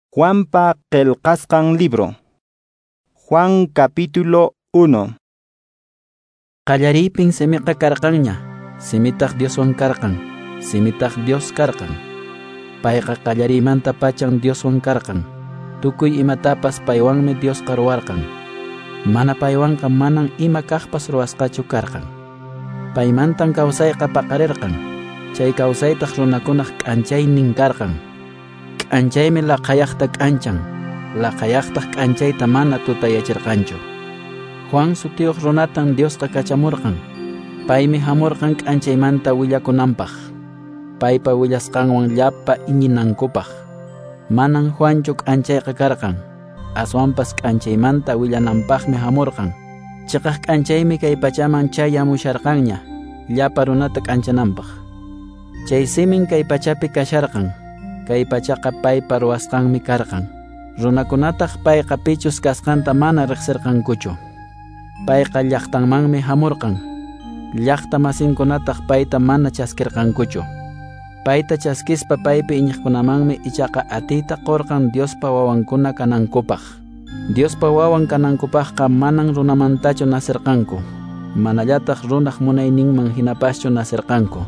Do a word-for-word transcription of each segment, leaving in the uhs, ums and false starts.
Juanpa qillqasqan libro. Juan capítulo uno. Qallariypin simiqa karqanña, simitaq Dioswan karqan, simitaq Dios karqan. Payqa qallariymanta pachan Dioswan karqan. Tukuy imatapas paywanmi Diosqa ruwarqan. Mana paywanqa manan ima kaqpas ruwasqachu karqan. Paymantan kawsayqa paqarirqan. Chay kawsaytaq runakunaq k'anchaynin karqan. K'anchaymi laqhayaqta k'anchan, laqhayaqtaq k'anchayta mana tutayachirqanchu. Juan sutiyuq runatan Diosqa kachamurqan. Paymi hamurqan k'anchaymanta willakunanpaq. Paypa willasqanwan llapa iñinankupaq. Manan Juanchu k'anchayqa karqan. Aswanpas k'anchaymanta willananpaqmi hamurqan. Chiqaq k'anchaymi kay pachaman chayamusharqanña, llapa runata k'anchananpaq. Chay simin kay pachapi kasharqan. Kay pachaqa paypa ruwasqanmi karqan. Runakunataq payqa pichus kasqanta mana riqsirqankuchu. Payqa llaqtanmanmi hamurqan. Llaqta masinkunataq payta mana chaskirqankuchu. Payta chaskispa paypi iñiqkunamanmi ichaqa atiyta qurqan Diospa wawankuna kanankupaq. Diospa wawan kanankupaqqa manan runamantachu nasirqanku. Manallataq runaq munayninman hinapaschu nasirqanku.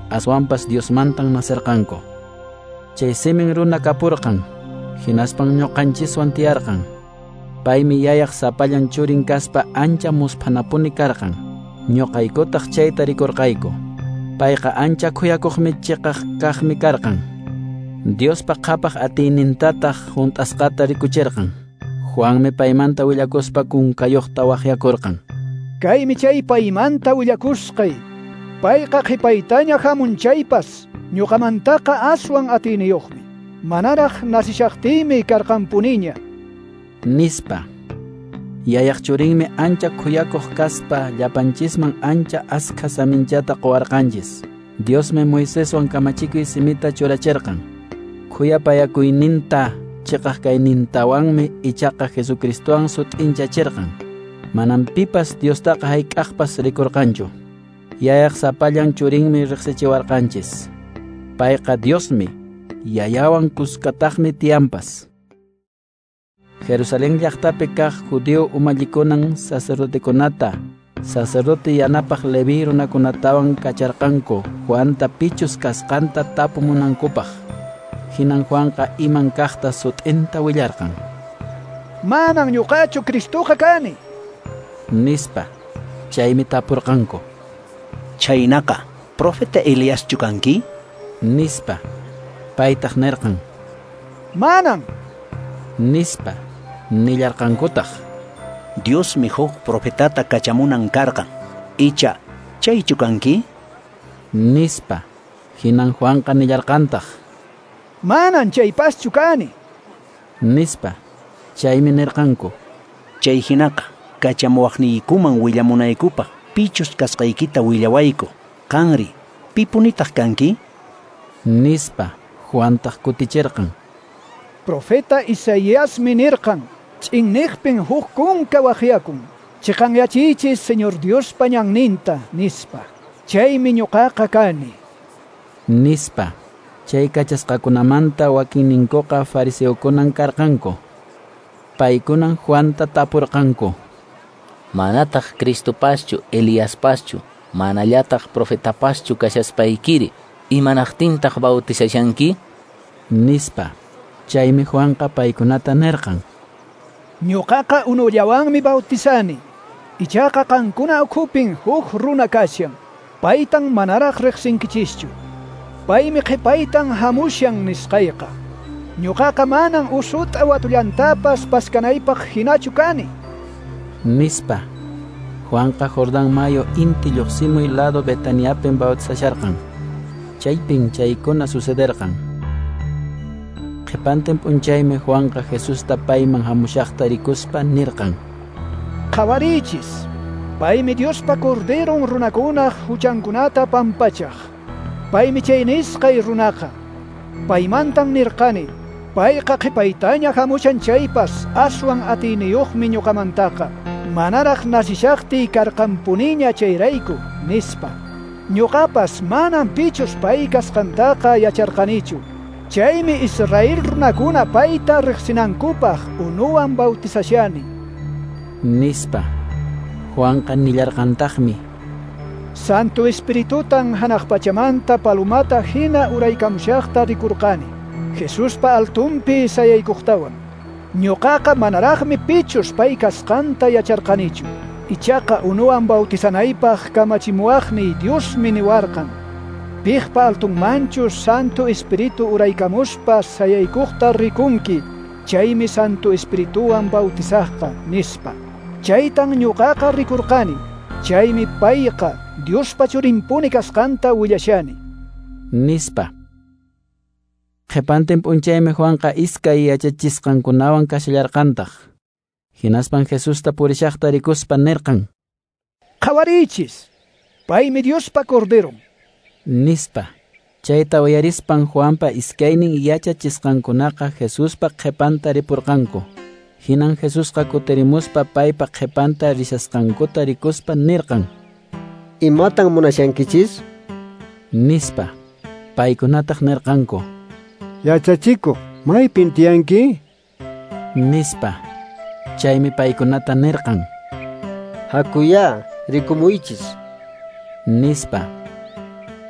Aswanpas Diosmantan nasirqanku. Chay simin runa kapurqan, hinaspan ñuqanchiswan tiyarqan. Paymi yayaq sapallan churin kaspa ancha musphanapuni karqan. Ñuqaykutaq chayta rikurqayku. Payqa ancha khuyakuqmi chiqaq kaqmi karqan. Diospa qhapaq atiynintataq hunt'asqata rikuchirqan. Juanmi paymanta willakuspa kunkayuqta waqyakurqan. Kaymi chay paymanta willakusqay. Payqa qhipaytaña hamun chaypas. Ñuqamantaqa aswan atiyniyuqmi. Manaraq nasishaqtiymi karqanpuniña. Nispa. Yayaq churinmi ancha khuyakuq kaspa llapanchisman ancha askha saminchata quwarqanchis. Diosmi Moiseswan kamachikuy simita churachirqan. Khuyapayakuyninta chiqaq kaynintawanmi ichaqa Jesucristowan sut'inchachirqan. Manan pipas Diostaqa hayk'aqpas rikurqanchu. Yayaq sapallan churinmi riqsichiwarqanchis. Payqa Diosmi, yayawan kuskataqmi tiyanpas. Jerusalén llaqtapi kaq judío umallikunan sacerdotekunata, sacerdote yanapaq Leví runakunatawan kacharqanku Juanta pichus kasqanta tapumunankupaq. Hinan Juanqa iman kaqta sut'inta willarqan. Manan ñuqachu Cristoqa kani, nispa. Chaymi tapurqanku. Chaynaqa, profeta Eliaschu kanki? Nispa. Paytaq nirqan. Manan, nispa. Nillarqankutaq. Diosmi huk profetata kachamunan karqan. Icha, chaychu kanki? Nispa. Hinan Juanqa nillarqantaq. Manan chaypaschu kani, nispa. Chaymi nirqanku. Chay hinaqa, kachamuwaqniykuman willamunaykupaq pichus kasqaykita willawayku. Qanri, pipunitaq kanki? Nispa. Juantaq kutichirqan. Profeta Isaíasmi nirqan, ch'inniqpin huk kunka waqyakun, chiqanyachiychis Señor Diospa ñanninta, nispa. Chaymi ñuqaqa kani, nispa. Chay kachasqakunamanta wakinninkuqa fariseokunan karqanku. Paykunan Juanta tapurqanku. Manataq Cristopaschu, Eliaspaschu, manallataq profetapaschu kashaspaykiri, imanaqtintaq bautizashanki? Nispa. Chaymi Juanqa paykunata nirqan. Ñuqaqa unullawanmi bautizani. Ichaqa qankuna ukhupin huk runa kashan. Paytan manaraq riqsinkichischu. Paymi qhipaytan hamushan nisqayqa. Ñuqaqa manan usut'a watullantapas paskanaypaq hinachu kani, nispa. Juanqa Jordán mayu inti lluqsimuy lado Betaniapin bautizasharqan. Chaypin chaykuna sucederqan. Qhipantin p'unchaymi Juanqa Jesusta payman hamushaqta rikuspa nirqan. Qhawariychis, paymi Diospa Corderon runakunaq huchankunata pampachaq. Paymi chay nisqay runaqa. Paymantan nirqani, payqa qhipaytaña hamushan chaypas aswan atiyniyuqmi ñuqamantaqa. Manaraq nasishaqtiy karqanpuniña chayrayku, nispa. Ñuqapas manan pichus pay kasqantaqa yacharqanichu. Chaymi Israel runakuna payta riqsinankupaq unuwan bautizashani. Nispa. Juanqa nillarqantaqmi: Santo Espiritutan hanaq pachamanta palomata hina uraykamushaqta rikurqani, Jesuspa altunpi sayaykuqtawan. Ñuqaqa manaraqmi pichus pay kasqanta yacharqanichu. Ichaqa unuwan bautizanaypaq kamachimuwaqniy Diosmi niwarqan: Piqpa altunmanchu Santo Espíritu uraykamuspa sayaykuqta rikunki, chaymi Santo Espirituwan bautizaqqa, nispa. Chaytan ñuqaqa rikurqani, chaymi payqa Diospa churinpuni kasqanta willashani. Nispa. Qhipantin p'unchaymi Juanqa iskay yachachisqankunawan kashallarqantaq. Hinaspan Jesusta purishaqta rikuspa nirqan: Qhawariychis, paymi Diospa Corderon. Nispa. Chayta uyarispan Juanpa iskaynin yachachisqankunaqa Jesuspa qhipanta ripurqanku. Hinan Jesusqa kutirimuspa paypa qhipanta rishasqankuta rikuspa nirqan: Imatan munashankichis? Nispa. Paykunataq nirqanku: Yachachikuq, maypin tiyanki? Nispa. Chaymi paykunata nirqan: Hakuyá, rikumuychis. Nispa.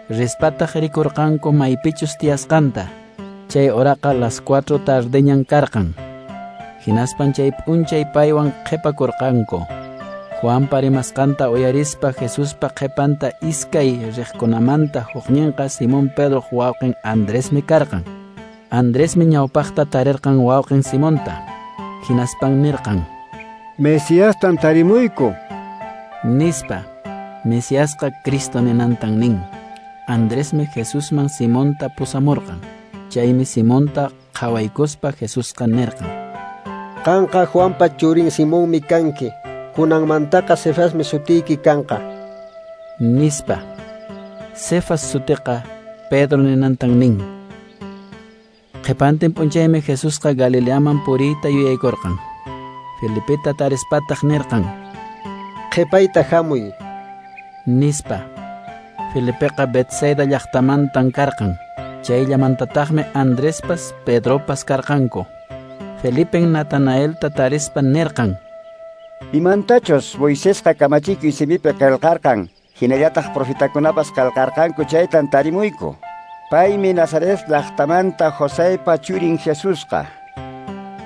Rispataq rikurqanku maypichus tiyasqanta. Chay horaqa las cuatro tardeñan karqan. Hinaspan chay p'unchay paywan qhipakurqanku. Juanpa rimasqanta uyarispa Jesuspa qhipanta iskay riqkunamanta hukninqa Simón Pedroq wawqin Andresmi karqan. Andresmi ñawpaqta tarirqan wawqin Simonta. Hinaspan nirqan: Mesiastan tarimuyku. Nispa. Mesiasqa Cristo ninantan nin. Andresmi Jesusman Simonta pusamurqan. Chaymi Simonta qhawaykuspa Jesusqa nirqan: Qanqa Juanpa churin Simonmi kanki. Kunanmantaqa Cefasmi sutiyki kanqa. Nispa. Cefas sutiqa Pedro ninantan nin. Qhipantin p'unchaymi Jesusqa Galileaman puriyta yuyaykurqan. Felipeta tarispataq nirqan: Qhipayta hamuy. Nispa. Felipeqa Betsaida llaqtamantan karqan. Chayllamantataqmi Andrespas Pedropas karqanku. Felipen Natanaelta tarispa nirqan: Imantachus Moisesqa kamachikuy simipi qillqarqan, hinallataq profetakunapas qillqarqanku chaytan tarimuyku. Paymi Nazaret llaqtamanta Joseypa churin Jesusqa.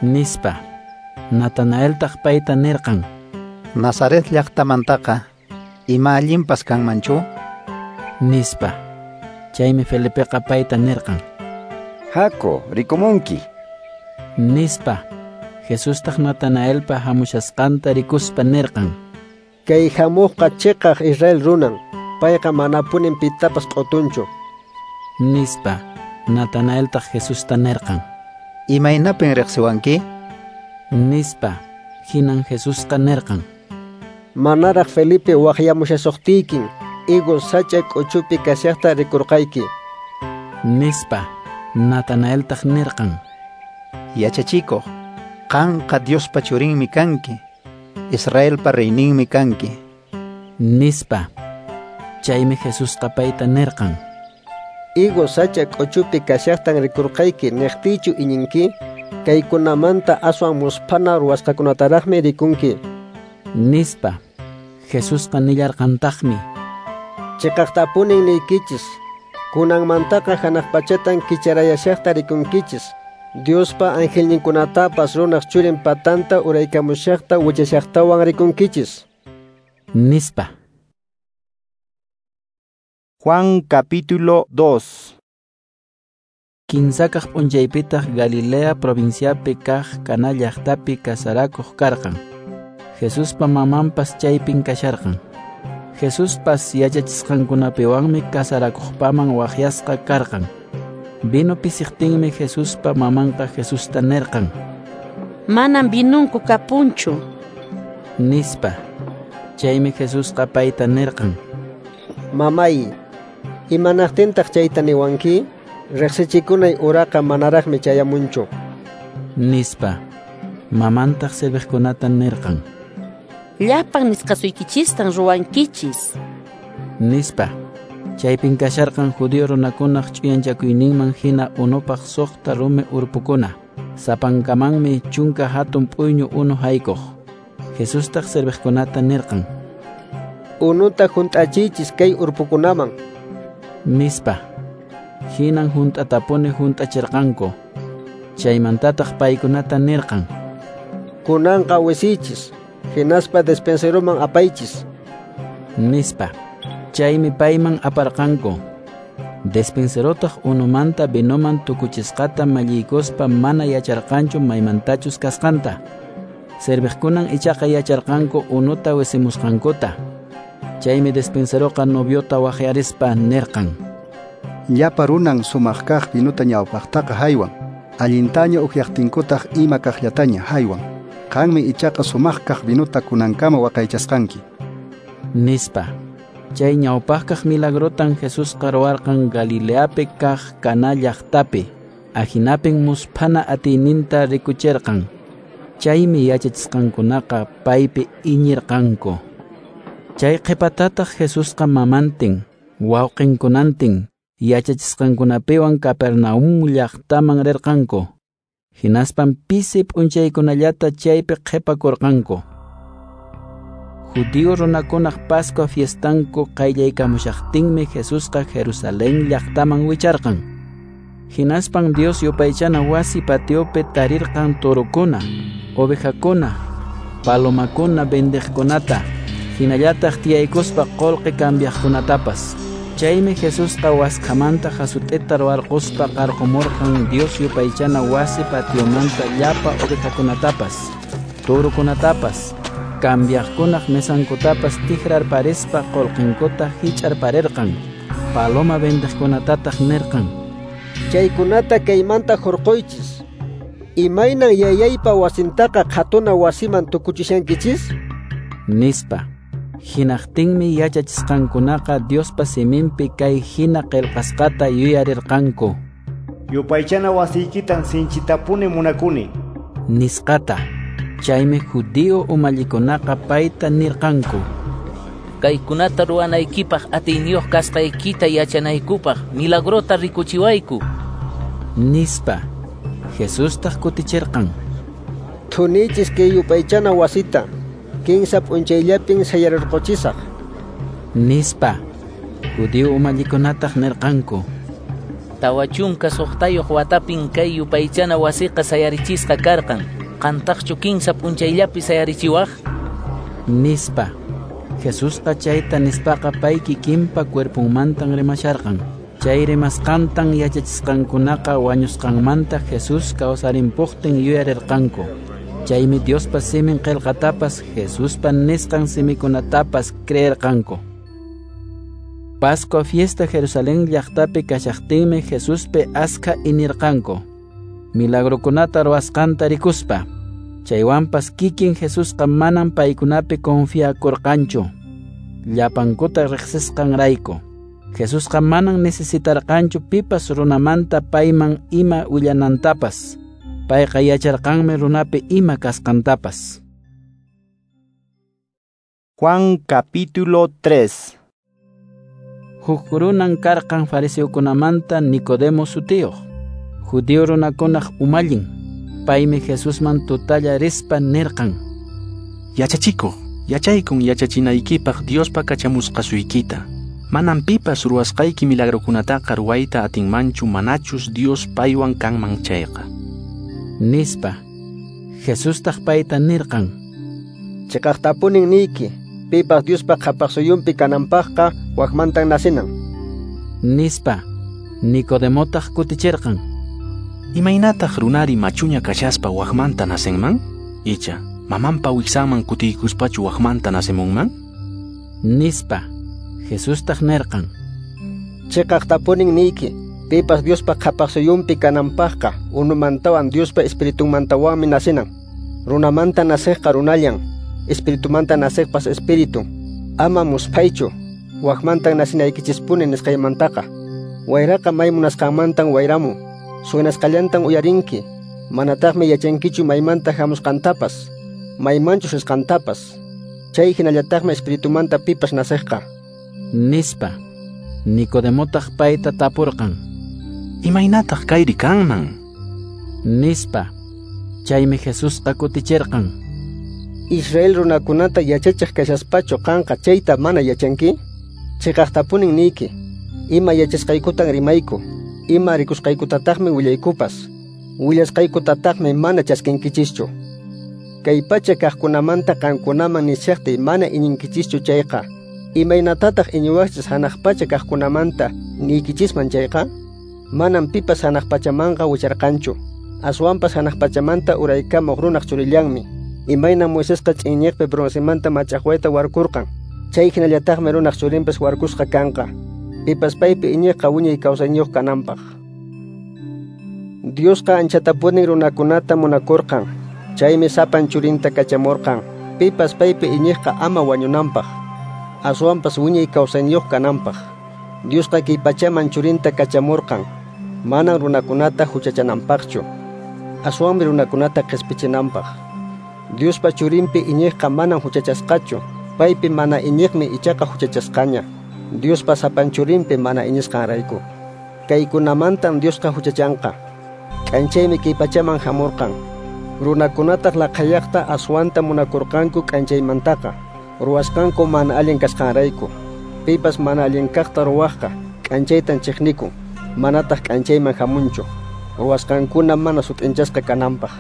Nispa. Natanaeltaq payta nirqan: Nazaret llaqtamantaqa ima allinpas kanmanchu? Nispa. Chaymi Felipeqa payta nirqan: Haku, rikumunki. Nispa. Jesustaq Natanaelpa hamushasqanta rikuspa nirqan: Kay hamuqqa chiqaq Israel runan, payqa manapunin pitapas q'utunchu. Nispa. Natanaeltaq Jesusta nirqan: Imaynapin riqsiwanki? Nispa. Hinan Jesusqa nirqan: Manaraq Felipe waqyamushasuqtiykin, higo sach'a k'uchupi kashaqta rikurqayki. Nispa. Natanaeltaq nirqan: Yachachikuq, qanqa Diospa churinmi kanki, Israelpa reyninmi kanki. Nispa. Chaymi Jesusqa payta nirqan: Higo sach'a k'uchupi kashaqtan rikurqayki niqtiychu iñinki? Kaykunamanta aswan musphana ruwasqakunataraqmi rikunki. Nispa. Jesusqa nillarqantaqmi: Chiqaqtapunin niykichis, kunanmantaqa hanaq pachatan kicharayashaqta rikunkichis, Diospa angelninkunatapas runaq churin patanta uraykamushaqta wichashaqtawan rikunkichis. Nispa. Juan capítulo dos. Kinsakaq p'unchaypitaq Galilea provinciapi kaq Caná llaqtapi kasarakuq karqan. Jesuspa mamanpas chaypin kasharqan. Jesuspas yachachisqankunapiwanmi kasarakuqpaman waqyasqa karqan. Vino pisiqtinmi Jesuspa mamanqa Jesusta nirqan: Manam vinunku kapunchu. Nispa. Chaymi Jesusqa payta nirqan: Mamay, imanaqtintaq chayta niwanki? Riqsichikunay uraqa manaraqmi chayamunchu. Nispa. Mamantaq serviqkunata nirqan: Llapan nisqasuykichistan ruwankichis. Nispa. Chaypin kasharqan judío runakunaq ch'uyanchakuyninman hina unupaq suqta rumi urpukuna. Sapankamanmi chunka hatun p'uyñu unu haykuq. Jesustaq serviqkunata nirqan: Unuta hunt'achiychis kay urpukunaman, nispa. Hinan hunt'atapuni hunt'achirqanku. Chaymantataq paykunata nirqan: Kunanqa wisiychis, hinaspa despenseroman apaychis, nispa. Chaymi payman aparqanku. Despenserotaq unumanta vinoman tukuchisqata malliykuspa mana yacharqanchu maymantachus kasqanta. Serviqkunan ichaqa yacharqanku unuta wisimusqankuta. Chaymi despenseroqa noviota waqyarispa nirqan: Llapa runan sumaq kaq vinuta ñawpaqtaqa haywan, allintaña ukyaqtinkutaq ima kaqllataña haywan. Qanmi ichaqa sumaq kaq vinuta kunankama waqaychasqanki, nispa. Chay ñawpaqkaq milagrotan Jesusqa ruwarqan Galileapi kaq Caná llaqtapi. Ahinapin musphana atiyninta rikuchirqan. Chaymi yachachisqankunaqa paypi iñirqanku. Chay qhipatataq Jesusqa mamantin, wawqinkunantin, yachachisqankunapiwan Capernaum llaqtaman rirqanku. Hinaspan pisi p'unchaykunallata chaypi qhipakurqanku. Judío runakunaq Pascua fiestanku qayllaykamushaqtinmi Jesusqa Jerusalén llaqtaman wicharqan. Hinaspan Dios yupaychana wasi patiopi tarirqan torokuna, ovejakuna, palomakuna vendeqkunata, hinallataq tiyaykuspa qullqi cambiaqkunatapas. Chaymi Jesusqa waskhamanta hasut'ita ruwarquspa qarqumurqan Dios yupaychana wasi patiomanta llapa ovejakunatapas, torokunatapas, cambiaqkunaq mesankutapas tikrarparispa qullqinkuta hich'arparirqan. Paloma vendeqkunatataq nirqan: Chaykunata kaymanta hurquychis. Imaynan yayaypa wasintaqa qhatuna wasiman tukuchishankichis, nispa. Hinaqtinmi yachachisqankunaqa Diospa siminpi kay hina qillqasqata yuyarirqanku: Yupaychana wasiykitan sinchitapuni munakuni, nisqata. Chaymi judío umallikunaqa payta nirqanku: Kaykunata ruwanaykipaq atiyniyuq kasqaykita yachanaykupaq milagrota rikuchiwayku, nispa. Jesustaq kutichirqan: Thunichis kay yupaychana wasita, kinsa p'unchayllapin sayarirquchisaq, nispa. Judío umallikunataq nirqanku: Tawa chunka suqtayuq watapin kay yupaychana wasiqa sayarichisqa karqan. Qantaqchu kinsa p'unchayllapi sayarichiwaq, nispa. Jesusqa chayta nispaqa pay kikinpa cuerponmantan rimasharqan. Chay rimasqantan yachachisqankunaqa wañusqanmanta Jesús kawsarimpuqtin yuyarirqanku. Chaymi Diospa simin qillqatapas Jesuspa nisqan simikunatapas creerqanku. Pascua fiesta Jerusalén llaqtapi kashaqtinmi Jesuspi askha inirqanku, milagrokunata ruwasqanta rikuspa. Chaywanpas kikin Jesusqa manan paykunapi confiakurqanchu, llapankuta riqsisqanrayku. Jesusqa manan necesitarqanchu pipas runamanta payman ima willanantapas. Payqa yacharqanmi runapi ima kasqantapas. Juan capítulo tres. Huk runan karqan fariseokunamanta Nicodemo sutiyuq, judío runakunaq umallin. Paymi Jesusman tutalla rispa nirqan: Yachachikuq, yachaykun yachachinaykipaq Diospa kachamusqasuykita. Manam pipas ruwasqayki milagrokunataqa ruwayta atinmanchu manachus Dios paywan kanman chayqa, nispa. Jesustaq payta nirqan: Chiqaqtapunin niyki, pipas Diospa qhapaqsuyunpi kananpaqqa wakmantan nacinan, nispa. Nicodemotaq kutichirqan: Imaynataq runari machuña kashaspa wakmanta nacenman? Icha, mamanpa wiksanman kutiykuspachu wakmanta nacemunman? Nispa. Jesustaq nirqan: Chiqaqtapunin niyki, pipas Diospa qhapaqsuyunpi kananpaqqa unumantawan Diospa espiritunmantawanmi nacinan. Runamanta naciqqa runallan, espiritumanta naciqpas espíritu. Ama musphaychu, wakmantan nacinaykichispuni nisqaymantaqa. Wayraqa may munasqanmantan wayramun, suenasqallantan uyarinki, manataqmi yachankichu maymanta hamusqantapas, maymanchus risqantapas. Chay hinallataqmi espiritumanta pipas naciqqa, nispa. Nicodemotaq payta tapurqan: Imaynataq kayri kanman? Nispa. Chaymi Jesusqa kutichirqan: Israel runakunata yachachiq kashaspachu qanqa chayta mana yachanki? Chiqaqtapunin niyki, ima yachasqaykutan rimayku, ima rikusqaykutataqmi willaykupas, willasqaykutataqmi mana chaskinkichischu. Kay pacha kaqkunamanta qankunaman nishaqtiy mana iñinkichischu chayqa, imaynatataq iñiwaqchis hanaq pacha kaqkunamanta niykichisman chayqa? Manam pipas hanaq pachamanqa wicharqanchu, aswanpas hanaq pachamanta uraykamuq runaq churillanmi. Imaynam Moisesqa ch'inñiqpi broncemanta mach'aqwayta warkurqan, chay hinallataqmi runaq churinpas warkusqa kanqa, pipas paypi iñiqqa wiñay kawsayniyuq kananpaq. Diosqa anchatapunin runakunata munakurqan, chaymi sapan churinta kachamurqan, pipas paypi iñiqqa ama wañunanpaq, aswanpas wiñay kawsayniyuq kananpaq. Diosqa kay pachaman churinta kachamurqan, manan runakunata huchachananpaqchu, aswanmi runakunata qispichinanpaq. Diospa churinpi iñiqqa manan huchachasqachu, paypi mana iñiqmi ichaqa huchachasqaña, Diospa sapan churinpi mana iñisqanrayku. Kaykunamantan Diosqa huchachanqa. K'anchaymi kay pachaman hamurqan. Runakunataq laqhayaqta aswanta munakurqanku k'anchaymantaqa, ruwasqanku mana allin kasqanrayku. Pipas mana allin kaqta ruwaqqa k'anchaytan chiqnikun, manataq k'anchayman hamunchu, ruwasqankuna mana sut'inchasqa kananpaq.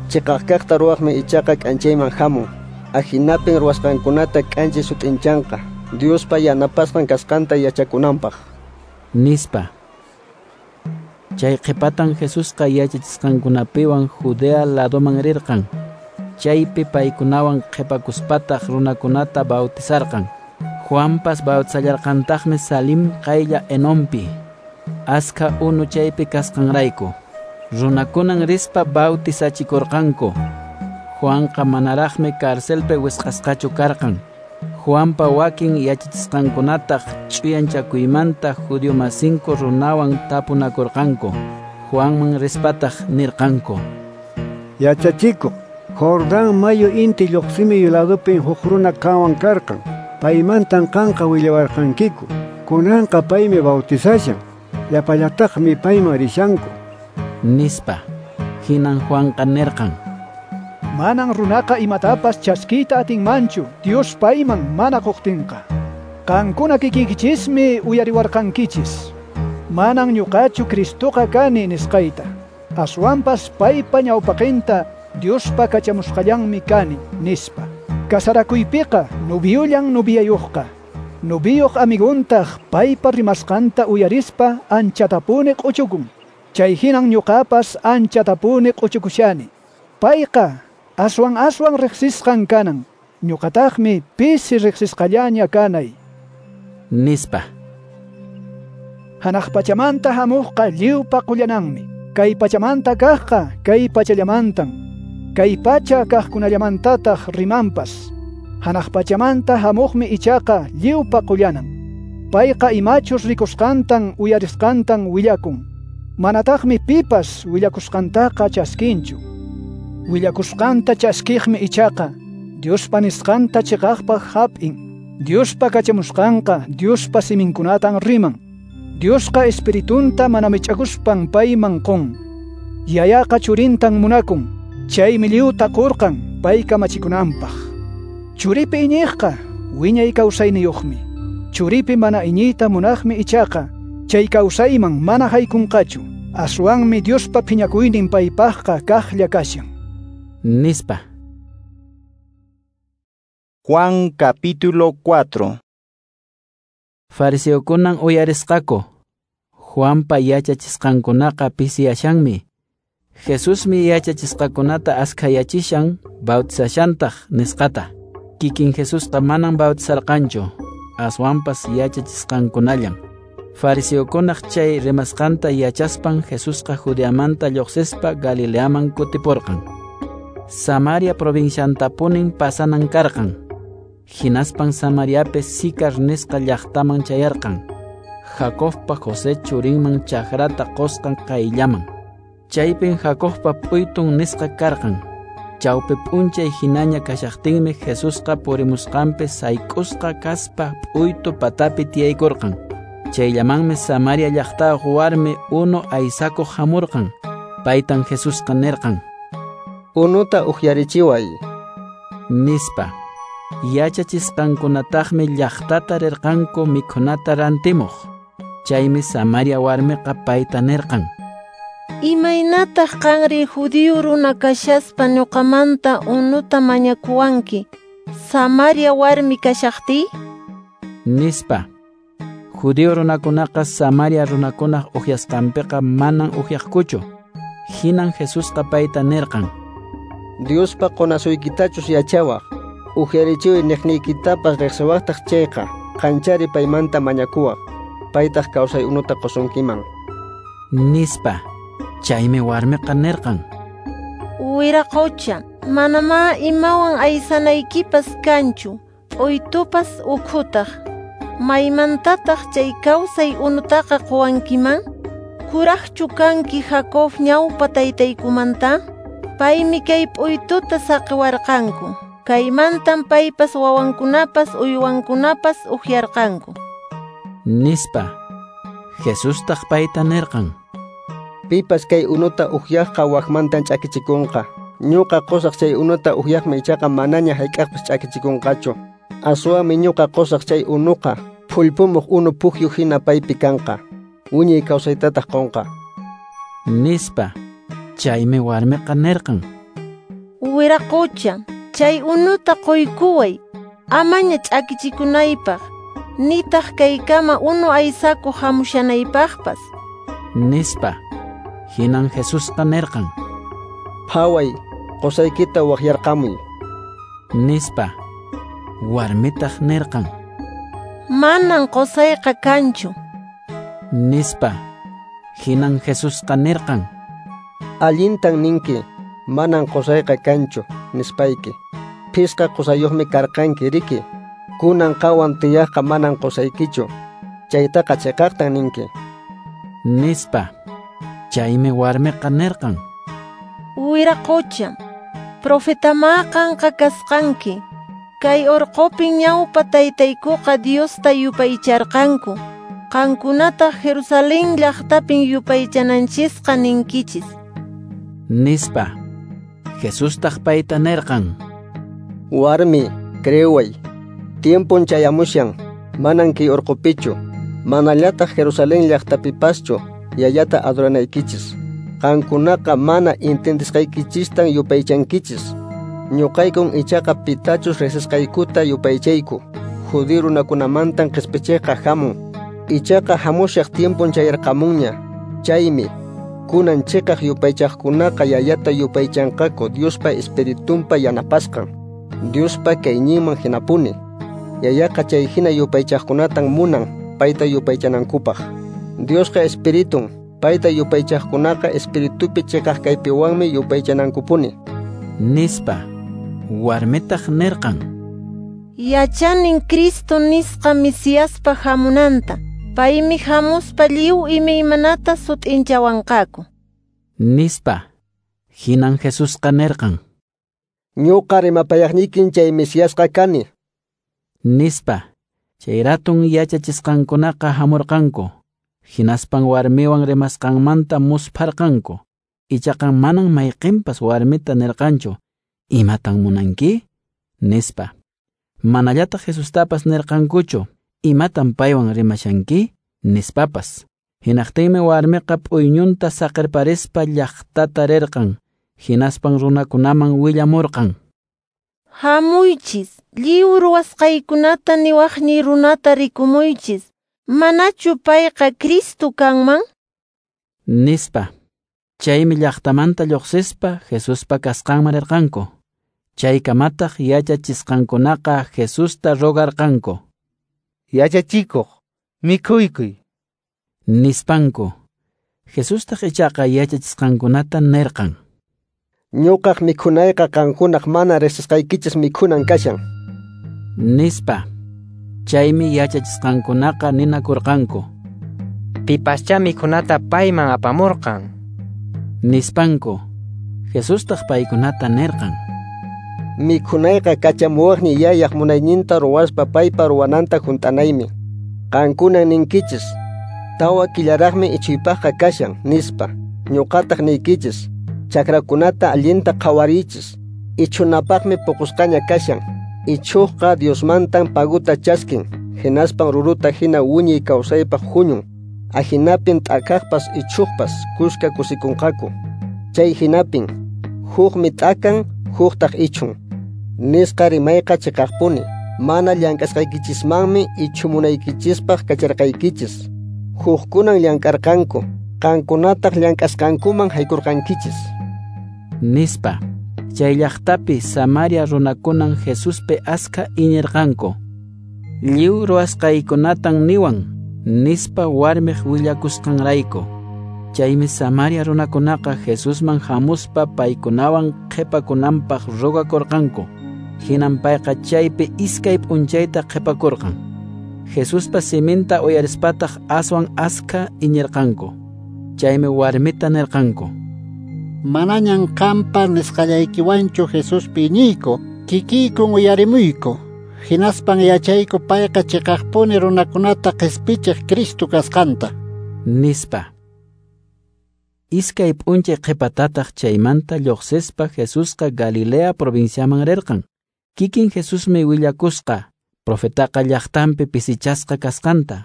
Chiqaq kaqta ruwaqmi ichaqa k'anchayman hamun, ahinapin ruwasqankunata k'anchay sut'inchanqa, Diospa yanapasqan kasqanta yachakunanpaq. Nispa. Chay qhipatan Jesusqa yachachisqankunapiwan Judea ladoman rirqan. Chaypi paykunawan qhipakuspataq runakunata bautizarqan. Juanpas bautizallarqantaqmi Salim qaylla Enompi, askha unu chaypi kasqanrayku. Runakunan rispa bautizachikurqanku. Juanqa manaraqmi carcelpi wisq'asqachu karqan. Juanpa wakin yachachisqankunataq ch'uyanchakuymanta judiomasinku runawan tapunakurqanku. Juanman rispataq nirqanku: Yachachikuq, Jordán mayu inti lluqsimiy ladupin huk runa qanwan karqan, paymantan qanqa willawarqankiku. Kunanqa paymi bautizashan, llapallataqmi payman rishanku. Nispa. Hinan Juanqa nirqan: Manan runaqa imatapas chaskiyta atinmanchu Dios payman mana quqtinqa. Qankuna kikiykichismi uyariwarqankichis. Manan ñuqachu Cristoqa kani nisqayta. Aswanpas paypa ñawpaqinta Diospa kachamusqallanmi kani, nispa. Kasarakuypiqa noviollan noviayuqqa. Noviyuq amiguntaq paypa rimasqanta uyarispa anchatapuni q'uchukun. Chay hinan ñuqapas anchatapuni q'uchukushani. Payqa aswan aswan riqsisqan kanan, ñuqataqmi pisi riqsisqallaña kanay. Nispa. Hanaq pachamanta hamuqqa lliwpa qullananmi. Kay pachamanta kaqqa kay pachallamantan, kay pacha kaqkunallamantataq rimanpas. Hanaq pachamanta hamuqmi ichaqa lliwpa qullanan. Payqa imachus rikusqantan uyarisqantan willakun. Manataqmi pipas willakusqantaqa chaskinchu. Willakusqanta chaskiqmi ichaqa Diospa nisqanta chiqaqpaq hap'in. Diospa kachamusqanqa Diospa siminkunatan riman. Diosqa espiritunta mana mich'akuspan payman qun. Yayaqa churintan munakun, chaymi lliwta qurqan pay kamachikunanpaq. Churipi iñiqqa wiñay kawsayniyuqmi. Churipi mana iñiyta munaqmi ichaqa chay kawsayman mana haykunqachu. Aswanmi Diospa phiñakuynin paypaqqa kaqlla kashan. Nispa. Juan capítulo cuatro. Fariseokunan uyarisqaku, Juanpa yachachisqankunaqa pisiyashanmi. Jesusmi yachachisqakunata askhayachishan, bautizashantaq nisqata. Kikin Jesusqa manan bautizarqanchu, aswanpas yachachisqankunallan. Fariseokunaq chay rimasqanta yachaspan Jesusqa Judeamanta lluqsispa Galileaman kutipurqan. Samaria provinciantapunin pasanan karqan. Hinaspan Samariapi Sicar nisqa llaqtaman chayarqan. Jacobpa José churinman chakrata qusqan qayllaman. Chaypin Jacobpa p'uytun nisqa karqan. Chawpi p'unchay hinaña kashaqtinmi Jesusqa purimusqanpi sayk'usqa kaspa p'uytu patapi tiyaykurqan. Chayllamanmi Samaria llaqtayuq warmi unu aysakuq hamurqan. Paytan Jesusqa nirqan: Unuta ukyarichiway, nispa. Yachachisqankunataqmi llaqtata rirqanku mikhunata rantimuq. Chaymi Samaria warmiqa payta nirqan: Imaynataq qanri judío runa kashaspa ñuqamanta unuta mañakuwanki, Samaria warmi kashaqtiy? Nispa. Judío runakunaqa Samaria runakunaq ukyasqanpiqa manan ukyaqkuchu. Hinan Jesusqa payta nirqan: Diospa qonasuykitachus yachawaq, ukyarichiway niqniykitapas riqsiwaqtaq chayqa, qanchari paymanta mañakuwaq, paytaq kawsay unuta qosunkiman, nispa. Chaymi warmiqa nirqan: Wiraqocha, manamá imawan aysanaykipas kanchu, p'uytupas ukhutaq. Maymantataq chay kawsay unutaqa qowankiman? Kuraqchu kanki Jacob ñawpa taytaykumanta? Paymi kay p'uytuta saqiwarqanku. Kaymantan paypas wawankunapas uywankunapas ukyarqanku, nispa. Jesustaq payta nirqan: Pipas kay unuta ukyaqqa wakmantan ch'akichikunqa. Ñuqa qusaq chay unuta ukyaqmi ichaqa manaña hayk'aqpas ch'akichikunqachu. Aswanmi ñuqa qusaq chay unuqa phullpumuq unu pukyu hina paypi kanqa, wiñay kawsaytataq qunqa, nispa. Chaymi warmiqa nirqan: Wiraqocha, chay unuta quykuway, amaña ch'akichikunaypaq, nitaq kaykama unu aysakuq hamushanaypaqpas, nispa. Hinan Jesusqa nirqan: Phaway, qusaykita waqyarqamuy, nispa. Warmitaq nirqan: Manan qusayqa kanchu, nispa. Hinan Jesusqa nirqan: Allintan ninki, manan qusayqa kanchu, nispayki. Phisqa qusayuqmi karqanki riki, kunan qawan tiyaqqa manan qusaykichu, chaytaqa chiqaqtan ninki, nispa. Chaymi warmiqa nirqan: Wiraqocha, profetamá qanqa kasqanki. Kay urqupin ñawpa taytaykuqa Diosta yupaycharqanku. Qankunataq Jerusalén llaqtapin yupaychananchisqa ninkichis, nispa. Jesustaq payta nirqan: Warmi, creeway, tiempon chayamushan, manan kay urqupichu, manallataq Jerusalén llaqtapipaschu yayata adoranaykichis. Qankunaqa mana intendisqaykichistan yupaychankichis. Ñuqaykun ichaqa pitachus riqsisqaykuta yupaychayku. Judío runakunamantan qispichiyqa hamun. Ichaqa hamushaq tiempon chayarqamunña. Chaymi kunan chiqaq yupaychaqkunaqa yayata yupaychanqaku Diospa Espiritunpa yanapasqan, Diospa kayninman hinapuni. Yayaqa chay hina yupaychaqkunatan munan payta yupaychanankupaq. Diosqa Espiritun, payta yupaychaqkunaqa Espiritupi chiqaq kaypiwanmi yupaychanankupuni, nispa. Warmitaq nirqan: Yachanin Cristo nisqa Mesiaspa hamunanta. Paymi hamuspa lliw imaymanata sut'inchawanqaku, nispa. Hinan Jesusqa nirqan: Ñuqa rimapayaqniykin chay Mesiasqa kani, nispa. Chay ratun yachachisqankunaqa hamurqanku. Hinaspan warmiwan rimasqanmanta muspharqanku. Ichaqa manan mayqinpas warmita nirqanchu: Imatan munanki? Nispa. Manallataq Jesustapas nirqankuchu: Imatan paywan rimashanki? Nispapas. Hinaqtinmi warmiqa p'uyñunta saqirparispa llaqtata rirqan. Hinaspan runakunaman willamurqan: Hamuychis, lliw ruwasqaykunata niwaqniy runata rikumuychis. Manachu payqa Cristo kanman? Nispa. Chaymi llaqtamanta lluqsispa Jesuspa kasqanman rirqanku. Chaykamataq yachachisqankunaqa Jesusta rogarqanku: Yachachikuq, mikhuykuy, nispanku. Jesustaq ichaqa yachachisqankunata nirqan: Ñuqaq mikhunayqa qankunaq mana riqsisqaykichis mikhunan kashan, nispa. Chaymi yachachisqankunaqa ninakurqanku: Pipaschá mikhunata payman apamurqan, nispanku. Jesustaq paykunata nirqan: Mikhunayqa kachamuwaqniy Yayaq munayninta ruwaspa paypa ruwananta hunt'anaymi. Qankunan ninkichis, tawa killaraqmi ichuypaqqa kashan, nispa. Ñuqataq niykichis, chakrakunata allinta qhawariychis, ichunapaqmi puqusqaña kashan. Ichuqqa Diosmantan paguta chaskin, hinaspan ruruta hina wiñay kawsaypaq huñun. Ahinapin t'akaqpas ichuqpas kuska kusikunqaku. Chay hinapin, hukmi t'akan, huktaq ichun. Nisqa rimayqa chiqaqpuni, mana llank'asqaykichismanmi ichumunaykichispaq kacharqaykichis. Hukkunan llank'arqanku, qankunataq llank'asqankuman haykurqankichis. Nispa. Chay llaqtapi Samaria runakunan Jesuspi askha iñirqanku. Lliw ruwasqaykunatan niwan, nispa warmiq willakusqanrayku. Chaymi Samaria runakunaqa Jesusman hamuspa paykunawan qhipakunanpaq rogakurqanku. Hinan payqa chaypi iskay p'unchayta qhipakurqan. Jesuspa siminta uyarispataq aswan askha iñirqanku. Chaymi warmita nirqanku: Manañan qampa nisqallaykiwanchu Jesuspi iñiyku, kikiykun uyarimuyku. Hinaspan yachayku payqa chiqaqpuni runakunata qispichiq Cristo kasqanta, nispa. Iskay p'unchay qhipatataq chaymanta lluqsispa Jesusqa Galilea provinciaman rirqan. Kikin Jesusmi willakusqa profetaqa llaqtanpi pisichasqa kasqanta.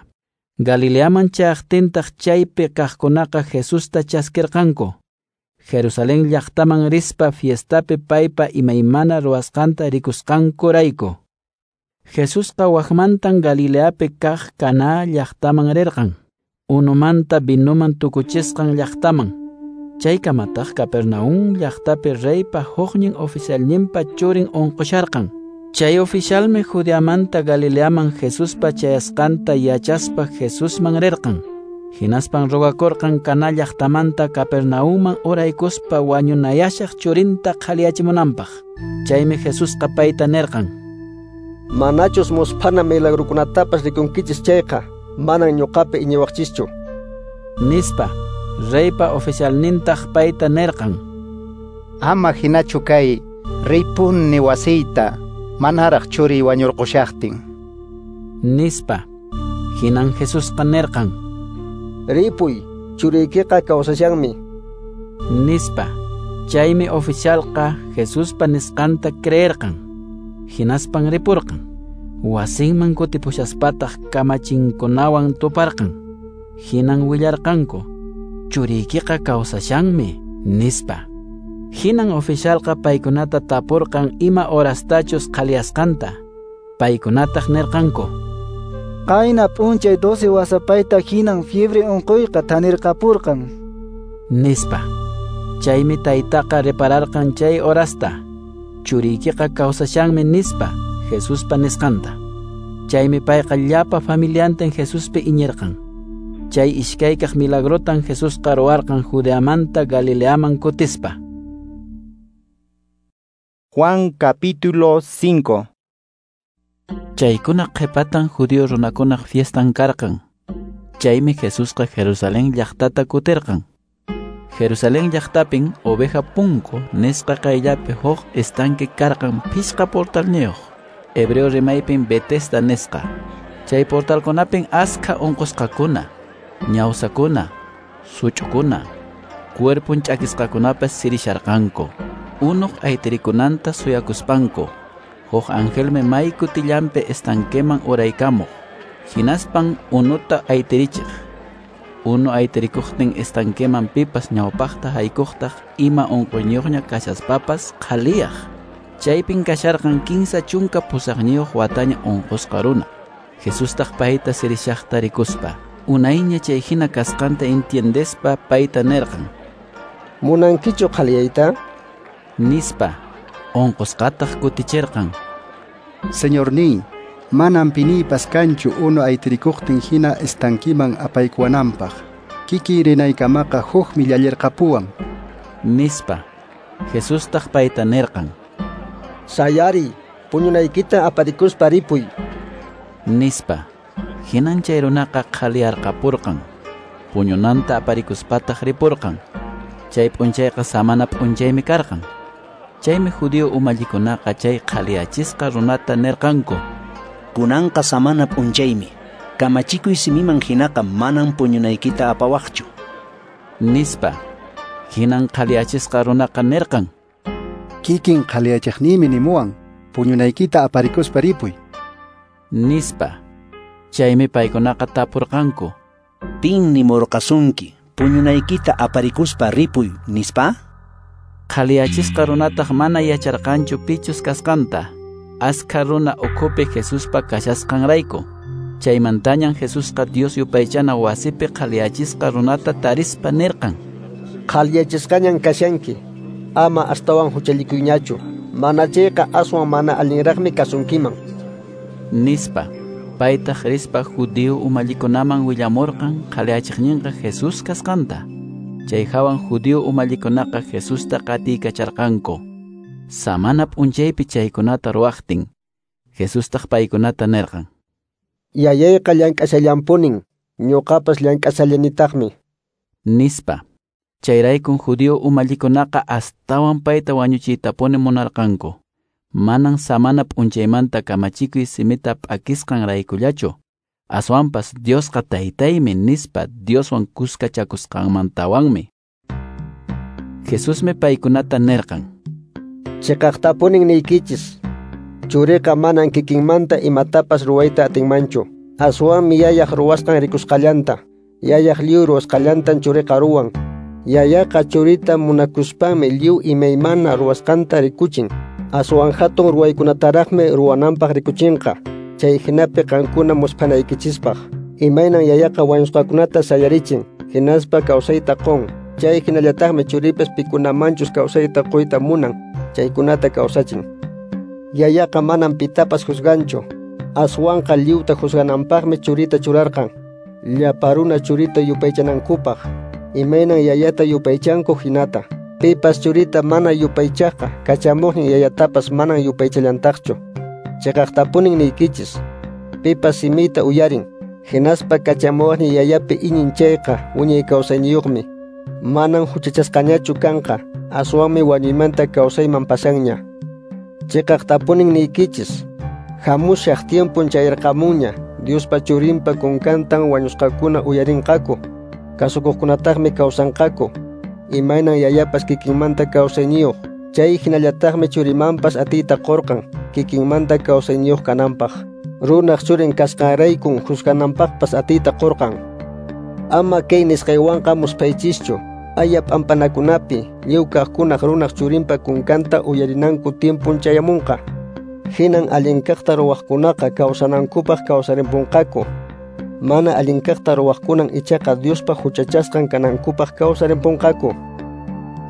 Galileaman chayaqtintaq chaypi kaqkunaqa Jesusta chaskirqanku. Jerusalén llaqtaman rispa fiestapi paypa imaymana ruwasqanta rikusqankurayku. Jesusqa waqmantan Galileapi kaq Caná llaqtaman rirqan, unumanta vinuman tukuchisqan llaqtaman. Chaykamataq Capernaum llaqtapi reypa huknin oficialninpa churin unqusharqan. Chay oficialmi Judeamanta Galileaman Jesuspa chayasqanta yachaspa Jesusman rirqan. Hinaspan rogakurqan Caná llaqtamanta Capernaumman uraykuspa wañunayashaq churinta qhaliyachimunanpaq. Chaymi Jesusqa payta nirqan: Manachus musphana milagrukunatapas rikunkichis chayqa, manan ñuqapi iñiwaqchischu, nispa. Reypa oficialnintaq payta nirqan: Ama hinachu kay, riypuni wasiyta, manaraq churiy wañurqushaqtin, nispa. Hinan Jesusqa nirqan: Ripuy, churiykiqa kawsashanmi, nispa. Chaymi oficialqa Jesuspa nisqanta creerqan. Hinaspan ripurqan. Wasinman kutipushaspataq kamachinkunawan tuparqan. Hinan willarqanku: Churiykiqa kawsashanmi, nispa. Hinan oficialqa paykunata tapurqan ima horastachus qhaliyasqanta. Paykunataq nirqanku: Qayna p'unchay doce wasapayta hinan fiebre unquyqa thanirqapurqan, nispa. Chaymi taytaqa repararqan chay horasta, churiykiqa kawsashanmi, nispa Jesuspa nisqanta. Chaymi payqa llapa familiantin Jesuspi iñirqan. Chay iskaykaq milagrotan Jesusqa ruwarqan Judeamanta Galileaman kutispa. Juan capítulo cinco. Chaykuna qhipatan judío runakunaq fiestan karqan. Chaymi Jesusqa Jerusalén llaqtata kutirqan. Jerusalén llaqtapin oveja punku nisqa qayllapi huk estanque karqan pishqa portalniyuq. Hebreo rimaypin Betesda nisqa. Chay portalkunapin askha unqusqakuna, ñawsakuna, such'ukuna, cuerpon ch'akisqakunapas sirisharqanku. Unuq aytirikunanta suyakuspanku. Huk angelmi may kutillanpi estanqueman uraykamuq. Hinaspan unuta aytirichiq. Unu aytirikuqtin estanqueman pipas ñawpaqta haykuqtaq ima unquyniyuqña kashaspapas qhaliyaq. Chaypin kasharqan kinsa chunka pusaqniyuq wataña unqusqa runa. Jesustaq payta sirishaqta rikuspa, unayña chay hina kasqanta entiendespa payta nirqan: Munankichu qhaliyayta? Nispa. Unqusqataq kutichirqan: Señorníy, manam piniypas kanchu unu aytirikuqtin hina estanquiman apaykuwananpaq. Kikiy rinaykamaqa hukmi llallirqapuwan, nispa. Jesustaq payta nirqan: Sayariy, puñunaykita aparikuspa ripuy, nispa. Hinan chay runaqa qhaliyarqapurqan. Puñunanta aparikuspataq ripurqan. Chay p'unchayqa samana p'unchaymi karqan. Chaymi judío umallikunaqa chay qhaliyachisqa runata nirqanku: Kunanqa samana p'unchaymi, Kamachikuy simiman hinaqa manan puñunaykita apawaqchu, nispa. Hinan qhaliyachisqa runaqa nirqan: Kikin qhaliyachiqniymi nimuwan, puñunaykita aparikuspa ripuy, nispa. Chaymi paykunaqa tapurqanku: Pin nimurqasunki puñunaykita aparikuspa ripuy, nispa? Qhaliyachisqa runataq mana yacharqanchu pichus kasqanta, askha runa ukhupi Jesuspa kashasqanrayku. Chaymantañan Jesusqa Dios yupaychana wasipi qhaliyachisqa runata tarispa nirqan: Qhaliyachisqañan kashanki, ama astawan huchallikuyñachu, mana chayqa aswan mana allinraqmi kasunkiman, nispa. Paytaq rispa judío umallikunaman willamurqan qhaliyachiqninqa Jesús kasqanta. Chay hawan judío umallikunaqa Jesusta qatiykacharqanku. Samana p'unchaypi chaykunata ruwaqtin, Jesustaq paykunata nirqan: Yayayqa llank'ashallanpunin, ñuqapas llank'ashallanitaqmi, nispa. Chayraykun judío umallikunaqa astawan payta wañuchiytapuni munarqanku. Manan samana p'unchaymanta kamachikuy simita p'akisqanraykullachu, aswanpas Diosqa taytaymi nispa Dioswan kuskachakusqanmantawanmi. Jesusmi paykunata nirqan: Chiqaqtapunin niykichis, churiqa manan kikinmanta imatapas ruwayta atinmanchu, aswanmi yayaq ruwasqan rikusqallanta. Yayaq lliw ruwasqallantan churiqa ruwan. Yayaqa churita munakuspanmi lliw imaymana ruwasqanta rikuchin, aswan hatun ruwaykunataraqmi ruwananpaq rikuchinqa, chay hinapi qankuna musphanaykichispaq. Imaynan yayaqa wañusqakunata sayarichin, hinaspa kawsayta qun, chay hinallataqmi churipas pikunamanchus kawsayta quyta munan, chaykunata kawsachin. Yayaqa manan pitapas juzganchu, aswanqa lliwta juzgananpaqmi churita churarqan, llapa runa churita yupaychanankupaq, imaynan yayata yupaychanku hinata. Pipas churita mana yupaychaqqa, kachamuqnin yayatapas manan yupaychallantaqchu. Chiqaqtapunin niykichis, pipas simiyta uyarin, hinaspa kachamuqnin yayapi iñin chayqa wiñay kawsayniyuqmi. Manan huchachasqañachu kanqa, aswanmi wañuymanta kawsayman pasanña. Chiqaqtapunin niykichis, hamushaq tiempon chayarqamunña, Diospa churinpa kunkantan wañusqakuna uyarinqaku, kasukuqkunataqmi kawsanqaku. Imaynan yayapas kikinmanta kawsayniyuq, chay hinallataqmi churimanpas atiyta qurqan kikinmanta kawsayniyuq kananpaq. Runaq churin kasqanraykun juzgananpaqpas atiyta qurqan. Ama kay nisqaywanqa musphaychischu, aya p'ampanakunapi lliw kaqkunaq runaq churinpa kunkanta uyarinanku tiempon chayamunqa. Hinan allin kaqta ruwaqkunaqa kawsanankupaq kawsarimpunqaku. Mana allin kaqta ruwaqkunan ichaqa Diospa huchachasqan kanankupaq kawsarimpunqaku,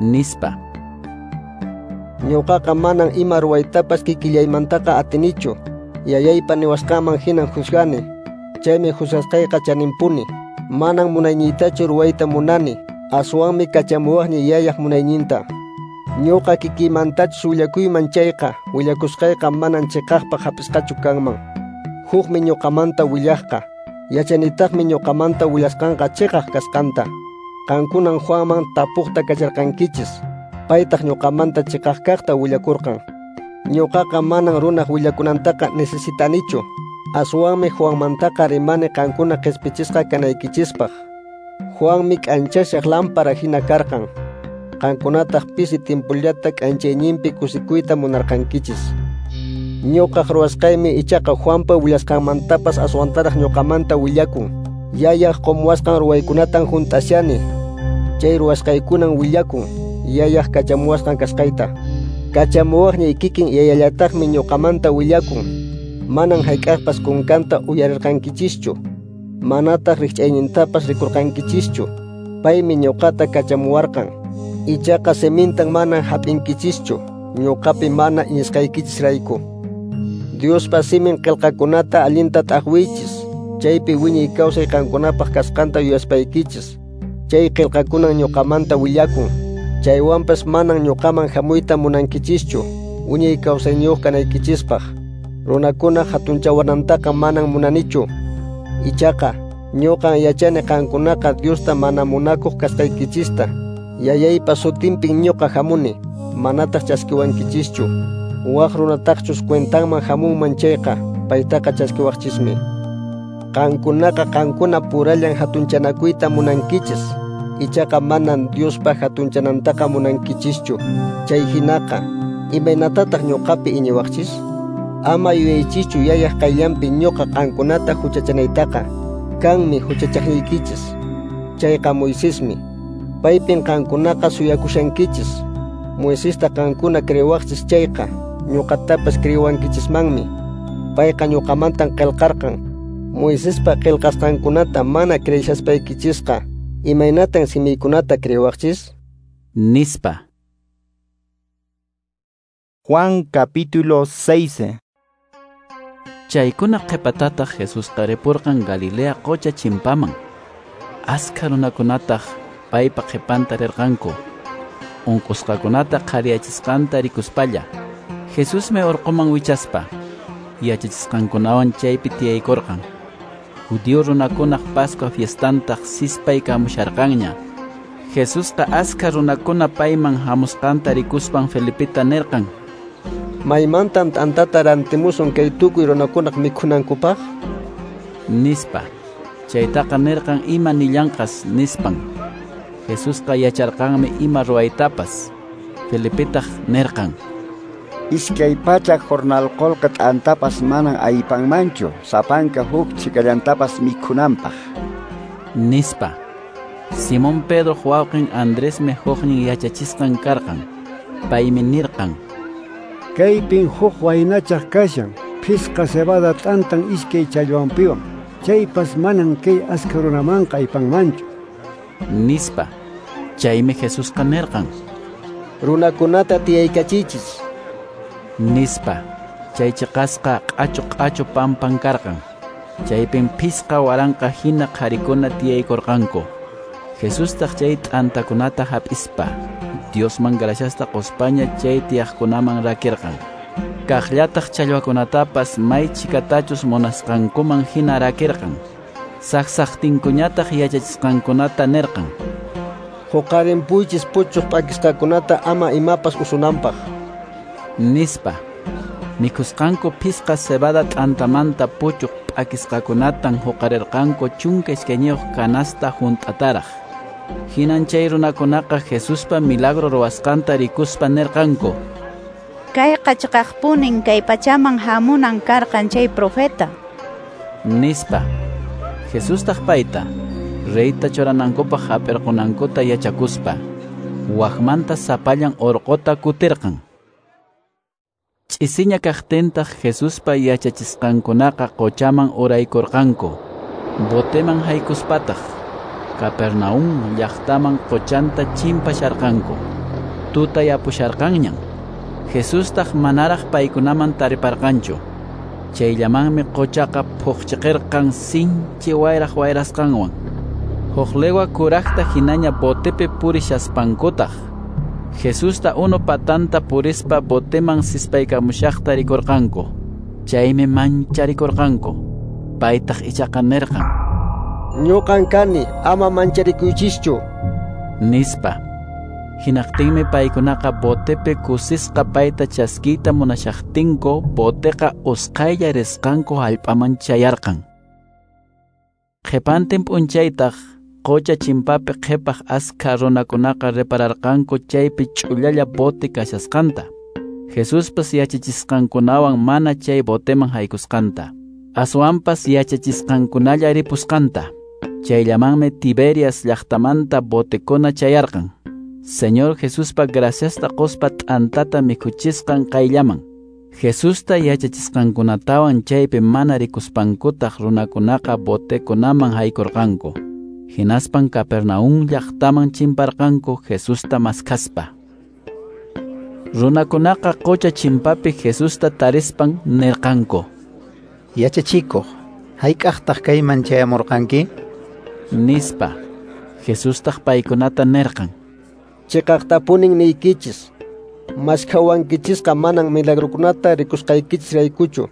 nispa. Ñuqaqa manan ima ruwaytapas kikillaymantaqa atinichu, yayaypa niwasqanman hinan juzgani, chaymi juzgasqayqa chaninpuni. Manan munayniytachu ruwayta munani, aswanmi kachamuwaqniy yayaq munayninta. Ñuqa kikiymantachus willakuyman chayqa, willakusqayqa manan chiqaqpaq hap'isqachu kanman. Hukmi ñuqamanta willaqqa, yachanitaqmi ñuqamanta willasqanqa chiqaq kasqanta. Qankunan Juanman tapuqta kacharqankichis, paytaq ñuqamanta chiqaq kaqta willakurqan. Ñuqaqa manan runaq willakunantaqa necesitanichu, aswanmi Juanmantaqa rimani qankuna qispichisqa kanaykichispaq. Juanmi k'anchashaq lámpara hina karqan, qankunataq pisi timpullata k'anchayninpi kusikuyta munarqankichis. Ñuqaq ruwasqaymi ichaqa Juanpa willasqanmantapas aswantaraq ñuqamanta willakun. Yayaq qumuwasqan ruwaykunatan hunt'ashani, chay ruwasqaykunan willakun yayaq kachamuwasqan kasqayta. Kachamuwaqniy kikin yayallataqmi ñuqamanta willakun. Manan hayk'aqpas kunkanta uyarirqankichischu, manataq rikch'aynintapas rikurqankichischu. Paymi ñuqata kachamuwarqan, ichaqa simintan manan hap'inkichischu, ñuqapi mana iñisqaykichisrayku. Diospa simin qillqakunata allinta t'aqwiychis, chaypi wiñay kawsay qankunapaq kasqanta yuyaspaykichis. Chay qillqakunan ñuqamanta willakun, chaywanpas manan ñuqaman hamuyta munankichischu, wiñay kawsayniyuq kanaykichispaq. Runakuna hatunchawanantaqa manan munanichu. Ichaqa ñuqan yachani qankunaqa Diosta mana munakuq kasqaykichista. Yayaypa sutinpin ñuqa hamuni, manataq chaskiwankichischu. Waq runataqchus cuentanman hamunman chayqa, paytaqa chaskiwaqchismi. Qankunaqa qankuna purallan hatunchanakuyta munankichis, ichaqa manan Diospa hatunchanantaqa munankichischu. Chay hinaqa, imaynatataq ñuqapi iñiwaqchis? Ama yuyaychischu yayaq qayllanpi ñuqa qankunata huchachanaytaqa. Kanmi huchachaqniykichis. Chayqa Moisesmi. Paypin qankunaqa suyakushankichis. Moisesta qankuna creewaqchis chayqa, ñuqatapas creewankichismanmi. Payqa ñuqamantan qillqarqan. Moisespa qillqasqankunata mana creeshaspaykichisqa, imaynatan simiykunata creewaqchis? Nispa. Juan capítulo seis. Chaykuna qhipatataq Jesusqa ripurqan Galilea qocha chimpaman. Askha runakunataq paypa qhipanta rirqanku. Unqusqakunata qhariyachisqanta rikuspalla, Jesusmi urquman wichaspa yachachisqankunawan chaypi tiyaykurqan. Judío runakunaq Pascua fiestantaq sispaykamusharqanña. Jesusqa askha runakuna payman hamusqanta rikuspan Felipeta nirqan: Maymantan t'antata rantimusun kay tukuy runakunaq mikhunankupaq? Nispa. Chaytaqa nirqan ima nillanqas nispan. Jesusqa yacharqanmi ima ruwaytapas. Felipetaq nirqan: Iskay pachak jornal qolqe t'antapas manan aypanmanchu, sapanka huk chikallantapas mikhunanpaq. Nispa. Simón Pedro wawqin Andresmi huknin yachachisqan karqan. Paymi nirqan: Kaypin huk waynachaq kashan, phisqa cebada t'antan iskay challwanpiwan. Chaypas manan kay askha runamanqa aypanmanchu. Nispa. Chaymi Jesusqa nirqan: Runakunata tiyaykachiychis. Nispa. Chay chiqasqa q'achu q'achu pampan karqan. Chaypin phisqa waranqa hina qharikuna tiyaykurqanku. Jesustaq chay t'antakunata hap'ispa, Diosman graciasta quspaña chay tiyaqkunaman rakirqan. Kaqllataq challwakunatapas may chikatachus munasqankuman hina rakirqan. Saqsaqtinkuñataq yachachisqankunata nirqan: Huqarinpuychis puchuq p'akisqakunata ama imapas usunanpaq. Nispa. Mikhusqanku phisqa cebada t'antamanta puchuq p'akisqakunatan huqarirqanku chunka iskayniyuq canasta hunt'ataraq. Hinan chay runakunaqa Jesuspa milagro ruwasqanta rikuspa nirqanku: Kayqa chiqaqpunin kay pachaman hamunan karqan chay profeta. Nispa. Jesustaq payta reyta churanankupaq hap'irqunankuta yachakuspa, wakmanta sapallan urquta kutirqan. Ch'isiña kaqtintaq Jesuspa yachachisqankunaqa qochaman uraykurqanku. Boteman haykuspataq Capernaum llaqtaman qochanta chimpasharqanku. Tutayapusharqanñan. Jesustaq manaraq paykunaman tariparqanchu. Chayllamanmi qochaqa phuqchiqirqan sinchi wayraq wayrasqanwan. Huk legua kuraqta hinaña botepi purishaspankutaq, Jesusta unu patanta purispa boteman sispaykamushaqta rikurqanku. Chaymi mancharikurqanku. Paytaq ichaqa nirqan: Ñuqan kani, ama mancharikuychischu. Nispa. Hinaqtinmi paykunaqa botepi kusisqa payta chaskiyta munashaqtinku, boteqa usqhaylla risqanku hallp'aman chayarqan. Qhipantin p'unchaytaq qocha chimpapi qhipaq askha runakunaqa repararqanku chaypi ch'ullalla bote kashasqanta. Jesuspas yachachisqankunawan mana chay boteman haykusqanta, aswanpas yachachisqankunalla ripusqanta. Chayllamanmi Tiberias llaqtamanta botekuna chayarqan. Señor Jesuspa graciasta quspa t'antata mikhuchisqan qayllaman. Jesusta yachachisqankunatawan chaypi mana rikuspankutaq runakunaqa botekunaman haykurqanku. Hinaspan Capernaum llaqtaman chimparqanku Jesusta maskhaspa. Runakunaqa qocha chimpapi Jesusta tarispan nirqanku: Yachachikuq, hayk'aqtaq kayman chayamurqanki? Nispa. Jesustaq paykunata nirqan: Chiqaqtapunin niykichis, maskhawankichisqa manan milagrokunata rikusqaykichisraykuchu,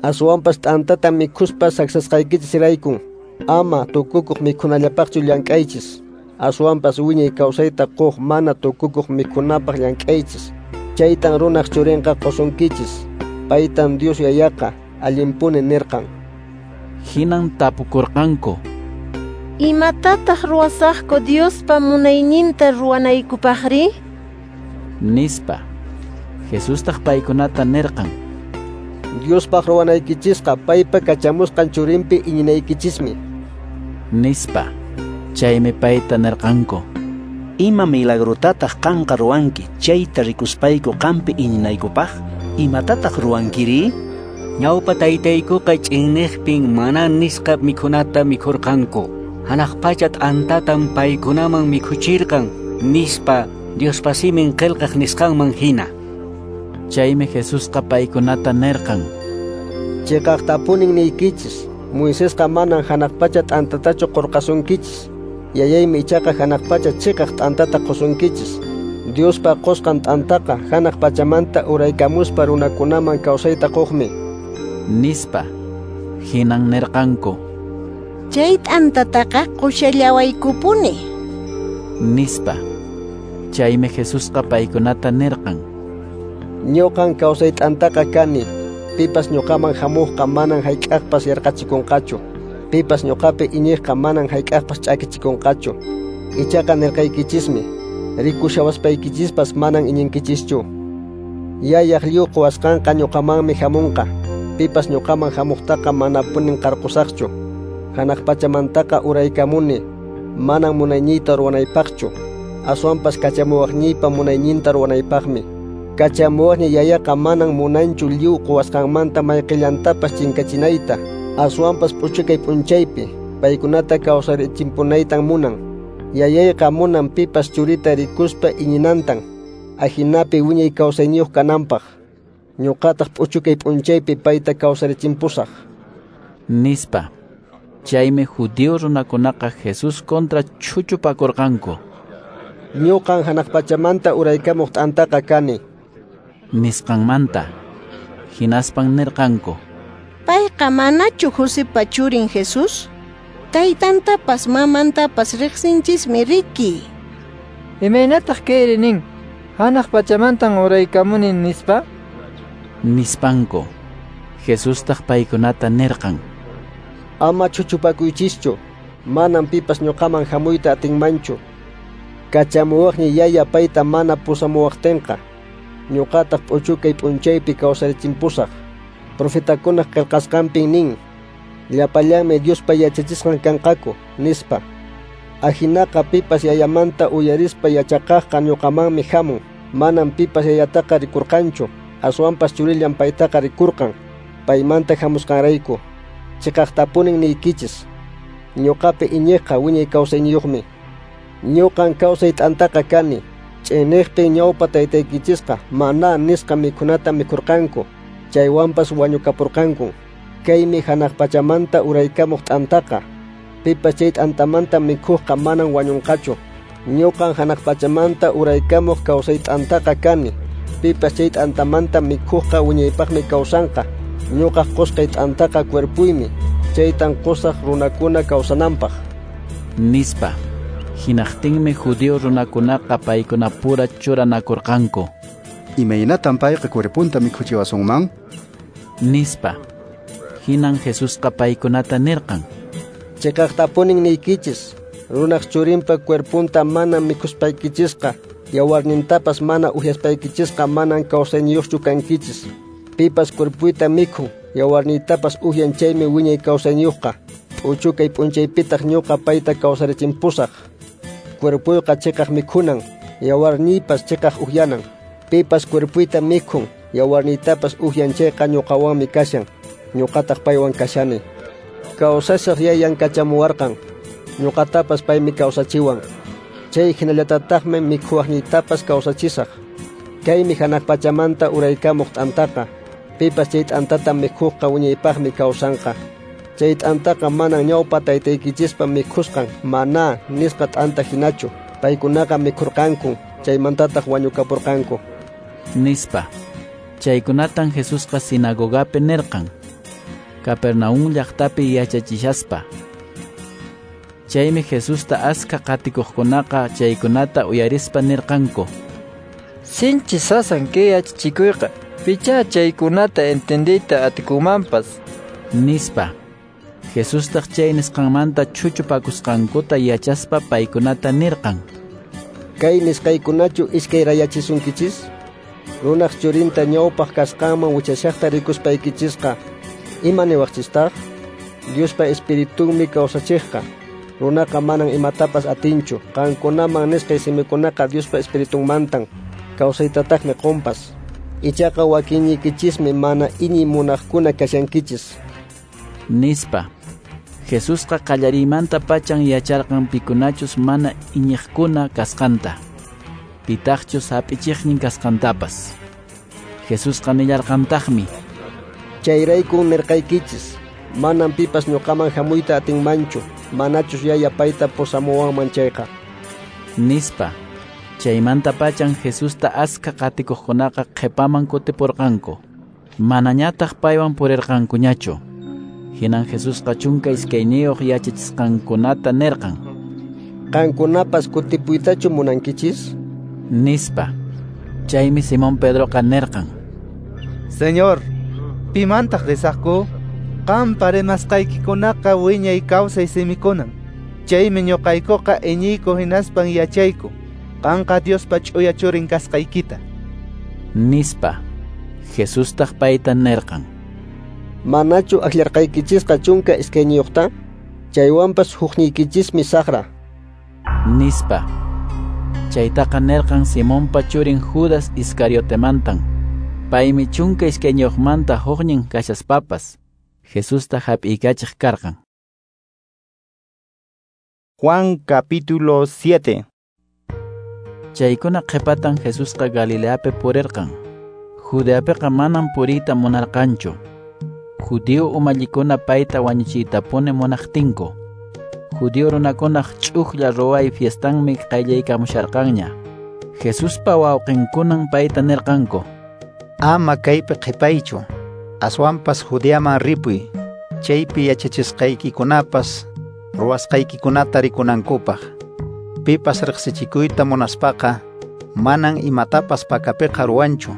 aswanpas t'antata mikhuspa saksasqaykichisraykun. Ama tukukuq mikhunallapaqchu llank'aychis, aswanpas wiñay kawsayta quq mana tukukuq mikhunapaq llank'aychis. Chaytan runaq churinqa qusunkichis. Paytan Dios yayaqa allinpuni nirqan. Hinan tapukurqanku: Imatataq ruwasaqku Diospa munayninta ruwanaykupaqri? Nispa. Jesustaq paykunata nirqan: Diospaq ruwanaykichisqa paypa kachamusqan churinpi iñinaykichismi, nispa. Chaymi payta nirqanku: Ima milagrotataq qanqa ruwanki chayta rikuspayku qampi iñinaykupaq? Imatataq ruwankiri? Ñawpa taytaykuqa ch'inniqpin maná nisqa mikhunata mikhurqanku. Hanaq pacha t'antatam paykunaman mikhuchirqan, nispa Diospa simin qillqaq nisqanman hina. Chaymi Jesusqa paykunata nirqan: Chiqaqtapunin niykichis, Moisesqa manan hanaq pacha t'antatachu qurqasunkichis. Yayaymi ichaqa hanaq pacha chiqaq t'antata qusunkichis. Diospa qusqan t'antaqa hanaq pachamanta uraykamuspa runakunaman kawsayta quqmi, nispa. Hinan nirqanku: Chay t'antataqa qushallawaykupuni, nispa. Chaymi Jesusqa paykunata nirqan: Ñuqan kawsay t'antaqa kani. Pipas ñuqaman hamuqqa manan hayk'aqpas yarqachikunqachu. Pipas ñuqapi iñiqqa manan hayk'aqpas ch'akichikunqachu. Ichaqa nirqaykichismi, rikushawaspaykichishpas manan iñinkichischu. Yayaq lliw quwasqanqa ñuqamanmi hamunqa. Pipas ñuqaman hamuqtaqa manapunin qarqusaqchu. Hanaq pachamantaqa uraykamuni, manan munayniyta ruwanaypaqchu, aswanpas kachamuwaqniypa munayninta ruwanaypaqmi. Kachamuwaqni yayaqa manan munanchu lliw quwasqanmanta mayqillantapas chinkachinayta, aswanpas p'uchukay p'unchaypi paykunata kawsarichimpunaytan munan. Yayayqa munan pipas churita rikuspa iñinantan, ahinapi wiñay kawsayniyuq kananpaq. Ñuqataq p'uchukay p'unchaypi payta kawsarichimpusaq, nispa. Chaymi judío runakunaqa Jesús contra chuchupakurqanku. Ñuqan hanaq pachamanta uraykamuq t'antaqa kani, nisqanmanta. Hinaspan nirqanku: Payqa manachu Josepa churin Jesús? Taytantapas mamantapas riqsinchismi riki. Imaynataq kayri nin, hanaq pachamantan uraykamuni, nispa? Nispanku. Jesustaq paykunata nirqan: Ama chuchupakuychischu, manan pipas ñuqaman hamuyta atinmanchu. Kachamuwaqni yaya payta mana pusamuwaqtinqa, ñuqataq p'uchukay p'unchaypi kawsarichimpusaq. Profetakunaq qillqasqanpin nin, llapallanmi Diospa yachachisqan kanqaku, nispa. Ahinaqa pipas yayamanta uyarispa yachaqaqqa ñuqamanmi hamun. Manan pipas yayataqa rikurqanchu, aswanpas churillan paytaqa rikurqan, paymanta hamusqanrayku. Chiqaqtapunin niykichis, ñuqapi iñiqqa wiñay kawsayniyuqmi. Ñuqan kawsay t'antaqa kani. Ch'inniqpin ñawpa taytaykichisqa maná nisqa mikhunata mikhurqanku, chaywanpas wañukapurqanku. Kaymi hanaq pachamanta uraykamuq t'antaqa. Pipas chay t'antamanta mikhuqqa manan wañunqachu. Ñuqan hanaq pachamanta uraykamuq kawsay t'antaqa kani. Pipas chay t'antamanta mikhuqqa wiñaypaqmi kawsanqa. Ñuqaq qusqay t'antaqa cuerpuymi, chaytan qusaq runakuna kawsananpaq, nispa. Hinaqtinmi judío runakunaqa paykunapura churanakurqanku: Imaynatan payqa cuerpunta mikhuchiwasunman? Nispa. Hinan Jesusqa paykunata nirqan: Chiqaqtapunin niykichis, runaq churinpa cuerpunta mana mikhuspaykichisqa, yawarnintapas mana uhyaspaykichisqa manan kawsayniyuqchu kankichis. Pipas cuerpuyta mikhun, yawarniytapas uhyan chaymi wiñay kawsayniyuqqa. P'uchukay p'unchaypitaq ñuqa payta kawsarichimpusaq. Cuerpuyqa chiqaq mikhunan, yawarniypas chiqaq uhyanan. Pipas cuerpuyta mikhun, yawarniytapas uhyan chayqa ñuqawanmi kashan, ñuqataq paywan kashani. Kawsashaq yayan kachamuwarqan, ñuqatapas paymi kawsachiwan. Chay hinallatataqmi mikhuwaqniytapas kawsachisaq. Kaymi hanaq pachamanta uraykamuq t'antaqa. Pipas chay t'antata mikhuqqa wiñaypaqmi kawsanqa. Chay t'antaqa manan ñawpa taytaykichispa mikhusqan maná nisqa t'anta hinachu. Paykunaqa mikhurqanku, chaymantataq wañukapurqanku, nispa. Chaykunatan Jesusqa sinagogapi nirqan, Capernaum llaqtapi yachachishaspa. Chaymi Jesusta askha qatikuqkunaqa chaykunata uyarispa nirqanku: Sinchi sasan kay yachachikuyqa, pichá chaykunata entendiyta atikunmanpas, nispa. Jesustaq chay nisqanmanta chuchupakusqankuta yachaspa paykunata nirqan: Kay nisqaykunachu iskayrayachisunkichis? Runaq churinta ñawpaq kasqanman wichashaqta rikuspaykichisqa, ima niwaqchistaq? Diospa espiritunmi kawsachiqqa. Runaqa manan imatapas atinchu. Qankunaman nisqay simikunaqa Diospa espiritunmantan, kawsaytataqmi qunpas. Ichaqa wakinniykichismi mana iñiy munaqkuna kashankichis, nispa. Jesusqa qallariymanta pachan yacharqan pikunachus mana iñiqkuna kasqanta, pitaqchus hap'ichiqnin kasqantapas. Jesusqa nillarqantaqmi: Chayraykun nirqaykichis, manan pipas ñuqaman hamuyta atinmanchu, manachus Yaya payta pusamuwanman chayqa, nispa. Chaymanta pachan Jesusta askha qatikuqkunaqa qhipaman kutipurqanku, manañataq paywan purirqankuñachu. Hinan Jesusqa chunka iskayniyuq yachachisqankunata nirqan: Qankunapas kutipuytachu munankichis? Nispa. Chaymi Simón Pedroqa nirqan: Señor, pimantaq risaqku? Qampa rimasqaykikunaqa wiñay kawsay simikunan. Chaymi ñuqaykuqa iñiyku hinaspan yachayku qanqa Diospa ch'uya churin kasqaykita, nispa. Jesustaq payta nirqan: Manachu akllarqaykichisqa chunka iskayniyuqta? Chaywanpas hukniykichismi saqra, nispa. Chaytaqa nirqan Simonpa churin Judas Iscariotemantan. Paymi chunka iskayniyuqmanta huknin kashaspapas Jesusta hap'iykachiq karqan. Juan capítulo siete. Chaykuna qhipatan Jesusqa Galileapi purirqan. Judeapiqa manan puriyta munarqanchu, Judío umallikuna payta wañuchiytapuni munaqtinku. Judío runakunaq ch'ujlla ruway fiestanmi qayllaykamusharqanña. Jesuspa wawqinkunan payta nirqanku: Ama kaypi qhipaychu, aswanpas Judeaman ripuy, chaypi yachachisqaykikunapas ruwasqaykikunata rikunankupaq. Pipas riqsichikuyta munaspaqa manan imatapas pakapiqa ruwanchu.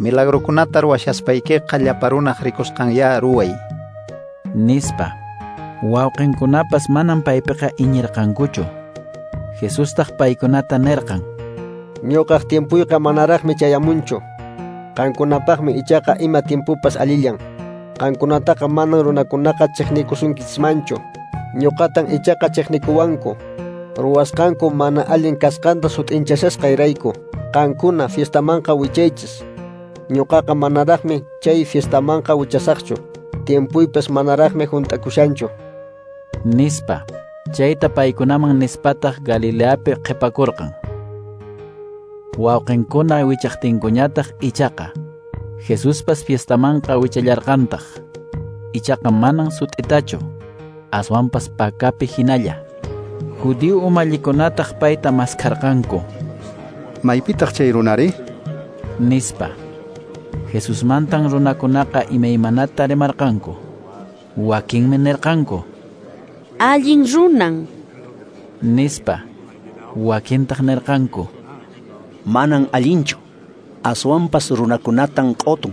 Milagrokunata ruwashaspaykiqa llapa runaq rikusqanyá ruway, nispa. Wawqinkunapas manan paypiqa iñirqankuchu. Jesustaq paykunata nirqan: Ñuqaq tiempuyqa manaraqmi chayamunchu. Qankunapaqmi ichaqa ima tiempupas allillan. Qankunataqa manan runakunaqa chiqnikusunkichismanchu. Ñuqatan ichaqa chiqnikuwanku, ruwasqanku mana allin kasqanta sut'inchashasqayrayku. Qankuna fiestamanqa wichaychis. Ñuqaqa manaraqmi chay fiestamanqa wichasaqchu. Tiempuypas manaraqmi hunt'akushanchu, nispa. Chayta paykunaman nispataq Galileapi qhipakurqan. Wawqinkuna wichaqtinkuñataq ichaqa Jesuspas fiestamanqa wichallarqantaq. Ichaqa manan sut'itachu, aswanpas pakapi hinalla. Judío umallikunataq payta maskharqanku: Maypitaq chay runari? Nispa. Jesusmantan runakunaqa imaymanata rimarqanku. Wakinmi nirqanku: Allin runan, nispa. Wakintaq nirqanku: Manan allinchu, aswanpas runakunatan q'otun,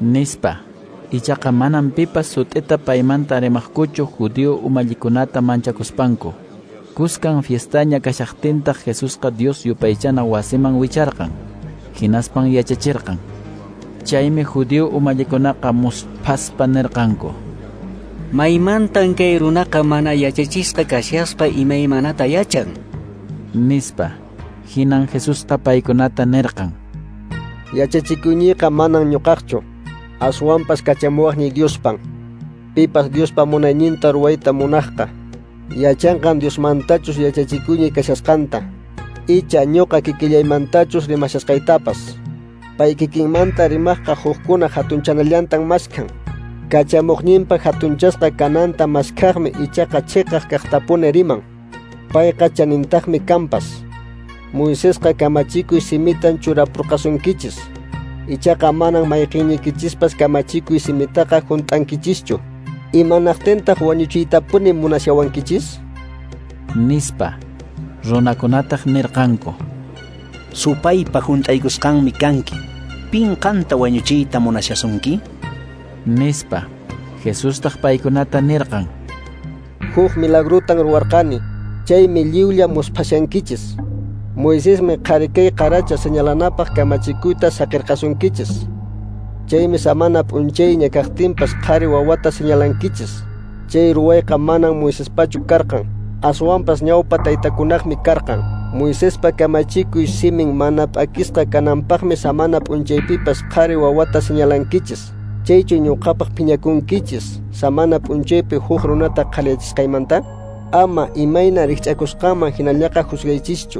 nispa. Ichaqa manan pipas sut'ita paymanta rimaqkuchu judío umallikunata manchakuspanku. Kuskan fiestaña kashaqtintaq Jesusqa Dios yupaychana wasiman wicharqan, hinaspan yachachirqan. Chaymi judío umallikunaqa musphaspa nirqanku: Maymantan kay runaqa mana yachachisqa kashaspa imaymanata yachan, nispa. Hinan Jesusqa paykunata nirqan: Yachachikuyniyqa manan ñuqaqchu, aswanpas kachamuwaqniy Diospan. Pipas Diospa munayninta ruwayta munaqqa, yachanqan Diosmantachus yachachikuyniy kashasqanta, icha ñuqa kikillaymantachus rimashasqaytapas. Pay kikinmanta rimaqqa hukkuna hatunchanallantan maskhan. Kachamuqninpa hatunchasqa kananta maskhaqmi ichaqa chiqaq kaqtapuni riman. Payqa chanintaqmi kanpas. Moisesqa kamachikuy simitan churapurqasunkichis. Ichaqa manan mayqinniykichispas kamachikuy simitaqa hunt'ankichischu. Imanaqtintaq wañuchiytapuni munashawankichis? Nispa. Runakunataq nirqanku: Supaypa hunt'aykusqanmi kanki. Pin qanta wañuchiyta munashasunki? Nispa. Jesustaq paykunata nirqan: Huk milagrutan ruwarqani, chaymi lliwlla musphashankichis. Moisesmi qhari kay qaracha señalanapaq kamachikuyta saqirqasunkichis. Chaymi samana p'unchayña kaqtinpas qhari wawata señalankichis. Chay ruwayqa manan Moisespachu karqan, aswanpas ñawpa taytakunaqmi karqan. Moisespa kamachikuy simin mana p'akisqa kananpaqmi samana p'unchaypipas qhari wawata señalankichis. Chaychu ñuqapaq phiñakunkichis samana p'unchaypi huk runata qhaliyachisqaymanta? Ama imayna rikch'akusqanman hinallaqa juzgaychischu,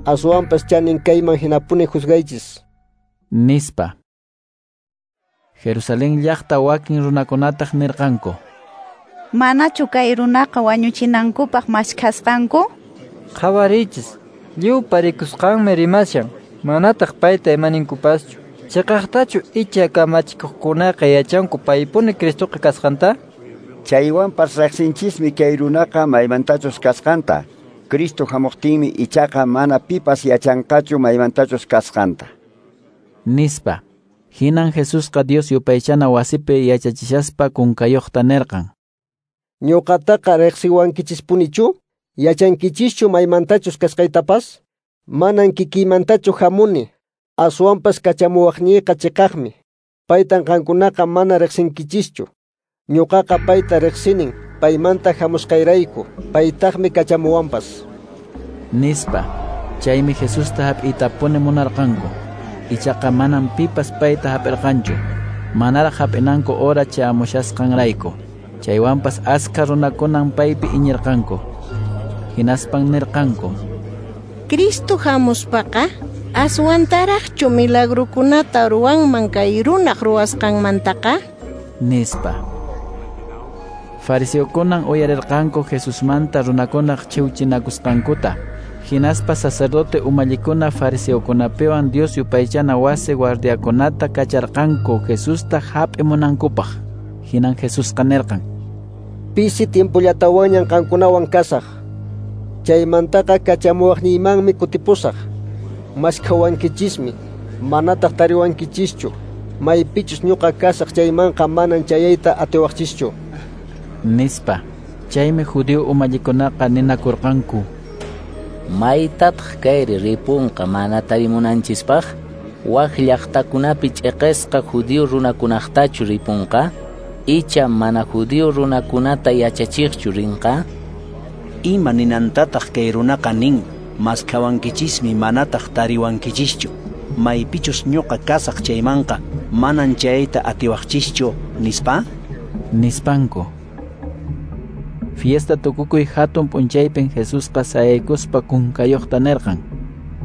aswanpas chanin kayman hinapuni juzgaychis, nispa. Jerusalén llaqta wakin runakunataq nirqanku: Manachu kay runaqa wañuchinankupaq maskhasqanku? Qhawariychis, lliwpa rikusqanmi rimashan, manataq payta imaninkupaschu. Chiqaqtachu icha kamachikuqkunaqa yachanku paypuni Cristoqa kasqanta? Chaywanpas riqsinchismi kay runaqa maymantachus kasqanta. Cristo hamuqtinmi ichaqa mana pipas yachanqachu maymantachus kasqanta, nispa. Hinan Jesusqa Dios yupaychana wasipi yachachishaspa kunkayuqta nirqan: Ñuqataqa riqsiwankichispunichu? Yachankichischu maymantachus kasqaytapas? Manan kikiymantachu hamuni, aswanpas kachamuwaqniyqa chiqaqmi. Paytan qankunaqa mana riqsinkichischu. Ñuqaqa payta riqsinin, paymanta hamusqayrayku, paytaqmi kachamuwanpas, nispa. Chaymi Jesusta hap'iytapuni munarqanku. Ichaqa manan pipas payta hap'irqanchu, manaraq hap'inanku hora chayamushasqanrayku. Chaywanpas askha runakunan paypi iñirqanku. Hinaspan nirqanku: Cristo hamuspaqa aswantaraqchu milagrukunata ruwanman kay runaq ruwasqanmantaqa, nispa. Fariseokunan uyarirqanku Jesusmanta runakunaq chiwchinakusqankuta. Hinaspa sacerdote umallikuna fariseokunapiwan Dios yupaychana wasi guardiakunata kacharqanku Jesusta hap'imunankupaq. Hinan Jesusqa nirqan: Pisi tiempollatawanñan qankunawan kasaq. Chaymantaqa kachamuwaqniymanmi kutipusaq. Maskhawankichismi, manataq tariwankichischu. Maypichus ñuqa kasaq chaymanqa manan chayayta atiwaqchischu, nispa. Chaymi judío umallikunaqa ninakurqanku: Maytataq kayri ripunqa mana tarimunanchispaq? Wak llaqtakunapi ch'iqisqa judío runakunaqtachu ripunqa? Icha mana judío runakunata yachachiqchu rinqa? Ima ninantataq kay runaqa nin: maskhawankichismi manataq tariwankichischu, maypichus ñuqa kasaq chaymanqa manan chayayta atiwaqchischu, nispa? Nispanku. Fiesta tukukuy hatun p'unchaypin Jesusqa sayaykuspa kunkayuqta nirqan: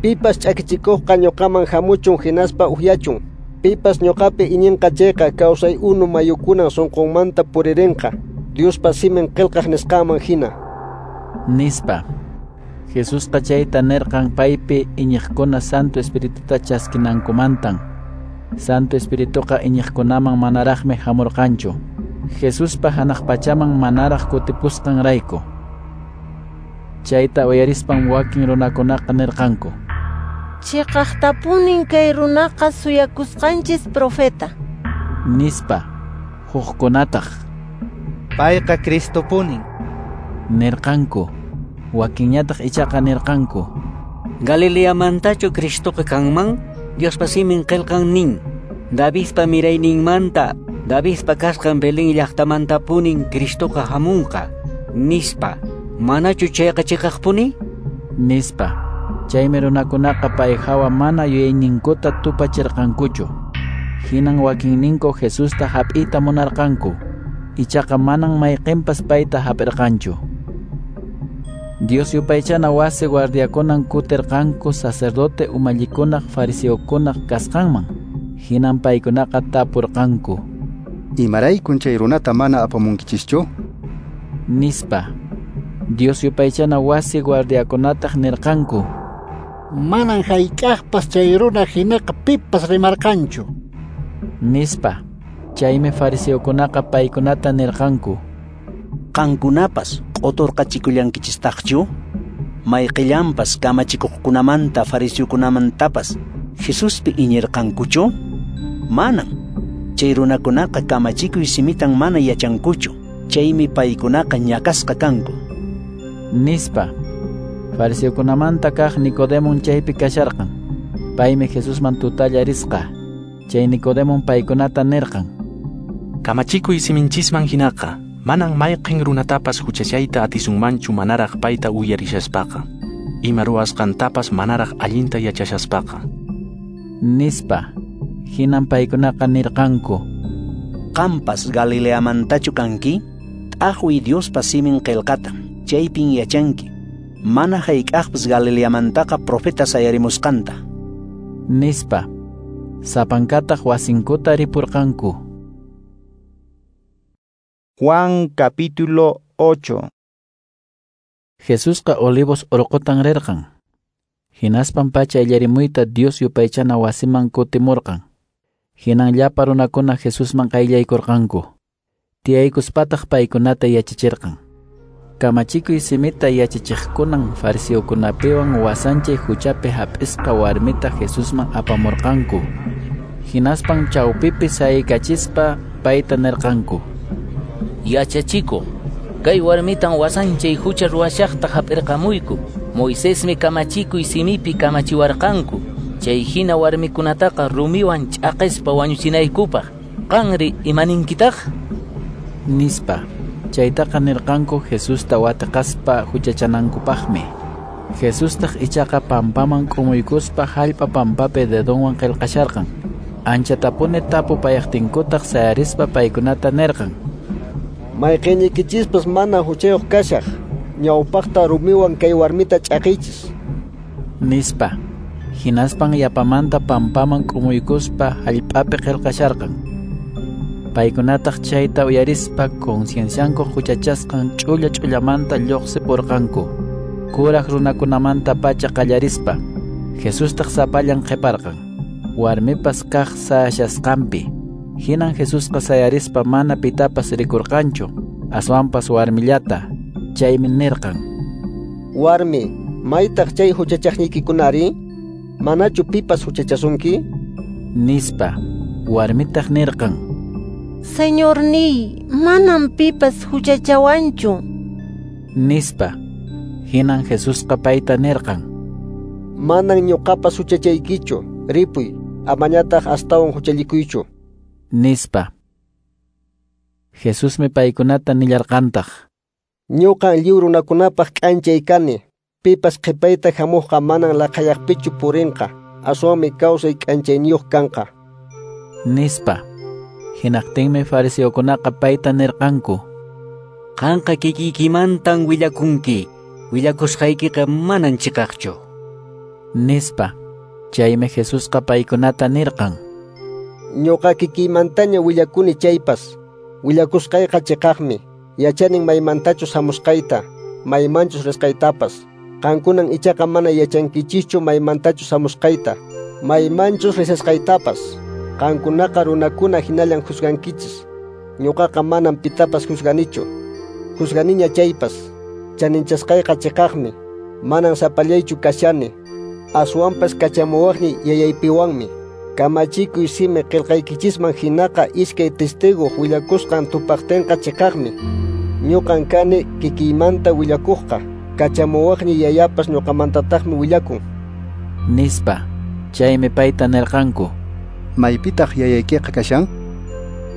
Pipas ch'akichikuqqa ñuqaman hamuchun hinaspa uhyachun. Pipas ñuqapi iñinqa chayqa kawsay unu mayukunan sunqunmanta puririnqa, Diospa simin qillqaq nisqanman hina, nispa. Jesusqa chayta nirqan paypi iñiqkuna Santo Espirituta chaskinankumantan. Santo Espirituqa iñiqkunaman manaraqmi hamurqanchu, Jesuspa hanaq pachaman manaraq kutipusqanrayku. Chayta uyarispan wakin runakunaqa nirqanku: Chiqaqtapunin kay runaqa suyakusqanchis profeta, nispa. Hukkunataq: Payqa Cristopunin, nirqanku. Wakinñataq ichaqa nirqanku: Galileamantachu Cristoqa kanman? Diospa simin qillqan nin: Davidpa mirayninmanta, Davidpa kasqan Belén llaqtamantapunin Cristoqa hamunqa, nispa. Manachu chayqa chiqaqpuni? Nispa. Chaymi runakunaqa pay hawa mana yuyayninkuta tupachirqankuchu. Hinan wakinninku Jesusta hap'iyta munarqanku, ichaqa manan mayqinpas payta hap'irqanchu. Dios yupaychana wasi guardiakunan kutirqanku sacerdote umallikunaq fariseokunaq kasqanman. Hinan paykunaqa tapurqanku: Imaraykun chay runata mana apamunkichischu? Nispa. Dios yupaychana wasi guardiakunataq nirqanku: Manan hayk'aqpas chay runa hinaqa pipas rimarqanchu, nispa. Chaymi fariseokunaqa paykunata nirqanku: Qankunapas q'uturqachikullankichistaqchu? Mayqillanpas kamachikuqkunamanta fariseokunamantapas Jesuspi iñirqankuchu? Manan. Chay runakunaqa kamachikuy simitan mana yachankuchu, chaymi paykunaqa ñakasqa kanku. Nispa. Fariseokunamanta kaq Nicodemon chaypi kasharqan. Paymi Jesusman tutalla risqa. Chay Nicodemon paykunata nirqan: Kamachikuy siminchisman hinaqa, manan mayqin runatapas huchachayta atisunmanchu manaraq payta uyarishaspaqa, ima ruwasqantapas manaraq allinta yachashaspaqa. Nispa. Hinan paykunaqa nirqanku: Qampas Galileamantachu kanki? T'aqwiy Diospa simin qillqata, chaypin yachanki mana hayk'aqpas Galileamantaqa profeta sayarimusqanta. Nispa. Sapankataq wasinkuta ripurqanku. Juan capítulo ocho. Jesusqa Olivos urqutan rirqan. Hinaspan pacha illarimuyta Dios yupaychana wasiman kutimurqan. Hinan llapa runakuna Jesusman qayllaykurqanku. Tiyaykuspataq paykunata yachachirqan. Kamachikuy simita yachachiqkunan fariseokunapiwan wasanchay huchapi hap'isqa warmita Jesusman apamurqanku. Hinaspan chawpipi saykachispa payta nirqanku: Yachachikuq, kay warmitan wasanchay hucha ruwashaqta hap'irqamuyku. Moisesmi kamachikuy simipi kamachiwarqanku. Chay hina warmikunataqa rumiwan ch'aqispa wañuchinaykupaq. Qanri imaninkitaq? Nispa. Chaytaqa nirqanku Jesusta watiqaspa huchachanankupaqmi. Jesustaq ichaqa pampaman k'umuykuspa hallp'a pampapi dedonwan qillqasharqan. Anchatapuni tapupayaqtinkutaq sayarispa paykunata nirqan: Mayqiñiykichispas mana huchayuq kashaq, ñawpaqta rumiwan kay warmita ch'aqiychis. Nispa. Hinaspan yapamanta pampaman k'umuykuspa hallp'api qillqasharqan. Paykunataq chayta uyarispa conciencianku huchachasqan ch'ulla ch'ullamanta lluqsipurqanku. Kuraq runakunamanta pacha qallarispa, Jesustaq sapallan qhiparqan, warmipas kaq sayashasqanpi. Hinan Jesusqa sayarispa mana pitapas rikurqanchu, aswanpas warmillata. Chaymi nirqan: Warmi, maytaq chay huchachaqniykikunari? Manachu pipas huchachasunki? Nispa. Warmitaq nirqan: Señorniy, manam pipas huchachawanchu. Nispa. Hinan Jesusqa payta nirqan: Manan ñuqapas huchachaykichu, ripuy, amañataq astawan huchallikuychu. Nispa. Jesusmi paykunata nillarqantaq: Ñuqan lliw runakunapaq k'anchay kani. Pipas qhipayta hamuqqa manan laqhayaqpichu purinqa, aswanmi kawsay k'anchayniyuq kanqa. Nispa. Hinaqtinmi fariseokunaqa payta nirqanku: Qanqa kikiykimantan willakunki, willakusqaykiqa manan chiqaqchu. Nispa. Chaymi Jesusqa paykunata nirqan: Ñuqa kikiymantaña willakuni chaypas, willakusqayqa chiqaqmi. Yachanin maymantachus hamusqayta, maymanchus risqaytapas. Qankunan ichaqa mana yachankichischu maymantachus hamusqayta, maymanchus risqaytapas. Qankunaqa runakuna hinallan juzgankichis. Ñuqaqa manam pitapas juzganichu. Juzganiña chaypas, chaninchasqayqa chiqaqmi. Manan sapallaychu kashani, aswanpas kachamuwaqniy yayaypiwanmi. Kamachikuy simi qillqaykichisman hinaqa iskay testiguq willakusqan tupaqtinqa chiqaqmi. Ñuqan kani kikiymanta willakuqqa, kachamuwaqniy yayapas ñuqamantataqmi willakun. Nispa. Chaymi payta nirqanku: Maypitaq yayaykiqa kashan?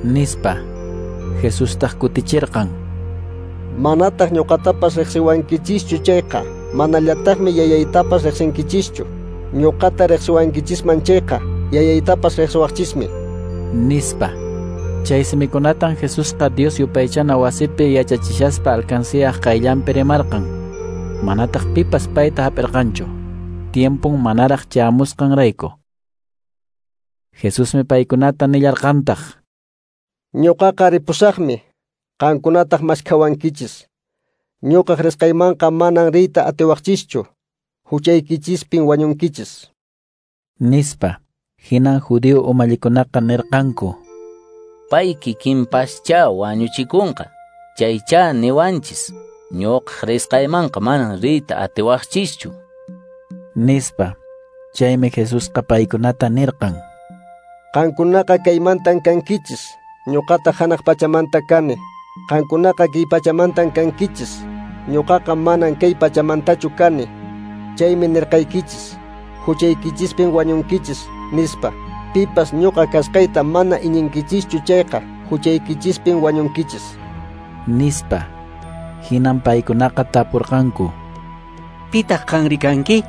Nispa. Jesustaq kutichirqan: Manataq ñuqatapas riqsiwankichischu chayqa, manallataqmi yayaytapas riqsinkichischu. Ñuqata riqsiwankichisman chayqa, yayaytapas riqsiwaqchismi. Nispa. Chay simikunatan Jesusqa Dios yupaychana wasipi yachachishaspa alcanciyaq qayllanpi rimarqan. Manataq pipas payta hap'irqanchu, tiempun manaraq chayamusqanrayku. Jesusmi paykunata nillarqantaq: Ñuqaqa ripusaqmi, qankunataq maskhawankichis. Ñuqaq risqaymanqa manan riyta atiwaqchischu, huchaykichispin wañunkichis. Nispa. Hinan judío umallikunaqa nirqanku: Pay kikinpaschá wañuchikunqa, chaychá niwanchis. Ñuqaq risqaymanqa manan riyta atiwaqchischu. Nispa. Chaymi Jesusqa paykunata nirqan: Qankunaqa kaymantan kankichis, ñuqataq hanaq pachamanta kani. Qankunaqa kay pachamantan kankichis, ñuqaqa manan kay pachamantachu kani. Chaymi nirqaykichis, huchaykichispin wañunkichis, nispa. Pipas ñuqa kasqayta mana iñinkichischu chayqa, huchaykichispin wañunkichis, nispa. Hinan paykunaqa tapurqanku: Pitaq qanri kanki?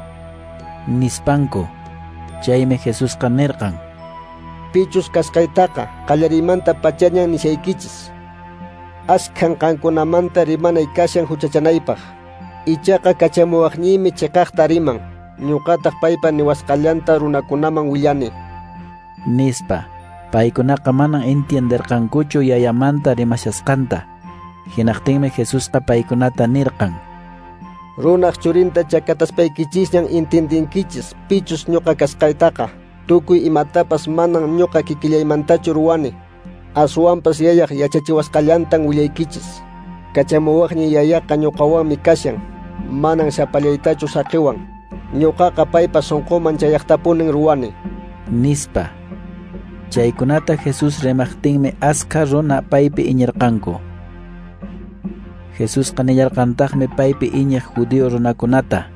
Nispanku. Chaymi Jesusqa nirqan: Pichus kasqaytaqa qallariymanta pachañan nishaykichis. Askhan qankunamanta rimanay kashan huchachanaypaq. Ichaqa kachamuwaqniymi chiqaqta riman, ñuqataq paypa niwasqallanta runakunaman willani, nispa. Paykunaqa manan entienderqankuchu yayamanta rimashasqanta. Hinaqtinmi Jesusqa paykunata nirqan: Runaq churinta chakataspaykichisñan entiendinkichis pichus ñuqa kasqaytaqa. Tukuy imatapas manan ñuqa kikillaymantachu ruwani, aswanpas yayaq yachachiwasqallantan willaykichis. Kachamuwaqniy yayaqa ñuqawanmi kashan, manan sapallaytachu saqiwan. Ñuqaqa paypa sunquman chayaqtapunin ruwani, nispa. Chaykunata Jesús rimaqtinmi askha runa paypi iñirqanku. Jesusqa nillarqantaqmi paypi iñiq judío runakunata: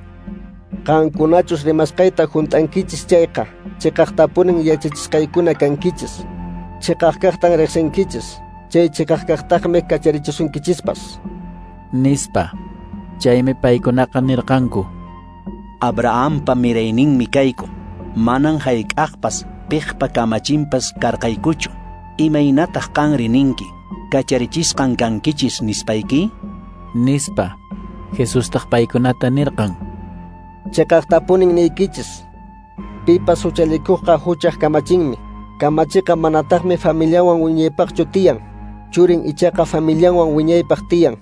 Qankunachus rimasqayta hunt'ankichis chayqa, chiqaqtapunin yachachisqaykuna kankichis. Chiqaq kaqtan riqsinkichis, chay chiqaq kaqtaqmi kacharichisunkichispas, nispa. Chaymi paykunaqa nirqanku: Abrahampa mirayninmi kayku, manan hayk'aqpas piqpa kamachinpas karqaykuchu. Imaynataq qanri ninki, kacharichisqan kankichis nispayki? Nispa. Jesustaq paykunata nirqan: Chiqaqtapunin niykichis, pipas huchallikuqqa huchaq kamachinmi. Kamachiqa manataqmi familianwan wiñaypaqchu tiyan, churin ichaqa familianwan wiñaypaq tiyan.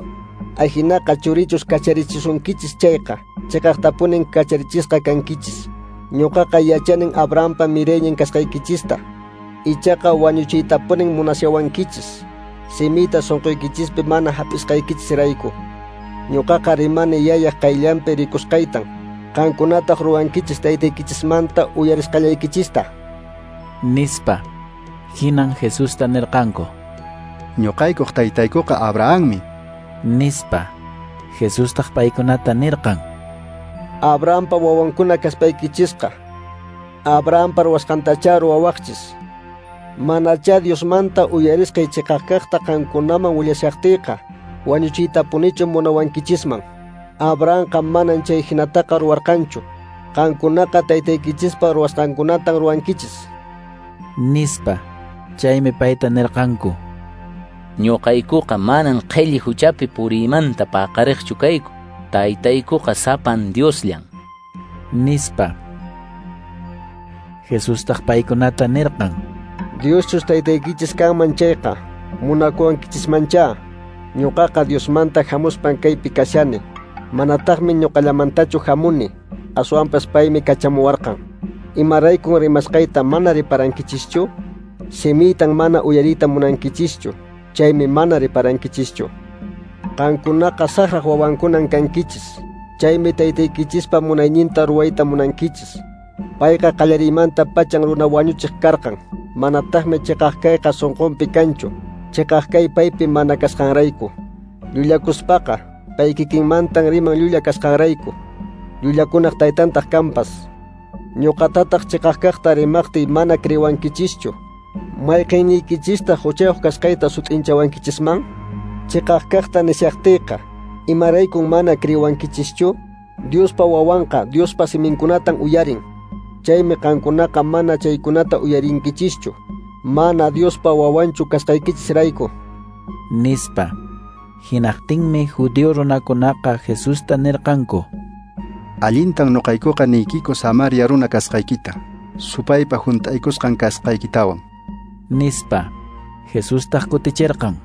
Ajinaqa churichus kacharichisunkichis chayqa, chiqaqtapunin kacharichisqa kankichis. Ñuqaqa yachanin Abrahampa miraynin kasqaykichista, ichaqa wañuchiytapunin munashawankichis, simiyta sunquykichispi mana hap'isqaykichisrayku. Ñuqaqa rimani yayaq qayllanpi rikusqaytan, qankunataq ruwankichis taytaykichismanta uyarisqallaykichista, nispa. Hinan Jesusta nirqanku: Ñuqaykuq taytaykuqa Abrahammi, nispa. Jesustaq paykunata nirqan: Abrahampa wawankuna kaspaykichisqa, Abrahampa ruwasqantachá ruwawaqchis. Manachá Diosmanta uyarisqay chiqaq kaqta qankunaman willashaqtiyqa, wañuchiytapunichu munawankichisman. Abrahamqa manan chay hinataqa ruwarqanchu. Qankunaqa taytaykichispa ruwasqankunatan ruwankichis, nispa. Chaymi payta nirqanku: Ñuqaykuqa manan qhelli huchapi puriymanta paqariqchu kayku. Taytaykuqa sapan Diosllan, nispa. Jesustaq paykunata nirqan: Dioschus taytaykichis kanman chayqa, munakuwankichismanchá. Ñuqaqa Diosmanta hamuspan kaypi kashani. Manataqmi ñuqallamantachu hamuni, aswanpas paymi kachamuwarqan. Imaraykun rimasqayta mana riparankichischu? Simiytan mana uyariyta munankichischu, chaymi mana riparankichischu. Qankunaqa saqraq wawankunan kankichis, chaymi taytaykichispa munayninta ruwayta munankichis. Payqa qallariymanta pachan runa wañuchiq karqan, manataqmi chiqaq kayqa sunqunpi kanchu, chiqaq kay paypi mana kasqanrayku. Llullakuspaqa pay kikinmantan riman llulla kasqanrayku, llullakunaq taytantaq kanpas. Ñuqatataq chiqaq kaqta rimaqtiy mana creewankichischu. Mayqiniykichistaq huchayuq kasqayta sut'inchawankichisman? Chiqaq kaqta nishaqtiyqa, imaraykun mana creewankichischu? Diospa wawanqa Diospa siminkunatan uyarin. Chaymi qankunaqa mana chaykunata uyarinkichischu, mana Diospa wawanchu kasqaykichisrayku, nispa. Hinaqtinmi judío runakunaqa Jesusta nirqanku: Allintan ñuqaykuqa niykiku Samaria runa kasqaykita, supaypa hunt'aykusqan kasqaykitawan, nispa. Jesustaq kutichirqan: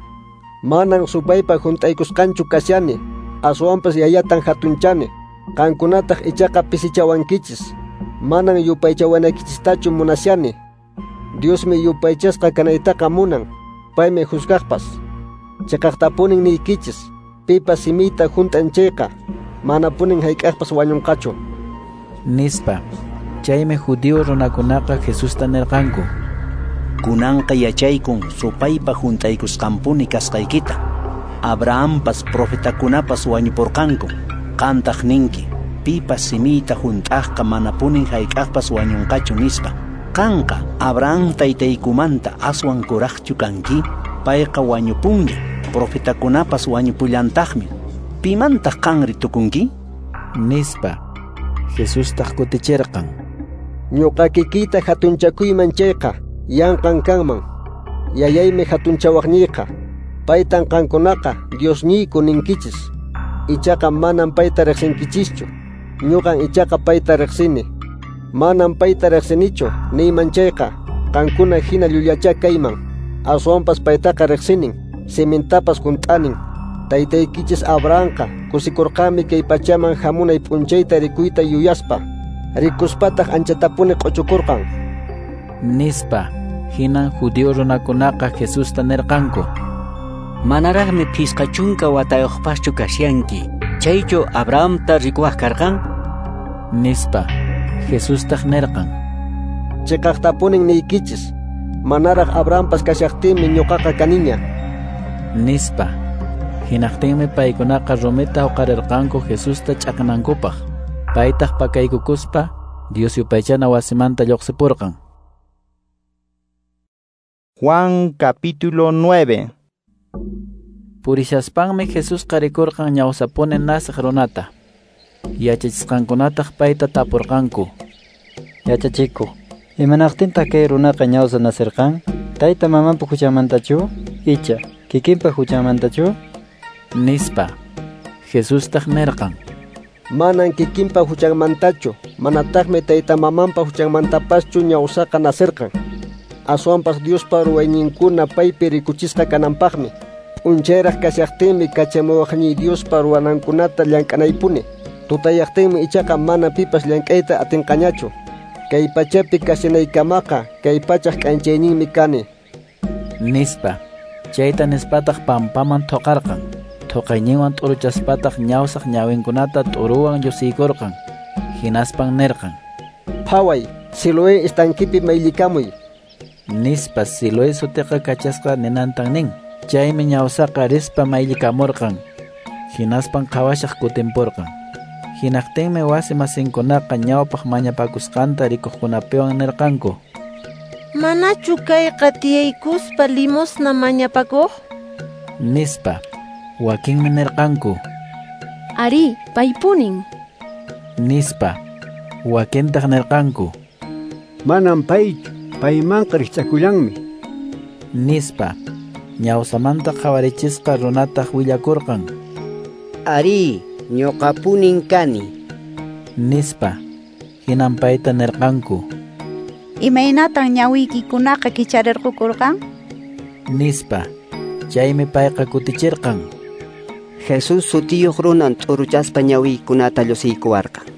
Manan supaypa hunt'aykusqanchu kashani, aswanpas yayatan hatunchani. Qankunataq ichaqa pisichawankichis. Manan yupaychawanaykichistachu munashani. Diosmi yupaychasqa kanaytaqa munan, paymi juzgaqpas. Chiqaqtapunin niykichis, pipas simiyta hunt'an chayqa, manapunin hayk'aqpas wañunqachu, nispa. Chaymi judío runakunaqa Jesusta nirqanku: Kunanqa yachaykun supaypa hunt'aykusqanpuni kasqaykita. Abrahampas profetakunapas wañupurqanku. Qantaq ninki, pipas simiyta hunt'aqqa manapunin hayk'aqpas wañunqachu nispa. Qanqa Abraham taytaykumanta aswan kuraqchu kanki? Payqa wañupunña, profetakunapas wañupullantaqmi. Pimantaq qanri tukunki? Nispa. Jesustaq kutichirqan: Ñuqa kikiyta hatunchakuyman chayqa yanqan kanman. Yayaymi hatunchawaqniyqa. Paytan qankunaqa Diosniyku ninkichis. Ichaqa manan payta riqsinkichischu. Ñuqan ichaqa payta riqsini. Manan payta riqsinichu niyman chayqa qankuna hina llullachá kayman. Aswanpas paytaqa riqsinin, simintapas hunt'anin. Taytaykichis Abrahamqa kusikurqanmi kay pachaman hamunay p'unchayta rikuyta yuyaspa. Rikuspataq anchatapuni q'uchukurqan. Nispa. Hinan judío runakunaqa Jesusta nirqanku: Manaraqmi phisqa chunka watayuqpaschu kashanki. Chaychu Abrahamta rikuwaq karqan? Nispa. Jesustaq nirqan: Chiqaqtapunin niykichis, manaraq Abrahampas kashaqtinmi ñuqaqa kaniña. Nispa. Hinaqtinmi paykunaqa rumita huqarirqanku Jesusta ch'aqnankupaq. Paytaq pakaykukuspa Dios yupaychana wasimanta lluqsipurqan. Juan capítulo nueve. Purishaspanmi Jesusqa rikurqan ñawsapuni nasiq runata. Yachachisqankunataq payta tapurqanku: Yachachikuq, imanaqtintaq kay runaqa ñawsa nasirqan? Tayta mamanpa huchanmantachu icha kikinpa huchanmantachu? Nispa. Jesustaq nirqan: Manan kikinpa huchanmantachu, manataqmi tayta mamanpa huchanmantapaschu ñawsaqa nasirqan. Aswanpas Diospa ruwayninkuna paypi rikuchisqa kananpaqmi. P'unchayraq kashaqtinmi kachamuwaqniy Diospa ruwanankunata llank'anaypuni. Tutayaqtinmi ichaqa mana pipas llank'ayta atinqañachu. Kay pachapi kashanaykamaqa kay pachaq k'anchayninmi kani. Nispa. Chayta nispataq pampaman thuqarqan. Thuqayninwan t'uruchaspataq ñawsaq ñawinkunata t'uruwan llusiykurqan. Hinaspan nirqan: Phaway, Siloé estankipi mayllikamuy. Nispa. Siloé sutiqa kachasqa ninantan nin. Chaymi ñawsaqa rispa mayllikamurqan. Hinaspan qhawashaq kutimpurqan. Hinaqtinmi wasi masinkunaqa ñawpaq mañapakusqanta rikuqkunapiwan nirqanku: Manachu kayqa tiyaykuspa limosna mañapakuq? Nispa. Wakinmi nirqanku: Arí, paypunin. Nispa. Wakintaq nirqanku: Manan paychu, paymanqa rikch'akullanmi. Nispa. Ñawsamanta qhawarichisqa runataq willakurqan: Arí, ñuqapunin kani. Nispa. Hinan payta nirqanku: Imaynatan ñawiykikunaqa kicharirqukurqan? Nispa. Chaymi payqa kutichirqan: Jesús sutiyuq runan t'uruchaspa ñawiykunata llusiykuwarqan.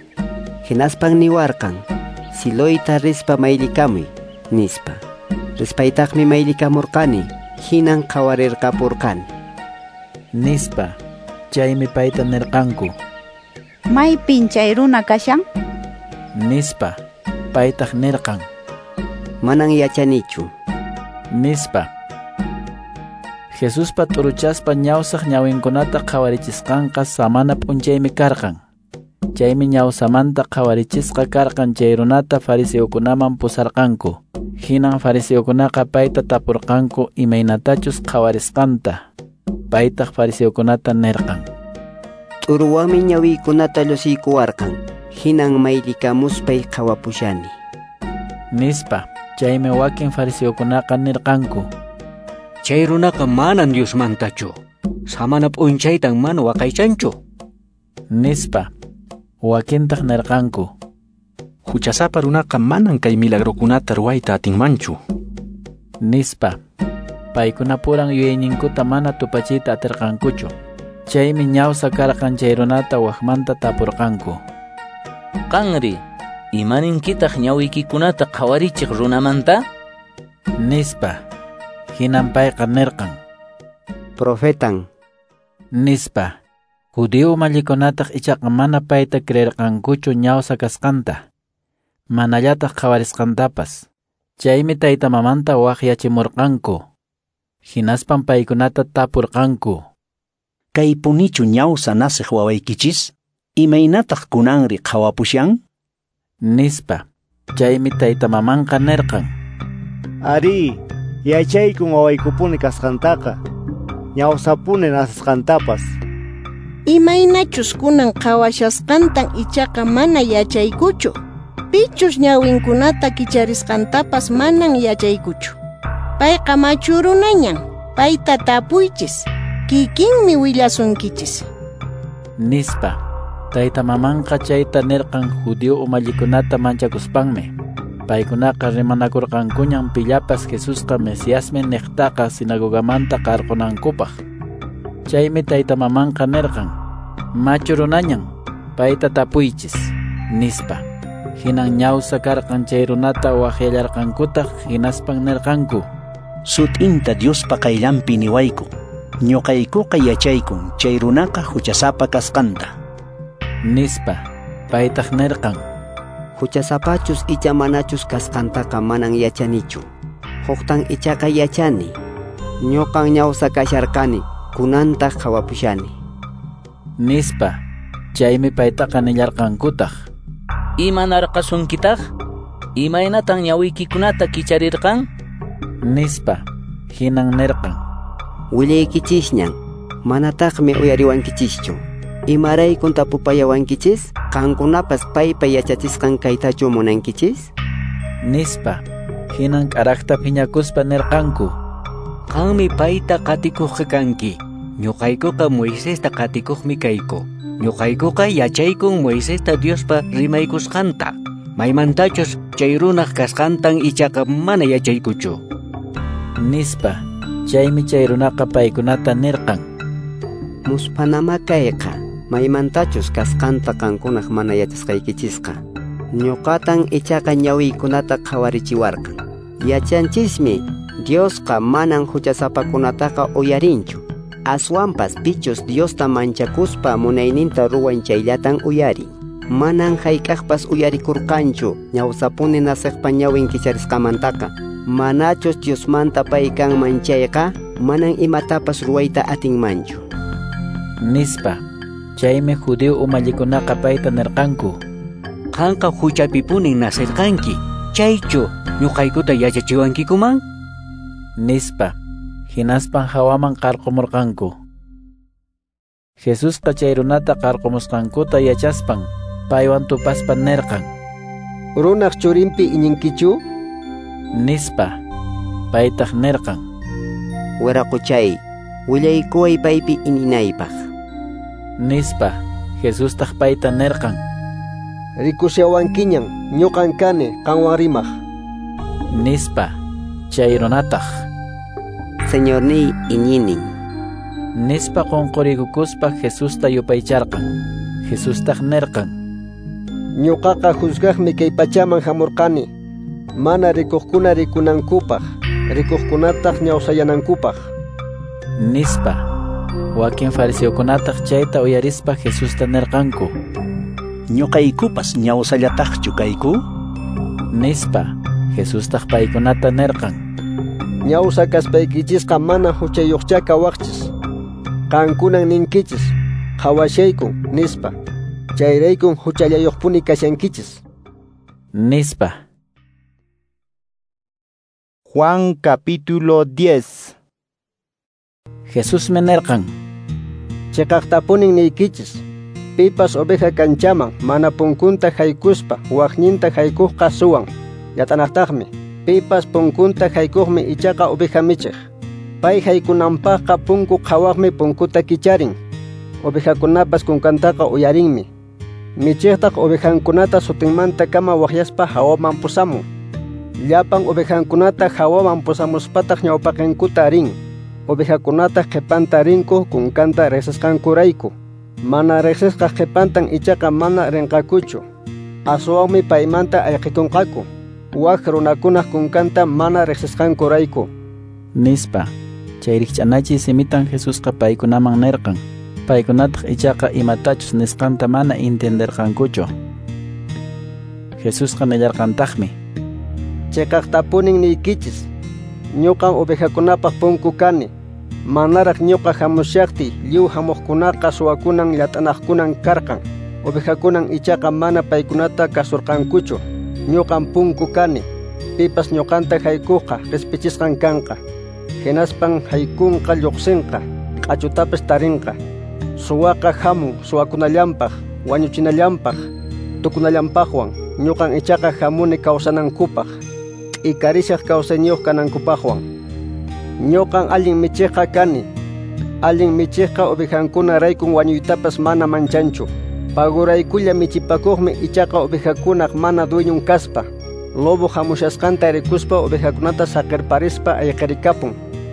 Hinaspan niwarqan: Siloyta rispa mayllikamuy, nispa. Rispaytaqmi mayllikamurqani, hinan qhawarirqapurqani. Nispa. Chaymi payta nirqanku: Maypin chay runa kashan? Nispa. Paytaq nirqan: Manan yachanichu. Nispa. Jesuspa t'uruchaspa ñawsaq ñawinkunata qhawarichisqanqa samana p'unchaymi karqan. Chaymi ñawsamanta qhawarichisqa karqan chay runata fariseokunaman pusarqanku. Hinan fariseokunaqa payta tapurqanku imaynatachus qhawarisqanta. Paytaq fariseokunata nirqan: T'uruwanmi ñawiykunata llusiykuwarqan, hinan mayllikamuspay qhawapushani. Nispa. Chaymi wakin fariseokunaqa nirqanku: Chay runaqa manan Diosmantachu. Samana p'unchaytan mana waqaychanchu. Nispa. Wakintaq nirqanku: Huchasapa runaqa manan kay milagrokunata ruwayta atinmanchu. Nispa. Paykunapuran yuyayninkuta mana tupachiyta atirqankuchu. Chaymi ñawsa karqan chay runata wakmanta tapurqanku: Qanri, imaninkitaq ñawiykikunata qhawarichiq runamanta? Nispa. Hinan payqa nirqan: Profetan. Nispa. Judío umallikunataq ichaqa mana payta creerqankuchu ñawsa kasqanta, manallataq qhawarisqantapas. Chaymi tayta mamanta waqyachimurqanku. Hinaspan paykunata tapurqanku. Kaypunichu ñawsa nasiq wawaykichis? Imaynataq kunanri qhawapushan? Nispa. Chaymi tayta mamanqa nirqan. Ari, yachaykun wawaykupuni kasqantaqa, ñawsapuni nasisqantapas. Imaynachus kunan qhawashasqantan ichaqa mana yachaykuchu. Pichus ñawinkunata kicharisqantapas manan yachaykuchu. Payqa machu runañan, payta tapuychis, kikinmi willasunkichis. Nispa. Tayta mamanqa chayta nirqan judío umallikunata manchakuspanmi. Paykunaqa rimanakurqankuñan pillapas Jesusqa Mesiasmi niqtaqa sinagogamanta qarqunankupaq. Chaymi tayta mamanqa nirqan, machu runañan, payta tapuychis, nispa. Hinan ñawsa karqan chay runata waqyallarqankutaq hinaspan nirqanku. Sut'inta Diospa qayllanpi niwayku, ñuqaykuqa yachaykun chay runaqa huchasapa kasqanta. Nispa. Paytaq nirqan. Huchasapachus icha manachus kasqantaqa manan yachanichu. Huqtan ichaqa yachani. Ñuqan ñawsa kasharqani, kunantaq qhawapushani. Nispa. Chaymi paytaqa nillarqankutaq. Imanarqasunkitaq? Imaynatan ñawiykikunata kicharirqan? Nispa. Hinan nirqan. Willaykichisñan, manataqmi uyariwankichischu. Imaraykun tapupayawankichis? Qankunapas paypa yachachisqan kaytachu munankichis? Nispa. Hinan k'araqta phiñakuspa nirqanku. Qanmi payta qatikuqqa kanki. Ñuqaykuqa Moisesta qatikuqmi kayku. Ñuqaykuqa yachaykun Moisesta Diospa rimaykusqanta. Maymantachus chay runaq kasqantan ichaqa mana yachaykuchu. Nispa. Chaymi chay runaqa paykunata nirqan. Musphanama kayqa, maymantachus kasqanta qankunaq mana yachasqaykichisqa. Ñuqatan ichaqa ñawiykunata qhawarichiwarqan. Yachanchismi, Diosqa manan huchasapakunataqa uyarinchu. Aswanpas pichus Diosta manchakuspa munayninta ruwan chayllatan uyarin. Manan hayk'aqpas uyarikurqanchu ñawsapuni nasiqpa ñawin kicharisqamantaqa. Manachus Diosmanta pay kanman chayqa, manan imatapas ruwayta atinmanchu. Nispa. Chaymi judío umallikunaqa payta nirqanku. Qanqa huchapipunin nasirqanki, chaychu ñuqaykuta yachachiwankikuman? Nispa. Hinaspan hawaman qarqumurqanku. Jesusqa chay runata qarqumusqankuta yachaspan, paywan tupaspa nirqan. Runaq churinpi iñinkichu? Nispa. Paytaq nirqan. Wiraquchay, willaykuway paypi iñinaypaq. Nispa. Jesustaq payta nirqan. Rikushawankiñan, ñuqan kani qanwan rimaq. Nispa. Chay runataq. Señorniy iñinin. Nispa qunquriykukuspa Jesusta yupaycharqan. Jesustaq nirqan. Ñuqaqa juzgaqmi kay pachaman hamurqani, mana rikuqkuna rikunankupaq, rikuqkunataq ñawsayanankupaq. Nispa. Wakin fariseokunataq chayta uyarispa Jesusta nirqanku. Ñuqaykupas ñawsallataqchu kayku? Nispa. Jesustaq paykunata nirqan. Ñawsa kaspaykichisqa mana huchayuqcha kawaqchis. Qankunan ninkichis, qhawashaykun, nispa. Chayraykun huchallayuqpuni kashankichis. Nispa. Juan capítulo diez. Jesús me nirqan. Chiqaqtapunin niykichis, pipas oveja kanchaman mana punkunta haykuspa waqninta haykuqqa suwan. Yatanaqtaqmi, pipas punkunta haykuqmi ichaqa oveja michiq. Pay haykunanpaqqa punku qhawaqmi punkuta kicharin. Ovejakunapas kunkantaqa uyarinmi. Michiqtaq ovejankunata sutinmanta kama waqyaspa hawaman pusamun. Llapan ovejankunata hawaman pusamuspataq ñawpaqinkuta rin. Ovejakunataq qhipanta rinku kunkanta riqsisqankurayku. Mana riqsisqa qhipantan ichaqa mana rinqakuchu. Aswanmi paymanta ayqikunqaku. Wak runakunaq kunkanta mana riqsisqankurayku. Nispa. Chay rikch'anachiy simitan Jesusqa paykunaman nirqan. Paykunataq ichaqa imatachus nisqanta mana entenderqankuchu. Jesusqa nillarqantaqmi. Cheqaqtapunin niykichis, ñuqan ovejakunapaq punku kani. Manaraq ñuqa hamushaqtiy lliw hamuqkunaqa suwakunan llat'anaqkunan karqan. Ovejakunan ichaqa mana paykunata kasurqankuchu. Ñuqan punku kani. Pipas ñuqanta haykuqqa qhispichisqan kanqa. Hinaspan haykunqa lluqsinqa, q'achutapas tarinqa. Suwaqa hamun suwakunallanpaq, wañuchinallanpaq, tukunallanpaqwan. Ñuqan ichaqa hamuni kawsanankupaq, t'ikarishaq kawsayniyuq kanankupaqwan. Ñuqan allin michiqqa kani. Allin michiqqa ovejankunaraykun wañuytapas mana manchanchu. Paguraykulla michipakuqmi ichaqa ovejakunaq mana dueñon kaspa. Lobo hamushasqanta rikuspa ovejakunata saqirparispa ayqirikapun.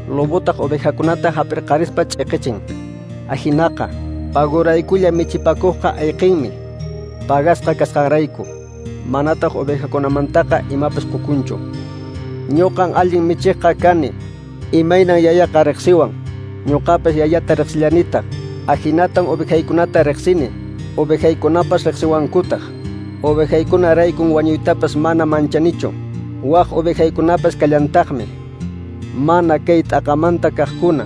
Lobotaq ovejakunata hap'irqarispa ch'iqichin. Ajinaqa, paguraykulla michipakuqqa ayqinmi, pagasqa kasqanrayku. Manataq ovejakunamantaqa imapas qukunchu. Ñuqan allin michiqqa kani. Imaynan yayaqa riqsiwan, ñuqapas yayata riqsillanitaq. Ajinatan ovejaykunata riqsini, ovejaykunapas riqsiwankutaq. Ovejaykunaraykun wañuytapas mana manchanichu. Waq ovejaykunapas kallantaqmi. Mana kay t'aqamanta kaqkuna,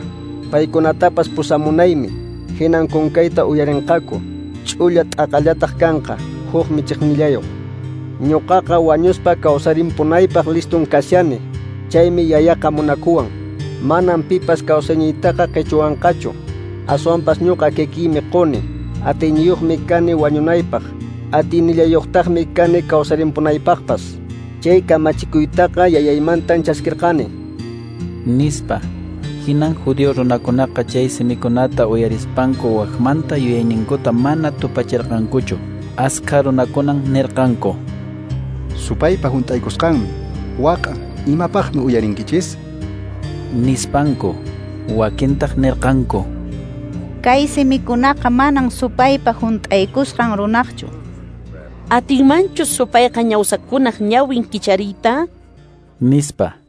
paykunatapas pusamunaymi. Hinan kunkayta uyarinqaku, ch'ulla t'aqallataq kanqa, huk michiqnillayuq. Ñuqaqa wañuspa kawsarimpunaypaq listun kashani, chaymi yayaqa munakuwan. Manam pipas kawsayniytaqa qichuwanqachu. Aswanpas ñuqa kikiymi quni. Atiyniyuqmi kani wañunaypaq, atiynillayuqtaqmi kani kawsarimpunaypaqpas. Chay kamachikuytaqa yayaymantan chaskirqani. Nispa. Hinan judío runakunaqa chay simikunata uyarispanku waqmanta yuyayninkuta mana tupachirqankuchu. Askha runakunan nirqanku: Supaypa hunt'aykusqanmi, waqa, imapaqmi uyarinkichis? Nispanku. Wakintaq nirqanku: Kay simikunaqa manan supaypa hunt'aykusqan runaqchu. Atinmanchu supayqa ñawsakunaq ñawin kichariyta? Nispa.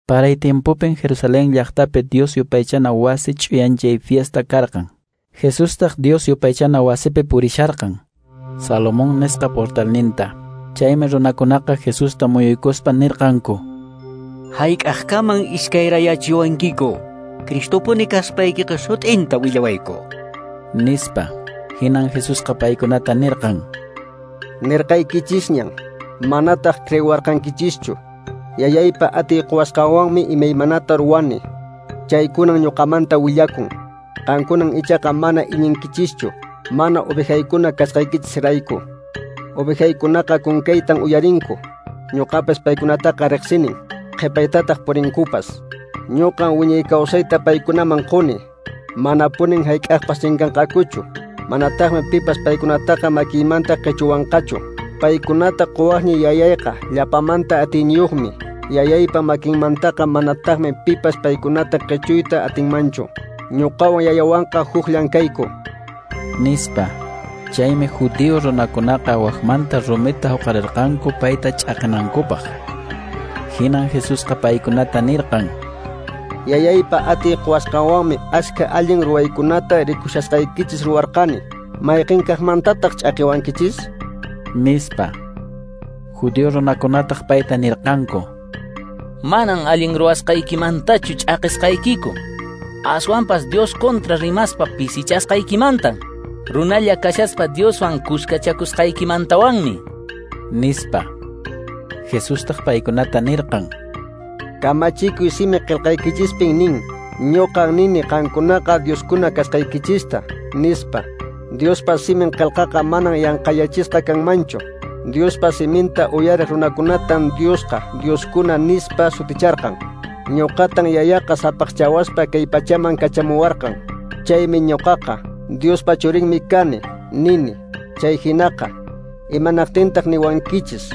Paray tiempopin Jerusalén llaqtapi Dios yupaychana wasi ch'uyanchay fiesta karqan. Jesustaq Dios yupaychana wasipi purisharqan, Salomón nisqa portalninta. Chaymi runakunaqa Jesusta muyuykuspa nirqanku: Hayk'aqkaman iskayrayachiwankiku, Cristopuni kaspaykiqa sut'inta willawayku. Nispa. Hinan Jesusqa paykunata nirqan: Nirqaykichisñan, manataq creewarqankichischu. Yayaypa atiy quwasqanwanmi imaymanata ruwani. Chaykunan ñuqamanta willakun. Qankunan ichaqa mana iñinkichischu, mana ovejaykuna kasqaykichisrayku. Ovejaykunaqa kunkaytan uyarinku. Ñuqapas paykunataqa riqsinin, qhipaytataq purinkupas. Ñuqan wiñay kawsayta paykunaman quni. Manapunin hayk'aqpas chinkanqakuchu. Manataqmi pipas paykunataqa makiymanta qichuwanqachu. Paykunata quwaqni yayayqa llapamanta atiyniyuqmi. Yayaypa makinmantaqa manataqmi pipas paykunata qichuyta atinmanchu. Ñuqawan yayawanqa hukllan kayku. Nispa. Chaymi judío runakunaqa waqmanta rumita huqarirqanku payta ch'aqinankupaq. Hinan Jesusqa paykunata nirqan: Yayaypa atiy quwasqanwanmi askha allin ruwaykunata rikushasqaykichis ruwarqani. Mayqin kaqmantataq ch'aqiwankichis? Nispa. Judío runakunataq payta nirqanku: Manan allin ruwasqaykimantachu ch'aqisqaykiku. Aswanpas Dios contra rimaspa pisichasqaykimantan. Runalla kashaspa Dioswan kuskachakusqaykimantawanmi. Nispa. Jesustaq paykunata nirqan: Kamachikuy simi qillqaykichispin nin, ñuqan nini qankunaqa Dioskuna kasqaykichista, nispa. Diospa simin qillqaqa manan yanqayachisqa kanmanchu. Diospa siminta uyariq runakunatan Diosqa Dioskuna nispa suticharqan. Ñuqatan yayaqa sapaqchawaspa kay pachaman kachamuwarqan. Chaymi ñuqaqa Diospa churinmi kani, nini. Chay hinaqa, imanaqtintaq niwankichis?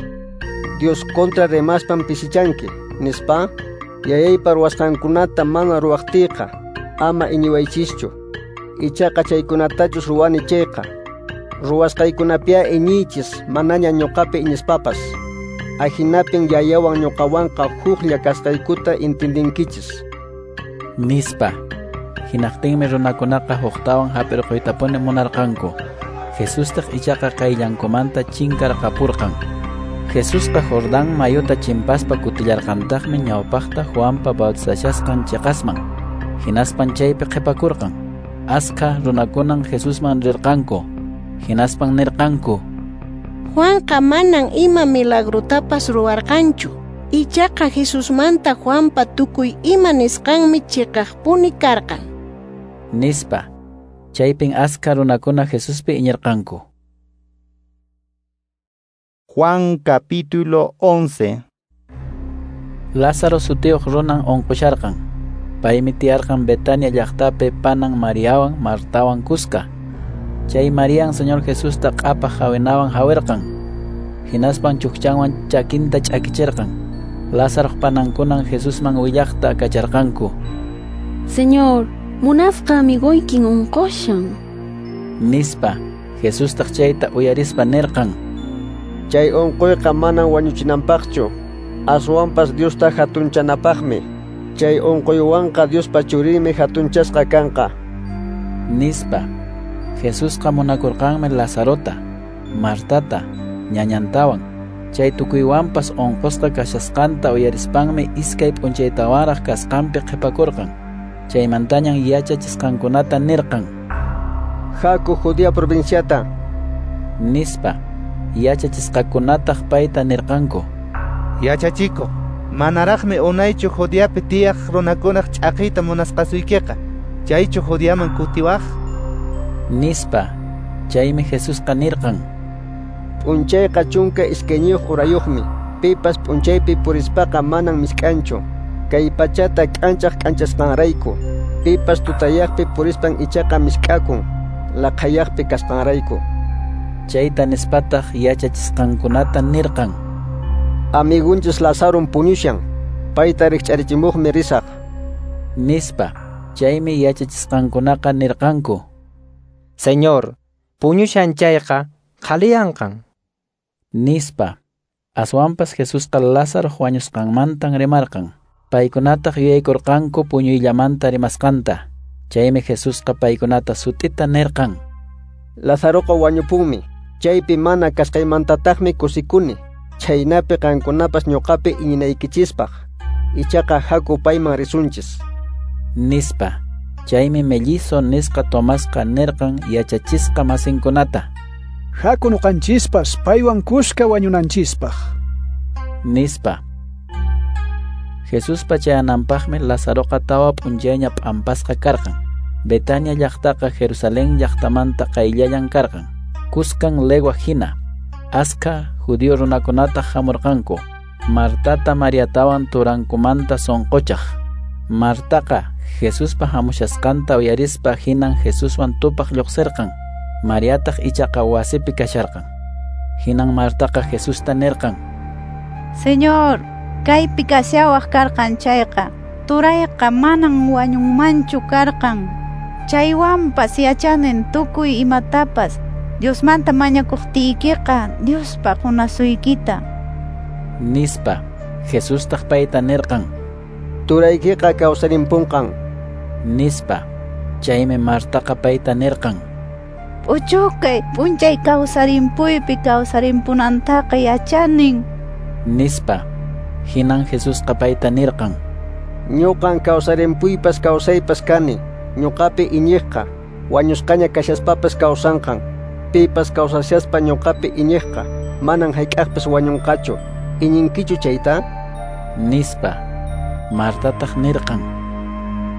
Dios contra rimaspan pisichanki, nispa. Yayaypa ruwasqankunata mana ruwaqtiyqa, ama iñiwaychischu. Ichaqa chaykunatachus ruwani chayqa, ruwasqaykunapia iñiychis, manaña ñuqapi iñispapas. Ajinapin yayawan ñuqawanqa huklla kasqaykuta intindinkichis. Nispa. Hinaqtinmi runakunaqa huktawan hap'irquytapuni munarqanku. Jesustaq ichaqa qayllankumanta chinkarqapurqan. Jesusqa Jordán mayuta chimpaspa kutillarqantaqmi ñawpaqta Juanpa bautizashasqan chiqasman. Hinaspan chaypi qhipakurqan. Askha runakunan Jesusman rirqanku. Hinaspan nirqanku: Juanqa manan ima milagrotapas ruwarqanchu. Ichaqa Jesusmanta Juanpa tukuy ima nisqanmi chiqaqpuni karqan. Nispa. Chaypin askha runakuna Jesuspi iñirqanku. Juan capítulo once. Lázaro sutiyuq runan unqusharqan. Paymi tiyarqan Betania llaqtapi panan Mariawan Martawan kuska. Chay Marian Señor Jesusta q'apaq hawinawan hawirqan. Hinaspan chukchanwan chakinta ch'akichirqan. Lázaroq panankunan Jesusman willaqta kacharqanku: Señor, munasqa amigoykin unqushan. Nispa. Jesustaq chayta uyarispa nirqan: Chay unquyqa manan wañuchinanpaqchu, aswanpas Diosta hatunchanapaqmi. Chay unquywanqa Diospa churinmi hatunchasqa kanqa. Nispa. Jesusqa munakurqanmi Lazarota, Martata, ñañantawan. Chay tukuywanpas unqusqa kashasqanta uyarispanmi iskay p'unchaytawanraq kasqanpi qhipakurqan. Chaymantañan yachachisqankunata nirqan: Haku Judea provinciata. Nispa. Yachachisqakunataq payta nirqanku: Yachachikuq, manaraqmi unaychu Judeapi tiyaq runakunaq ch'aqiyta munasqasuykiqa. Chaychu Judeaman kutiwaq? Nispa. Chaymi Jesusqa nirqan: P'unchayqa chunka iskayniyuq urayuqmi. Pipas p'unchaypi purispaqa manan misk'anchu. Kay pachata k'anchaq k'anchasqanrayku. Pipas tutayaqpi purispan ichaqa misk'akun, laqhayaqpi kasqanrayku. Chayta nispataq yachachisqankunata nirqan: Amigunchis Lazaron puñushan, payta rikch'arichimuqmi risaq. Nispa. Chaymi yachachisqankunaqa nirqanku: Señor, puñushan chayqa qhaliyanqan. Nispa. Aswanpas Jesusqa Lázaro wañusqanmantan rimarqan. Paykunataq yuyaykurqanku puñuyllamanta rimasqanta. Chaymi Jesusqa paykunata sut'ita nirqan: Lazaroqa wañupunmi. Chaypi mana kasqaymantataqmi kusikuni. Chhaynapi qankunapas ñuqapi iñinaykichispaq. Ichaqa haku payman risunchis. Nispa. Chaymi mellizo nisqa Tomasqa nirqan yachachisqa masinkunata: Haku nuqanchispas paywan kuska wañunanchispaq. Nispa. Jesuspa chayananpaqmi Lazaroqa tawa p'unchayña p'ampasqa karqan. Betania llaqtaqa Jerusalén llaqtamanta qayllallan karqan. Kuskan legua hina. Askha judío runakunataq hamurqanku. Martata Mariatawan turankumanta sunquchaq. Martaqa Jesuspa hamushasqanta uyarispa hinan Jesuswan tupaq lluqsirqan. Mariataq ichaqa wasipi kasharqan. Hinan Martaqa Jesusta nirqan: Señor, kaypi kashawaq karqan chayqa, turayqa manan wañunmanchu karqan. Chaywanpas yachanin tukuy imatapas Diosmanta mañakuqtiykiqa Diospa qunasuykita. Nispa. Jesustaq payta nirqan: Turaykiqa kawsarimpunqan. Nispa. Chaymi Martaqa payta nirqan: P'uchukay p'unchay kawsarimpuypi kawsarimpunantaqa yachanin. Nispa. Hinan Jesusqa payta nirqan: Ñuqan kawsarimpuypas kawsaypas kani. Ñuqapi iñiqqa wañusqaña kashaspapas kawsanqan. Pipas kawsashaspa ñuqapi iñiqqa manan hayk'aqpas wañunqachu. Iñinkichu chayta? Nispa. Martataq nirqan: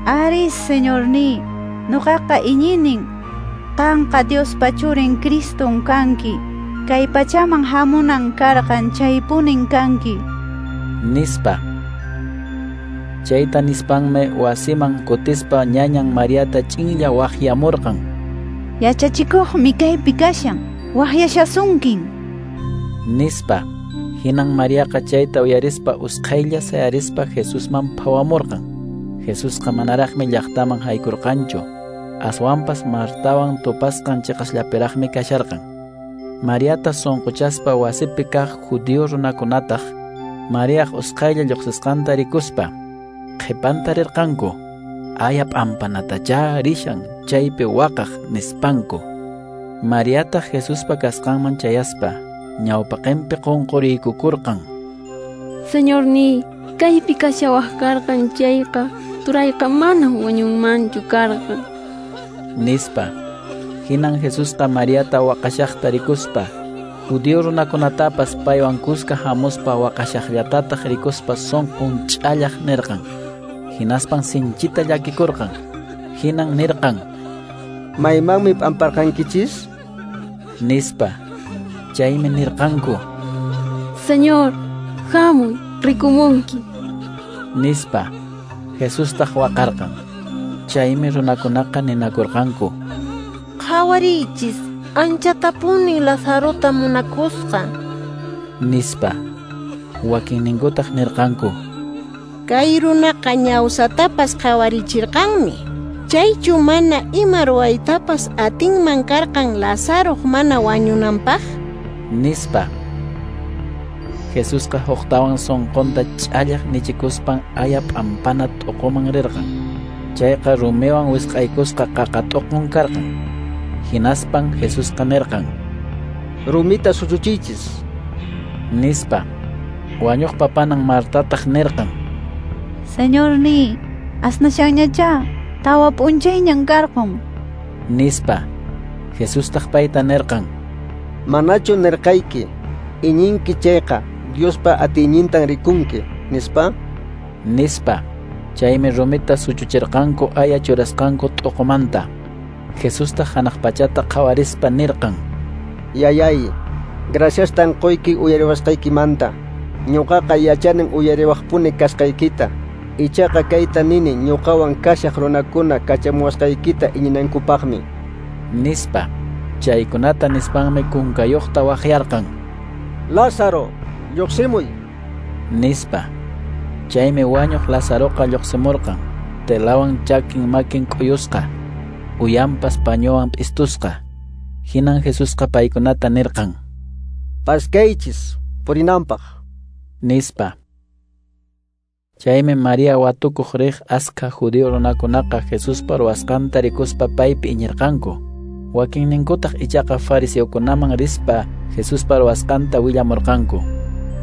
Ari, Señorniy, ñuqaqa iñinin. Qanqa Diospa churin Criston kanki. Kay pachaman hamunan karqan chaypunin kanki. Nispa. Chayta nispanmi wasiman kutispa ñañan Mariata ch'inlla waqyamurqan: Yachachikuqmi kaypi kashan, waqyashasunkin. Nispa. Hinan Mariaqa chayta uyarispa usqhaylla sayarispa Jesusman phawamurqan. Jesusqa manaraqmi llaqtaman haykurqanchu. Aswanpas Martawan tupasqan chiqasllapiraqmi kasharqan. Mariata sunquchaspa wasipi kaq judío runakunataq Mariaq usqhaylla lluqsisqanta rikuspa qhipanta rirqanku. Aya p'ampanatachá rishan chaypi waqaq nispanku. Mariataq Jesuspa kasqanman chayaspa ñawpaqinpi qunquriykukurqan. Señorniy, kaypi kashawaq karqan chayqa, turayqa manam wañunmanchu karqan, nispa. Hinan Jesusqa Mariata waqashaqta rikuspa, judío runakunatapas paywan kuska hamuspa waqashaqllatataq rikuspa sunqun ch'allaq nirqan. Hinaspan sinchita llakikurqan. Hinan nirqan: Maymanmi p'amparqankichis? Nispa. Chaymi nirqanku: Señor, hamuy, rikumunki, nispa. Jesustaq waqarqan. Chaymi runakunaqa ninakurqanku: Qhawariychis, anchatapunin Lazarota munakusqa, nispa. Wakinninkutaq nirqanku: Kay runaqa ñawsatapas qhawarichirqanmi. Chaychu mana ima ruwaytapas atinman karqan Lazaroq mana wañunanpaq? Nispa. Jesusqa huqtawan sunqunta ch'allaq nichikuspan aya p'ampana t'uquman rirqan. Chayqa rumiwan wisq'aykusqa qaqa t'uqun karqan. Hinaspan Jesusqa nirqan: Rumita suchuchiychis, nispa. Wañuqpa panan Martataq nirqan: Señorniy, asnashanñachá, tawa p'unchayñan karqun, nispa. Jesustaq payta nirqan: Manachu nirqayki, iñinki chayqa Diospa atiynintan rikunki, nispa? Nispa. Chaymi rumita suchuchirqanku aya churasqanku t'uqumanta. Jesustaq hanaq pachata qhawarispa nirqan: Yayay, graciastan quyki uyariwasqaykimanta. Ñuqaqa yachanin uyariwaqpuni kasqaykita. Ichaqa kayta nini ñuqawan kashaq runakuna kachamuwasqaykita iñinankupaqmi, nispa. Chaykunata nispanmi kunkayuqta waqyarqan: Lázaro, lluqsimuy, nispa. Chaymi wañuq Lazaroqa lluqsimurqan, telawan chakin makin k'uyusqa, uyanpas pañuwan p'istusqa. Hinan Jesusqa paykunata nirqan: Paskaychis purinanpaq, nispa. Chaymi María watukuq riq askha judío runakunaqa Jesuspa ruwasqanta rikuspa paypi iñirqanku. Wakinninkutaq ichaqa fariseokunaman rispa Jesuspa ruwasqanta willamurqanku.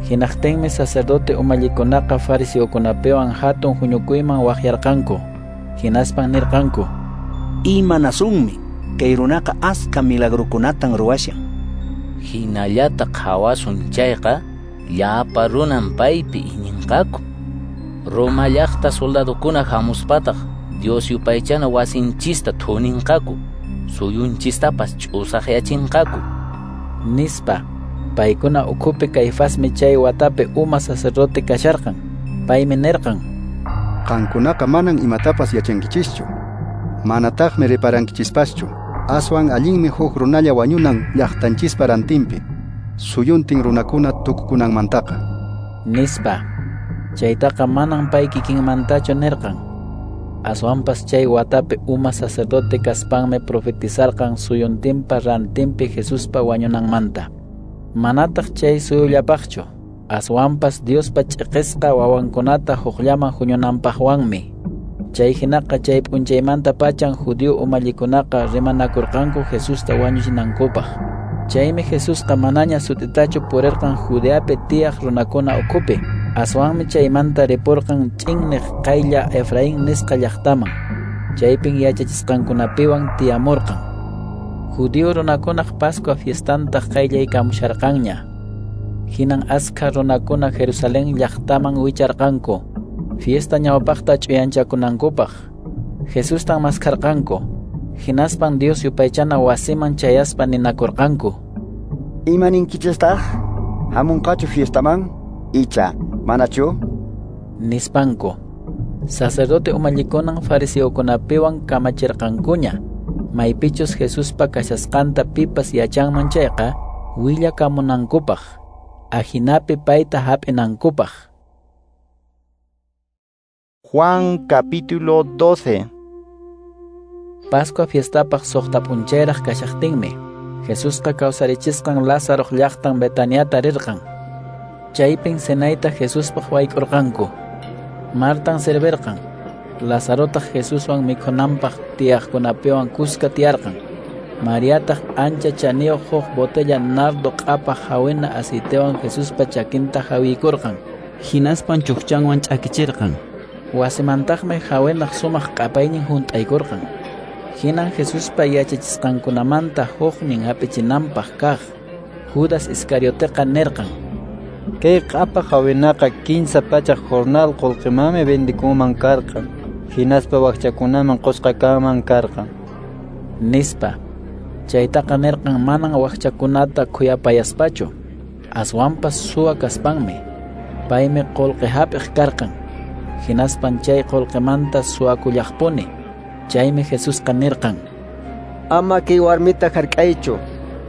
Hinaqtinmi sacerdote umallikunaqa fariseokunapiwan hatun huñukuyman waqyarqanku. Hinaspan nirqanku: Imanasunmi, kay runaqa askha milagrukunatan ruwashan. Hinallata qhawasun chayqa, llapa runan paypi iñinqaku. Roma llaqta soldadokuna hamuspataq Dios yupaychana wasinchista thuninqaku, suyunchistapas ch'usaqyachinqaku, nispa. Paykuna ukhupi Caifasmi chay watapi uma sacerdote kasharqan. Paymi nirqan: Qankunaqa manan imatapas yachankichischu, manataqmi reparankichispaschu. Aswan allinmi huk runalla wañunan llaqtanchispa rantinpi, suyuntin runakuna tukukunanmantaqa, nispa. Chaytaqa manan pay kikinmantachu nirqan. Aswanpas chay watapi uma sacerdote kaspanmi profetizarqan suyuntinpa rantinpi Jesuspa wañunanmanta. Manataq chay suyullapaqchu, aswanpas Diospa ch'iqisqa wawankunata hukllaman huñunanpaqwanmi. Chay hinaqa chay p'unchaymanta pachan judío umallikunaqa rimanakurqanku Jesusta wañuchinankupaq. Chaymi Jesusqa manaña sut'itachu purirqan Judeapi tiyaq runakuna ukhupi. Aswanmi chaymanta ripurqan ch'inniq qaylla Efraín nisqa llaqtaman. Chaypin yachachisqankunapiwan tiyamurqan. Judío runakunaq Pascua fiestantaq qayllaykamusharqanña. Hinan askha runakuna Jerusalén llaqtaman wicharqanku, fiesta ñawpaqta ch'uyanchakunankupaq. Jesustan maskharqanku. Hinaspan Dios yupaychana wasiman chayaspa ninakurqanku: Imaninkichistaq? Hamunqachu fiestaman? Icha, manachu? Nispanku. Sacerdote umallikunan fariseokunapiwan kamachirqankuña, maypichus Jesuspa kashasqanta pipas yachanman chayqa willakamunankupaq, ajinapi payta hap'inankupaq. Juan capítulo doce. Pascua fiestapaq suqta p'unchayraq kashaqtinmi, Jesusqa kawsarichisqan Lázaroq llaqtan Betaniata rirqan. Chaypin cenayta Jesuspaq wayk'urqanku. Martan servirqan. Lazarotaq Jesuswan mikhunanpaq tiyaqkunapiwan kuska tiyarqan. Mariataq ancha chaniyuq huk botella nardo q'apaq hawina aceitewan Jesuspa chakinta hawiykurqan. Hinaspan chukchanwan ch'akichirqan. Wasimantaqmi hawinaq sumaq q'apaynin hunt'aykurqan. Hinan Jesuspa yachachisqankunamanta huknin hap'ichinanpaq kaq Judas Iscarioteqa nirqan: Kay q'apaq hawinaqa kinsa pachak jornal qullqimanmi vendikunman karqan, hinaspa wakchakunaman qusqa kanman karqan, nispa. Chaytaqa nirqan manan wakchakunata khuyapayaspachu, aswanpas suwa kaspanmi. Paymi qullqi hap'iq karqan, hinaspan chay qullqimanta suwakullaqpuni. Chaymi Jesusqa nirqan: Ama kay warmita hark'aychu,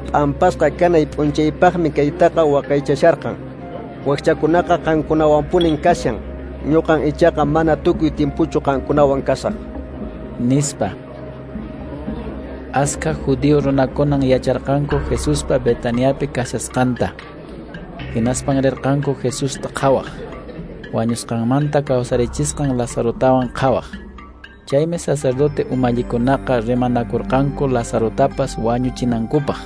p'ampasqa kanay p'unchaypaqmi kaytaqa waqaychasharqan. Wakchakunaqa qankunawanpunin kashan, ñuqan ichaqa mana tukuy timpuchu qankunawan kasaq, nispa. Askha judío runakunan yacharqanku Jesuspa Betaniapi kashasqanta. Hinaspan rirqanku Jesusta qhawaq, wañusqanmanta kawsarichisqan Lazarotawan qhawaq. Chaymi sacerdote umallikunaqa rimanakurqanku Lazarotapas wañuchinankupaq.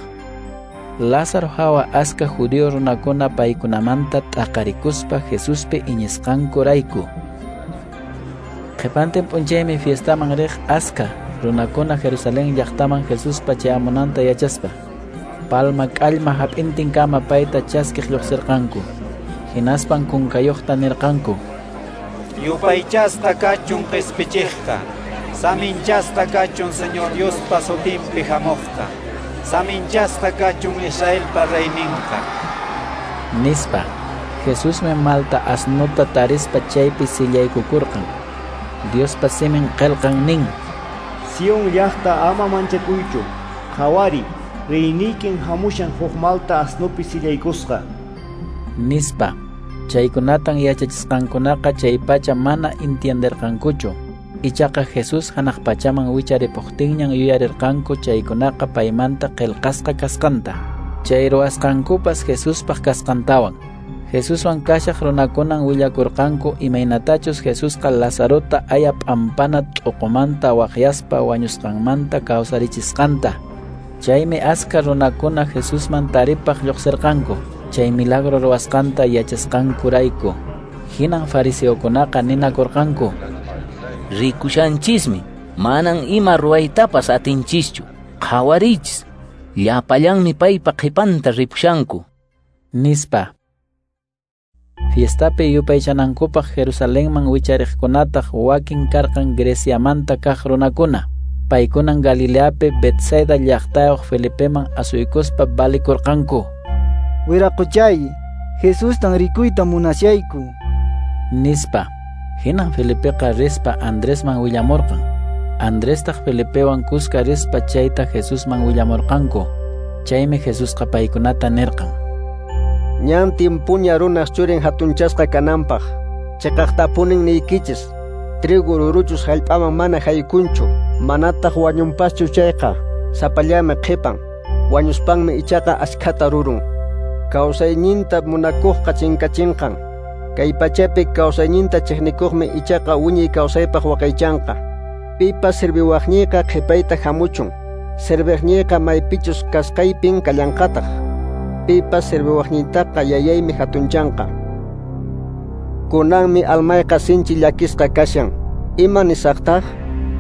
Lázaro hawa askha judío runakuna paykunamanta t'aqarikuspa Jesuspi iñisqankurayku. Qhipantin p'unchaymi fiestaman riq askha runakuna Jerusalén llaqtaman Jesuspa chayamunanta yachaspa, palma k'allma hap'intinkama payta chaskiq lluqsirqanku. Hinaspan kunkayuqta nirqanku: Yupaychasqa kachun qispichiqqa, saminchasqa kachun Señor Diospa sutinpi hamuqqa, saminchasqa kachun Israelpa reyninqa, nispa. Jesusmi malta asnuta tarispa chaypi sillaykukurqan. Diospa simin qillqan nin: Sion llaqta ama manchakuychu, qhawari, reyniykin hamushan huk malta asnupi sillaykusqa, nispa. Chaykunatan yachachisqankunaqa chay pacha mana entienderqankuchu. Ichaqa Jesús hanaq pachaman wicharipuqtinñan yuyarirqanku chaykunaqa paymanta qillqasqa kasqanta, chay ruwasqankupas Jesuspaq kasqantawan. Jesuswan kashaq runakunan willakurqanku imaynatachus Jesusqa Lazarota aya p'ampana t'uqumanta waqyaspa wañusqanmanta kawsarichisqanta. Chaymi askha runakuna Jesusman taripaq lluqsirqanku, chay milagro ruwasqanta yachasqankurayku. Hinan fariseokunaqa ninakurqanku: Rikushanchismi, manan ima ruwaytapas atinchischu. Qhawariychis, llapallanmi paypa qhipanta ripushanku, nispa. Fiestapi yupaychanankupaq Jerusalenman wichariqkunataq wakin karqan Greciamanta kaq runakuna. Paykunan Galileapi Betsaida llaqtayuq Felipeman asuykuspa valikurqanku: Wiraqochay, Jesustan rikuyta munashayku, nispa. Hinan Felipeqa rispa Andresman willamurqan. Andrestaq Felipewan kuska rispa chayta Jesusman willamurqanku. Chaymi Jesusqa paykunata nirqan: Ñan timpuña runaq churin hatunchasqa kananpaq, chiqaqtapunin niykichis, trigo ruruchus hallp'aman mana haykunchu, manataq wañunpaschu chayqa, sapallami qhipan, wañuspanmi ichaqa askhata rurun. Kawsayninta munakuqqa chinkachinqan, kay pachapi kawsayninta chiqnikuqmi ichaqa wiñay kawsaypaq waqaychanqa. Pipas serviwaqniyqa qhipayta hamuchun, serviqniyqa maypichus kasqaypin kallanqataq. Pipas serviwaqniytaqa yayaymi hatunchanqa. Kunanmi almayqa sinchi llakisqa kashan. Ima nisaqtaq?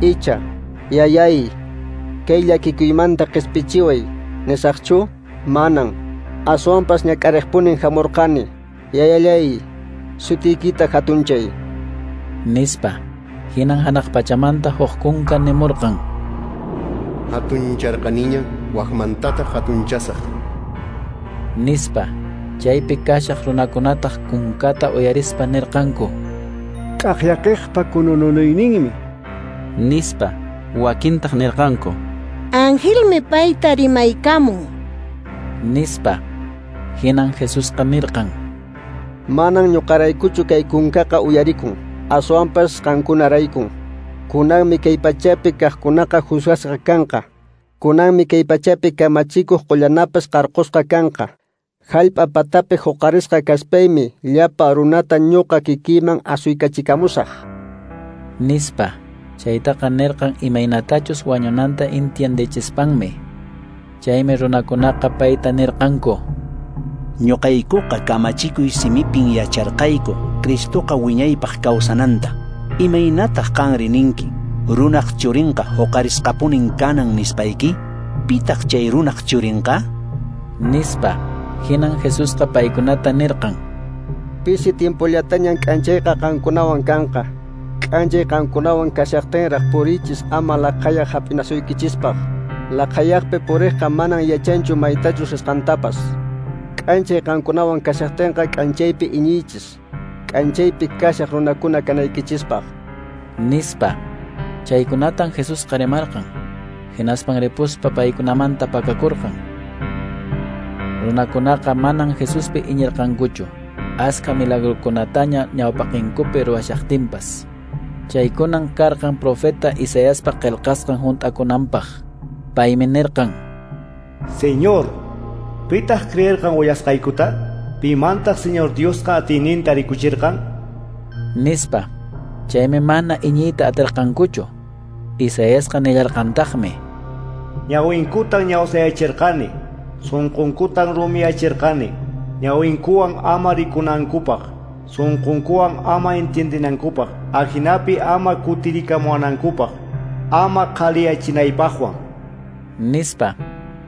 Icha, yayay, kay llakikuymanta qispichiway, nisaqchu? Manan. Aswanpas ñak'ariqpunin hamurqani. Yayallay, sutiykita hatunchay, nispa. Hinan hanaq pachamanta huk kunka nimurqan: Hatuncharqaniña, wakmantataq hatunchasaq, nispa. Chaypi kashaq runakunataq kunkata uyarispa nirqanku: K'aqllaqiqpa kunununuyninmi, nispa. Wakintaq nirqanku: Angelmi payta rimaykamun, nispa. Hinan Jesusqa nirqan: Manan ñuqaraykuchu kay kunkaqa uyarikun, aswanpas qankunaraykun. Kunanmi kay pachapi kaqkunaqa juzgasqa kanqa. Kunanmi kay pachapi kamachikuq qullanapas qarqusqa kanqa. Hallp'a patapi huqarisqa kaspaymi llapa runata ñuqa kikiyman asuykachikamusaq, nispa. Chaytaqa nirqan imaynatachus wañunanta entiendechispanmi. Chaymi runakunaqa payta nirqanku: Ñuqaykuqa kamachikuy simipin yacharqayku Cristoqa wiñaypaq kawsananta. Imaynataq qanri ninki runaq churinqa huqarisqapunin kanan nispayki? Pitaq chay runaq churinqa? Nispa. Hinan Jesusqa paykunata nirqan: Pisi tiempollatañan k'anchayqa qankunawan kanqa. K'anchay qankunawan kashaqtinraq purichis ama laqhayaq hap'inasuykichispaq. Laqhayaqpi puriqqa manan yachanchu maytachus risqantapas. K'anchay qankunawan kashaqtinqa k'anchaypi iñiychis, k'anchaypi kashaq runakuna kanaykichispaq. Nispa. Chaykunatan Jesusqa rimarqan. Hinaspan ripuspa paykunamanta pakakurqan. Runakunaqa manan Jesuspi iñirqankuchu, askha milagrukunataña ñawpaqinkupi ruwashaqtinpas. Chaykunan karqan profeta Isaiaspa qillqasqan hunt'akunanpaq. Paymi nirqan: Señor, pitaq creerqan willasqaykuta? Pimantaq Señor Diosqa atiyninta rikuchirqan? Nispa. Chaymi mana iñiyta atirqankuchu. Isaiasqa nillarqantaqmi: Ñawinkutan ñawsayachirqani, sunqunkutan rumiyachirqani, ñawinkuwan ama rikunankupaq, sunqunkuwan ama entiendinankupaq, ajinapi ama kutirikamuwanankupaq, ama qhaliyachinaypaqwan. Nispa.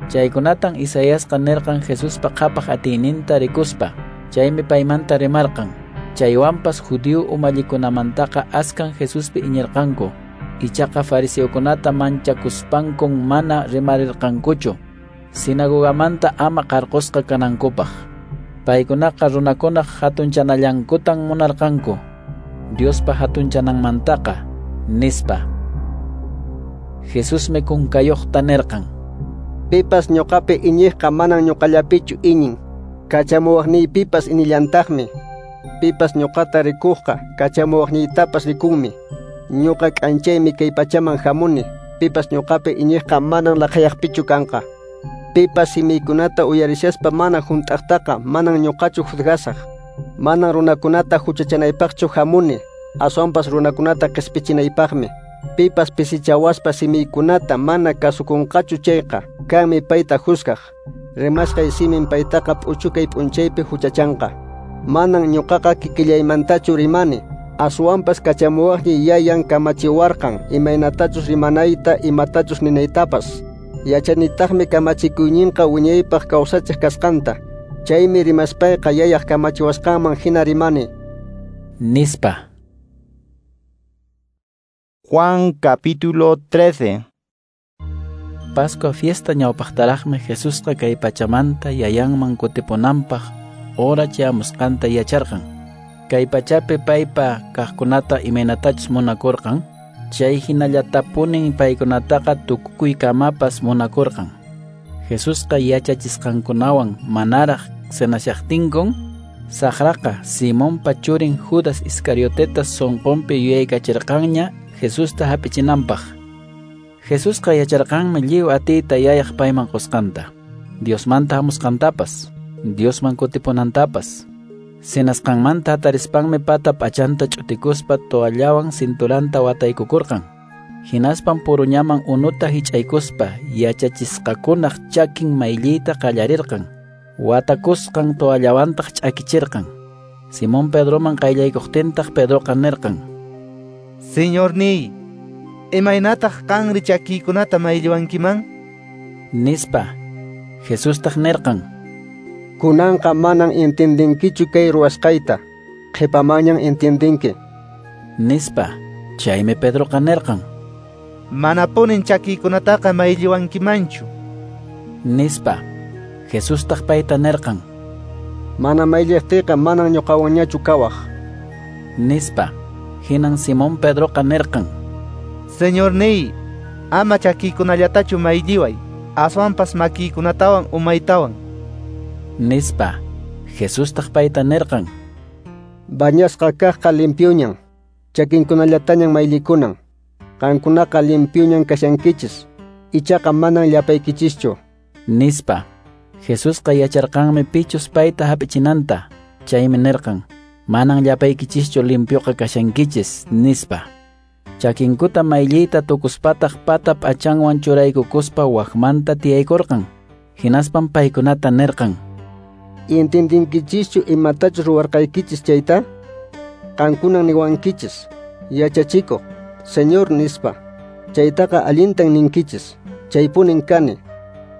Chaykunatan Isaiasqa nirqan Jesuspa qhapaq atiyninta rikuspa. Chaymi paymanta rimarqan. Chaywanpas judío umallikunamantaqa askan Jesuspi iñirqanku. Ichaqa fariseokunata manchakuspankun mana rimarirqankuchu sinagogamanta ama qarqusqa kanankupaq. Paykunaqa runakunaq hatunchanallankutan munarqanku, Diospa hatunchananmantaqa, nispa. Jesusmi kunkayuqta nirqan: Pipas ñuqapi iñiqqa manan ñuqallapichu iñin, kachamuwaqniypipas inillantaqmi. Pipas ñuqata rikuqqa kachamuwaqniytapas rikunmi. Ñuqa k'anchaymi kay pachaman hamuni, pipas ñuqapi iñiqqa manan laqhayaqpichu kanqa. Pipas simiykunata uyarishaspa mana hunt'aqtaqa manan ñuqachu juzgasaq. Manan runakunata huchachanaypaqchu hamuni, aswanpas runakunata qispichinaypaqmi. Pipas pisichawaspa simiykunata mana kasukunqachu chayqa, kanmi payta juzgaq. Rimasqay simin paytaqa p'uchukay p'unchaypi huchachanqa. Manan ñuqaqa kikillaymantachu rimani, aswanpas kachamuwaqniy yayan kamachiwarqan imaynatachus rimanayta imatachus ninaytapas. Yachanitaqmi kamachikuyninqa wiñaypaq kawsachiq kasqanta. Chaymi rimaspayqa yayaq kamachiwasqanman hina rimani. Nispa. Juan capítulo trece. Pascua fiesta ñawpaqtaraqmi Jesusqa kay pachamanta yayanman kutipunanpaq hora chayamusqanta yacharqan. Kay pachapi paypa kaqkunata imaynatachus munakurqan, chay hinallatapunin paykunataqa tukukuykamapas munakurqan. Jesusqa yachachisqankunawan manaraq cenashaqtinkun, saqraqa Simonpa churin Judas Iscarioteta sunqunpi yuyaykachirqanña Jesusta hap'ichinanpaq. Jesusqa yacharqanmi lliw atiyta yayaq payman qusqanta, Diosmanta hamusqantapas, Diosman kutipunantapas. Cenasqanmanta hatarispanmi pata p'achanta ch'utikuspa toallawan cinturanta wataykukurqan. Hinaspan puruñaman unuta hich'aykuspa yachachisqakunaq chakin maylliyta qallarirqan. Watakusqan toallawantaq ch'akichirqan. Simón Pedroman qayllaykuqtintaq Pedroqa nirqan: Señorniy, imaynataq qanri chakiykunata maylliwankiman? Nispa. Jesustaq nirqan: Kunanqa manan entiendenkichu kay ruwasqayta, qhipamanñan entiendenki. Nispa. Chaymi Pedroqa nirqan: Manapunin chakiykunataqa maylliwankimanchu. Nispa. Jesustaq payta nirqan: Mana maylliqtiyqa manan ñuqawanñachu kawaq. Nispa. Hinan Simón Pedroqa nirqan: Señorniy, ama chakiykunallatachu maylliway, aswanpas makiykunatawan umaytawan. Nispa. Jesustaq payta nirqan: Bañasqa kaqqa limpioñan, chakinkunallatañan mayllikunan. Qankunaqa limpioñan kashankichis, ichaqa manan llapaykichischu. Nispa. Jesusqa yacharqanmi pichus payta hap'ichinanta, chaymi nirqan: Manan llapaykichischu limpioqa kashankichis, nispa. Chakinkuta maylliyta tukuspataq pata p'achanwan churaykukuspa wakmanta tiyaykurqan. Hinaspan paykunata nirqan: Entendinkichischu imatachus ruwarqaykichis chayta? Qankunan niwankichis, yachachikuq, Señor nispa. Chaytaqa allintan ninkichis, chaypunin kani.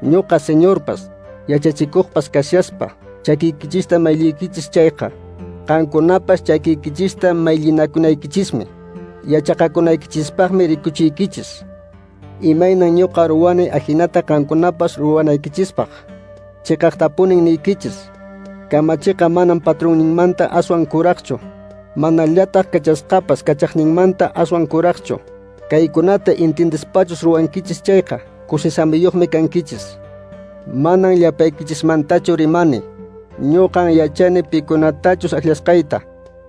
Ñuqa Señorpas, yachachikuqpas kashaspa, chakiykichista mayliykichis chayqa, qankunapas chakiykichista maylinakunaykichismi, yachaqakunaykichispaqmi rikuchiykichis. Imaynan ñuqa ruwani ajinata qankunapas ruwanaykichispaq. Chiqaqtapunin niykichis, kamachiqa manan patronninmanta aswan kuraqchu, manallataq kachasqapas kachaqninmanta aswan kuraqchu. Kaykunata entendispachus ruwankichis chayqa, kusisamiyuqmi kankichis. Manan llapaykichismantachu rimani, ñuqan yachani pikunatachus akllasqayta.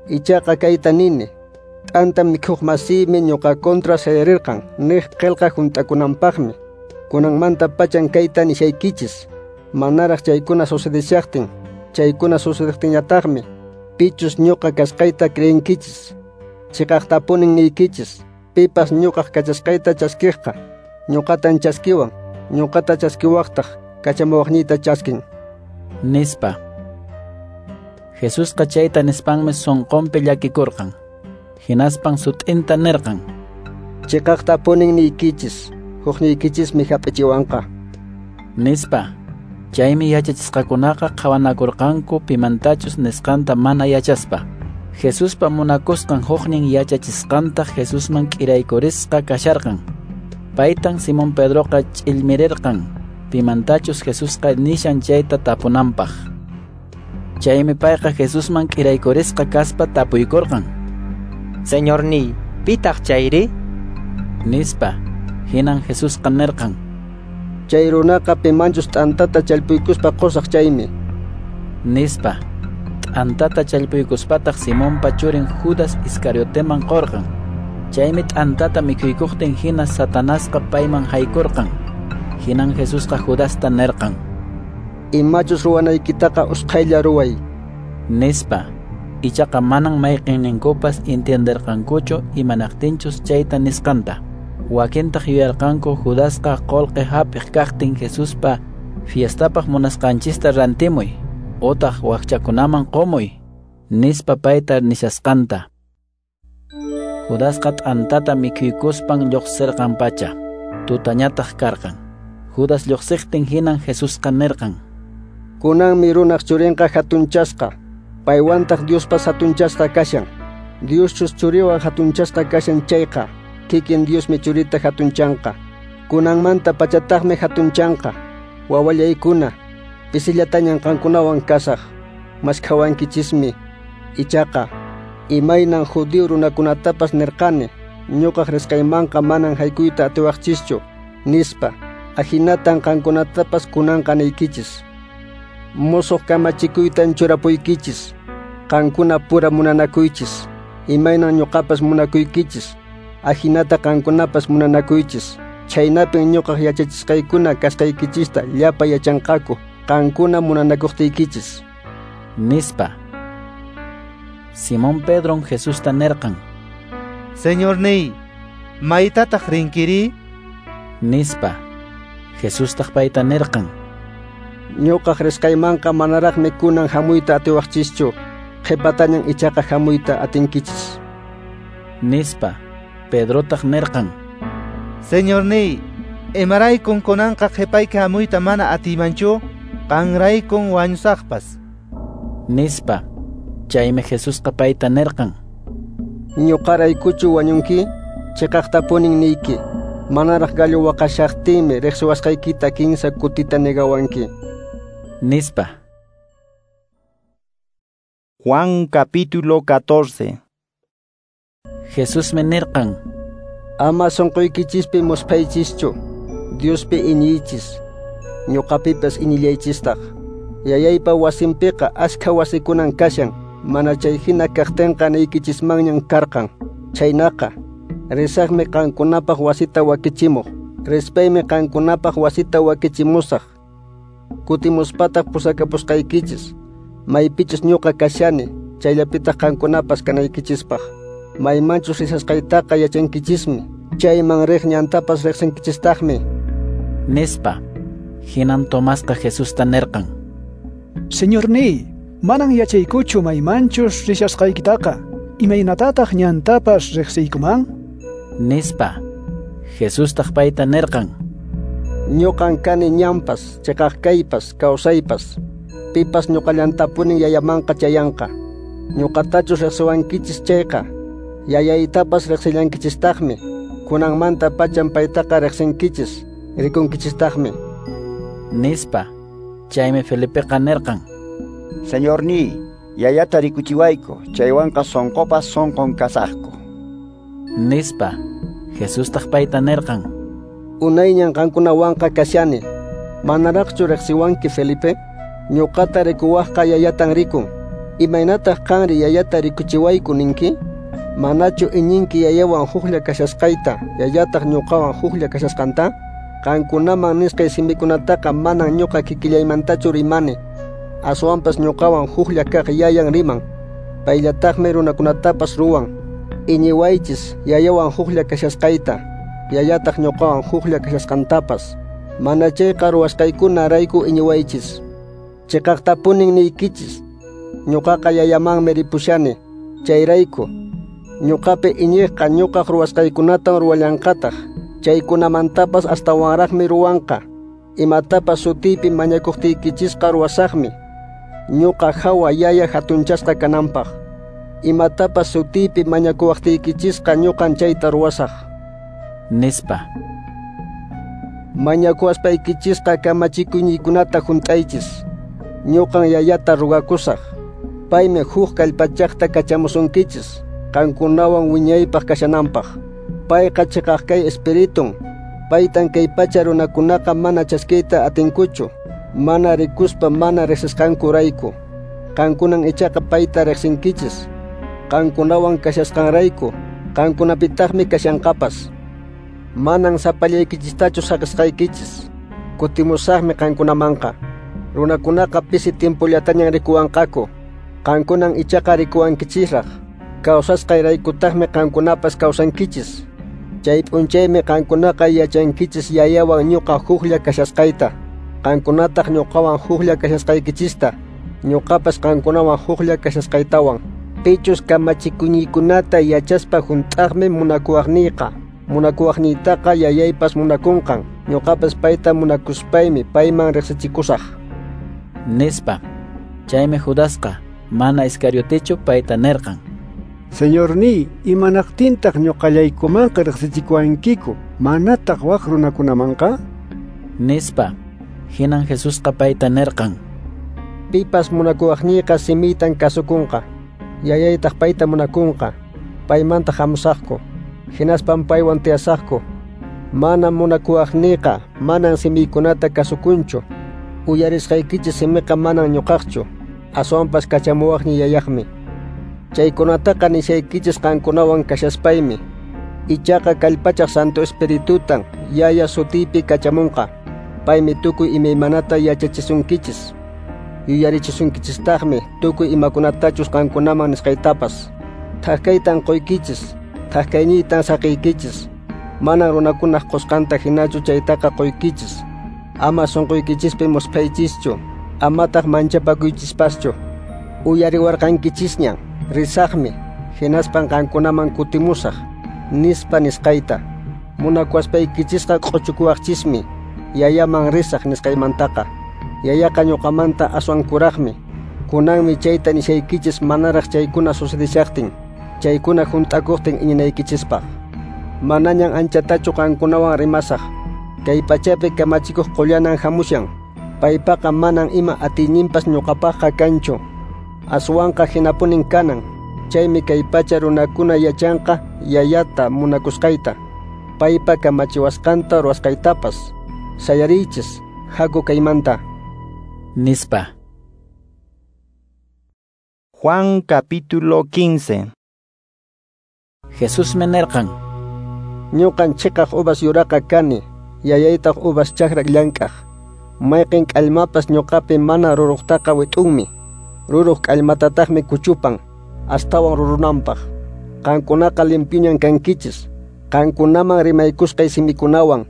Ichaqa kayta nini, t'anta mikhuq masiymi ñuqa contra sayarirqan niq qillqa hunt'akunanpaqmi. Kunanmanta pachan kayta nishaykichis, manaraq chaykuna sucedeshaqtin, chaykuna sucedejtinñataqmi, pichus ñuqa kasqayta creenkichis. Chiqaqtapunin niykichis, pipas ñuqaq kachasqayta chaskiqqa, ñuqatan chaskiwan, ñuqata chaskiwaqtaq kachamuwaqniyta chaskin. Nispa. Jesusqa chayta nispanmi sunqunpi llakikurqan. Hinaspan sut'inta nirqan: Chiqaqtapunin niykichis, hukniykichismi hap'ichiwanqa. Nispa. Chaymi yachachisqakunaqa qhawanakurqanku pimantachus nisqanta mana yachaspa. Jesuspa munakusqan huknin yachachisqantaq Jesusman k'iraykurisqa kasharqan. Paytan Simón Pedroqa ch'illmirirqan pimantachus Jesusqa nishan chayta tapunanpaq. Chaymi payqa Jesusman k'iraykurisqa kaspa tapuykurqan: Señorniy, pitaq chayri? Nispa. Hinan Jesusqa nirqan: Chay runaqa pimanchus t'antata challpuykuspa qusaq chaymi. Nispa. T'antata challpuykuspataq Simonpa churin Judas Iscarioteman qurqan. Chaymi t'antata mikhuykuqtin hina Satanasqa payman haykurqan. Hinan Jesusqa Judasta nirqan: Imachus ruwanaykitaqa usqhaylla ruway. Nispa. Ichaqa manan mayqinninkupas entienderqankuchu imanaqtinchus chayta nisqanta. Wakintaq yuyarqanku Judasqa qolqe hap'iq kaqtin Jesuspa fiestapaq munasqanchista rantimuy, otaq wakchakunaman qumuy, nispa payta nishasqanta. Judasqa t'antata mikhuykuspan lluqsirqan pacha, tutañataq karqan. Judas lluqsiqtin hinan Jesusqa nirqan: Kunanmi runaq churinqa hatunchasqa, paywantaq Diospas hatunchasqa kashan. Dioschus churiwan hatunchasqa kashan chayqa, kikin Diosmi churita hatunchanqa. Kunanmanta pachataqmi hatunchanqa. Wawallaykuna, pisillatañan qankunawan kasaq, maskhawankichismi. Ichaqa, imaynan judío runakunatapas nirqani, ñuqaq risqaymanqa manan haykuyta atiwaqchischu, nispa. Ahinatan qankunatapas kunanqa niykichis. Musuq kamachikuytan churapuykichis, qankuna pura munanakuychis, imaynan ñuqapas munakuykichis, ahinata qankunapas munanakuychis. Chhaynapin ñuqaq yachachisqaykuna kasqaykichista llapa yachanqaku, qankuna munanakuqtiykichis. Nispa. Simón Pedron Jesusta nirqan: Señorniy, maytataq rinkiri? Nispa. Jesustaq payta nirqan: Ñuqaq risqaymanqa manaraqmi kunan hamuyta atiwaqchischu, qhipatañan ichaqa hamuyta atinkichis. Nispa. Pedrotaq nirqan: Señorniy, imaraykun kunanqa qhipayki hamuyta mana atiymanchu, qanraykun wañusaqpas. Nispa. Chaymi Jesusqa payta nirqan: Ñuqaraykuchu wañunki? Chiqaqtapunin niyki, manaraq gallo waqashaqtinmi riqsiwasqaykita kinsa kutita negawanki. Nispa. Juan capítulo catorce. Jesusmi nirqan: Ama sunquykichispi musphaychischu, Diospi iñiychis, ñuqapipas iñillaychistaq. Yayaypa wasinpiqa askha wasikunan kashan, mana chay hina kaqtinqa niykichismanñan karqan. Chaynaqa, risaqmi qankunapaq wasita wakichimuq, rispaymi qankunapaq wasita wakichimusaq. Kutimuspataq pusakapusqaykichis, maypichus ñuqa kashani, chayllapitaq qankunapas kanaykichispaq. Maymanchus risasqaytaqa yachankichismi, chayman riq ñantapas riqsinkichistaqmi. Nispa. Hinan Tomasqa Jesusta nirqan: Señorníy, manan yachaykuchu maymanchus rishasqaykitaqa, imaynatataq ñantapas riqsiykuman? Nispa. Jesustaq payta nirqan: Ñuqan kani ñanpas, chiqaq kaypas, kawsaypas. Pipas ñuqallantapunin yayamanqa chayanqa. Ñuqatachus riqsiwankichis chayqa, yayaytapas riqsillankichistaqmi. Kunanmanta pachan paytaqa riqsinkichis, rikunkichistaqmi. Nispa. Chaymi Felipeqa nirqan: Señorníy, yayata rikuchiwayku, chaywanqa sonqopas sonqon kasaqku. Nispa. Jesustaq payta nirqan: Unayñan qankunawanqa kashani, manaraqchu riqsiwanki Felipe? Ñuqata rikuwaqqa yayatan rikun. Imaynataq qanri yayata rikuchiwayku ninki? Manachu iñinki yayawan huklla kashasqayta, yayataq ñuqawan huklla kashasqanta? Qankunaman nisqay simikunataqa manan ñuqa kikillaymantachu rimani, aswanpas ñuqawan huklla kaq yayan riman. Payllataqmi runakunatapas ruwan. Iñiwaychis yayawan huklla kashasqayta, yayataq ñuqawan huklla kashasqantapas. Mana chayqa ruwasqaykunarayku iñiwaychis. Chiqaqtapunin niykichis, ñuqaqa yayamanmi ripushani, chayrayku ñuqapi iñiqqa ñuqaq ruwasqaykunatan ruwallanqataq, chaykunamantapas astawanraqmi ruwanqa. Imatapas sutiypi mañakuqtiykichisqa ruwasaqmi, ñuqa hawa yaya hatunchasqa kananpaq. Imatapas sutiypi mañakuwaqtiykichisqa ñuqan chayta ruwasaq. Nispa. Mañakuwaspaykichisqa kamachikuyniykunata hunt'aychis. Ñuqan yayata rugakusaq, paymi huk kallpachaqta kachamusunkichis, qankunawan wiñaypaq kashananpaq. Payqa chiqaq kay espiritun, paytan kay pacha runakunaqa mana chaskiyta atinkuchu, mana rikuspa mana riqsisqankurayku. Qankunan ichaqa payta riqsinkichis, qankunawan kashasqanrayku, qankunapitaqmi kashanqapas. Manan sapallaykichistachu saqisqaykichis, kutimusaqmi qankunamanqa. Runakunaqa pisi tiempollatañan rikuwanqaku, qankunan ichaqa rikuwankichisraq. Kawsasqayraykutaqmi qankunapas kawsankichis. Chay p'unchaymi qankunaqa yachankichis yayawan ñuqa huklla kashasqayta, qankunataq ñuqawan huklla kashasqaykichista, ñuqapas qankunawan huklla kashasqaytawan. Pichus kamachikuyniykunata yachaspa hunt'aqmi munakuwaqniyqa. Munakuwaqniytaqa yayaypas munakunqan, ñuqapas payta munakuspaymi payman riqsichikusaq. Nispa. Chaymi Judasqa mana Iscariotechu payta nirqan: Señorníy, imanaqtintaq ñuqallaykumanqa riqsichikuwankiku, manataq wak runakunamanqa? Nispa. Hinan Jesusqa payta nirqan: Pipas munakuwaqniyqa simiytan kasukunqa, yayaytaq payta munakunqa, paymanta hamusaqku, hinaspan paywan tiyasaqku. Mana munakuwaqniyqa manan simiykunata kasukunchu. Uyarisqaykichis simiqa manan ñuqaqchu, aswanpas kachamuwaqniy yayaqmi. Chaykunataqa nishaykichis qankunawan kashaspaymi. Ichaqa kallpachaq Santo Espiritutan yaya sutiypi kachamunqa. Paymi tukuy imaymanata yachachisunkichis, yuyarichisunkichistaqmi tukuy imakunatachus qankunaman nisqaytapas. Thak kaytan quykichis, thak kayniytan saqiykichis. Manan runakunaq qusqanta hinachu chaytaqa quykichis. Ama sunquykichispi musphaychischu, amataq manchapakuychispaschu. Uyariwarqankichisñan, risaqmi, hinaspan qankunaman kutimusaq, nispa nisqayta. Munakuwaspaykichisqa q'uchukuwaqchismi, yayaman risaq nisqaymantaqa. Yayaqa ñuqamanta aswan kuraqmi. Kunanmi chayta nishaykichis manaraq chaykuna sucedishaqtin, chaykuna hunt'akuqtin iñinaykichispaq. Manañan anchatachu qankunawan rimasaq. Kay pachapi kamachikuq qullanan hamushan, paypaqa manan ima atiyninpas ñuqapaqqa kanchu. Aswanqa hinapunin kanan, chaymi kay pacha runakuna yachanqa yayata munakusqayta, paypa kamachiwasqanta ruwasqaytapas. Sayariychis, haku kaymanta. Nispa. Juan capítulo quince. Jesús nirqan: Ñuqan chiqaq uvas yuraqa kani, yayaytaq uvas chakra llank'aq. Mayqin k'allmapas ñuqapi mana ruruqtaqa wit'unmi, ruruq k'allmatataqmi kuchupan, astawan rurunanpaq. Qankunaqa limpiñan kankichis, qankunaman rimaykusqay simikunawan,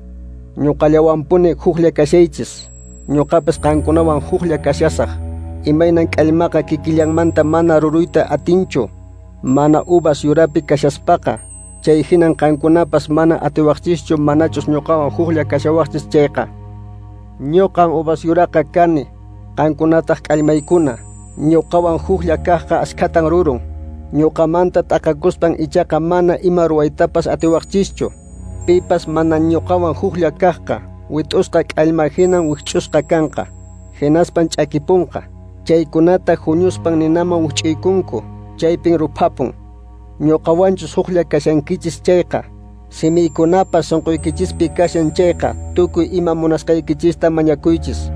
ñuqallawanpuni huklla kashaychis. ñuqapas qankunawan huklla kashasaq. Imaynan k'allmaqa kikillanmanta mana ruruyta atinchu, mana uvas yurapi kashaspaqa, chay hinan qankunapas mana atiwaqchischu manachus ñuqawan huklla kashawaqchis chayqa. Ñuqan uvas yuraqa kani, qankunataq k'allmaykuna. Ñuqawan huklla kaqqa askhatan rurun. Ñuqamanta t'aqakuspan ichaqa mana ima ruwaytapas atiwaqchischu. Pipas mana ñuqawan huklla kaqqa, wit'usqa k'allma hinan wikch'usqa kanqa, hinaspan ch'akipunqa. Chaykunata huñuspan ninaman wikch'uykunku, chaypin ruphapun. Ñuqawanchus huklla kashankichis chayqa, simiykunapas sunquykichispi kashan chayqa, tukuy ima munasqaykichista mañakuychis,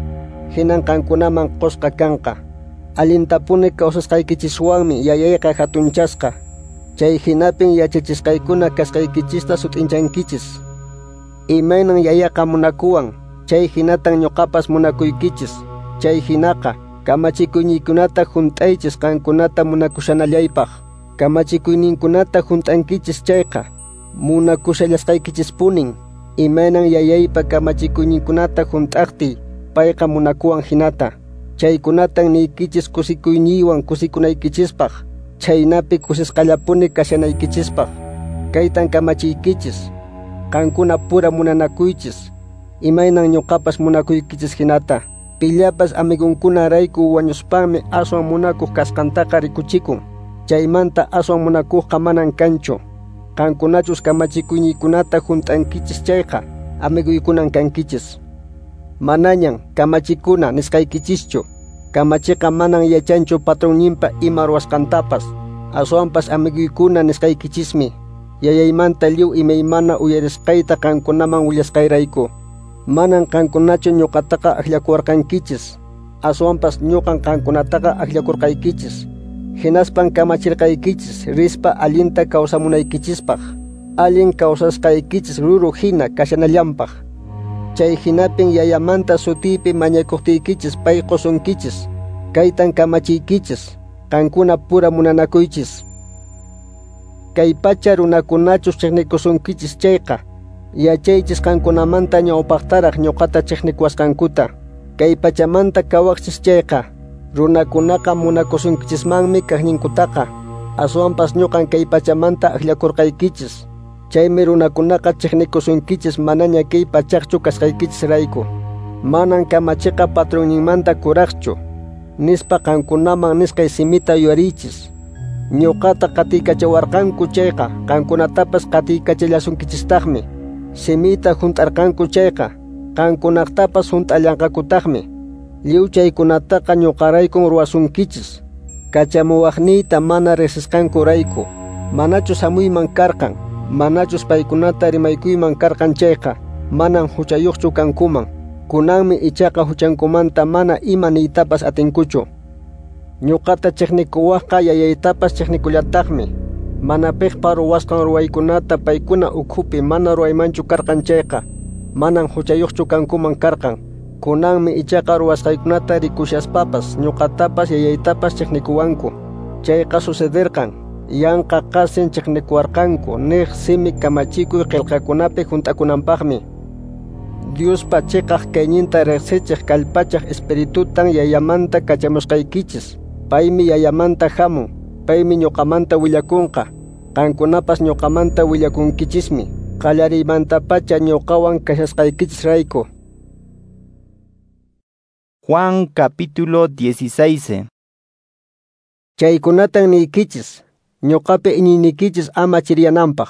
hinan qankunaman qusqa kanqa. Allintapuni kawsasqaykichiswanmi yayayqa hatunchasqa. Chay hinapin yachachisqaykuna kasqaykichista sut'inchankichis. Imaynan yayaqa munakuwan, chay hinatan ñuqapas munakuykichis. Chay hinaqa kamachikuyninkunata hunt'aychis qankunata munakushanallaypaq. Kamachikuyninkunata hunt'ankichis chayqa, munakushallasqaykichispunin. Imaynan yayaypa kamachikuyninkunata hunt'aqtiy, payqa munakuwan hinata. Chaykunatan niykichis kusikuyniywan kusikunaykichispaq, chhaynapi kusisqallapuni kashanaykichispaq. Kaytan kamachiykichis, qankuna pura munanakuychis, imaynan ñuqapas munakuykichis hinata. Pillapas amigunkunarayku wañuspanmi aswan munakuq kasqantaqa rikuchikun. Chaymanta aswan munakuqqa manan kanchu. Qankunachus kamachikuyninkunata hunt'ankichis chayqa, amiguykunan kankichis. Manañan kamachikuna nisqaykichischu. Kamachiqa manan yachanchu patronninpa ima ruwasqantapas. Aswanpas amiguykuna nisqaykichismi. Yayaymanta lliw imaymana uyarisqayta qankunaman willasqayrayku. Manan qankunachu ñuqataqa akllakuwarqankichis, aswanpas ñuqan qankunataqa akllakurqaykichis. Hinaspan kamachirqaykichis rispa allinta kawsamunaykichispaq, allin kawsasqaykichis ruru hina kashanallanpaq. Chay hinapin yayamanta sutiypi mañakuqtiykichis pay qusunkichis. Kaytan kamachiykichis, qankuna pura munanakuychis. Kay pacha runakunachus chiqnikusunkichis chayqa, yachaychis qankunamanta ñawpaqtaraq ñuqata chiqnikuwasqankuta. Kay pachamanta kawaqchis chayqa, runakunaqa munakusunkichismanmi kaqninkutaqa. Aswanpas ñuqan kay pachamanta akllakurqaykichis. Chaymi runakunaqa chiqnikusunkichis manaña kay pachaqchu kasqaykichisrayku. Manan kamachiqa patronninmanta kuraqchu, nispa qankunaman nisqay simita yuyariychis. Ñuqata qatiykachawarqanku chayqa, qankunatapas qatiykachallasunkichistaqmi. Simita hunt'arqanku chayqa, qankunaqtapas hunt'allanqakutaqmi. Lliw chaykunataqa ñuqaraykun ruwasunkichis, kachamuwaqniyta mana riqsisqankurayku. Manachus hamuyman karqan, manachus paykunata rimaykuyman karqan chayqa, manan huchayuqchu kankuman. Kunanmi ichaqa huchankumanta mana ima niytapas atinkuchu. Ñuqata chiqnikuwaqqa yayaytapas chiqnikullataqmi. Mana piqpa ruwasqan ruwaykunata paykuna ukhupi mana ruwaymanchu karqan chayqa, manan huchayuqchu kankuman karqan. Kunanmi ichaqa ruwasqaykunata rikushaspapas ñuqatapas yayaytapas chiqnikuwanku. Chayqa sucederqan, yanqa qasin chiqnikuwarqanku niq simi kamachikuy qillqakunapi hunt'akunanpaqmi. Diospa chiqaq kayninta riqsichiq kallpachaq espiritutan yayamanta kachamusqaykichis. Paymi yayamanta hamun, paymi ñuqamanta willakunqa. Qankunapas ñuqamanta willakunkichismi, qallariymantapacha ñuqawan kashasqaykichisrayku. Juan capítulo dieciséis. Chaykunatan niykichis, ñuqapi iñiynikichis ama chiriyananpaq.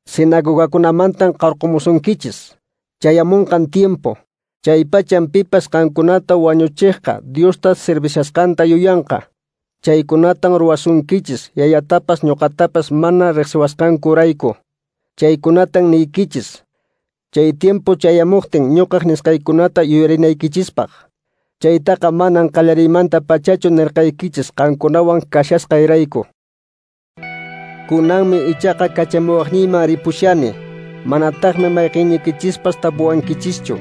Sinagogakunamantan qarqumusunkichis. Chayamunqan tiempo, chaypachan pipas qankunata wañuchiqqa Diosta servishasqanta yuyanqa. Chaykunatan ruwasunkichis, yayatapas ñuqatapas mana riqsiwasqankurayku. Chaykunatan niykichis, chay tiempo chayamuqtin ñuqaq nisqaykunata yuyarinaykichispaq. Chaytaqa manan qallariymanta pachachu nirqaykichis qankunawan kashasqayrayku. Kunanmi ichaqa kachamuwaqniyman ripushani. Manataqmi mayqinnikichispas tapuwankichischu,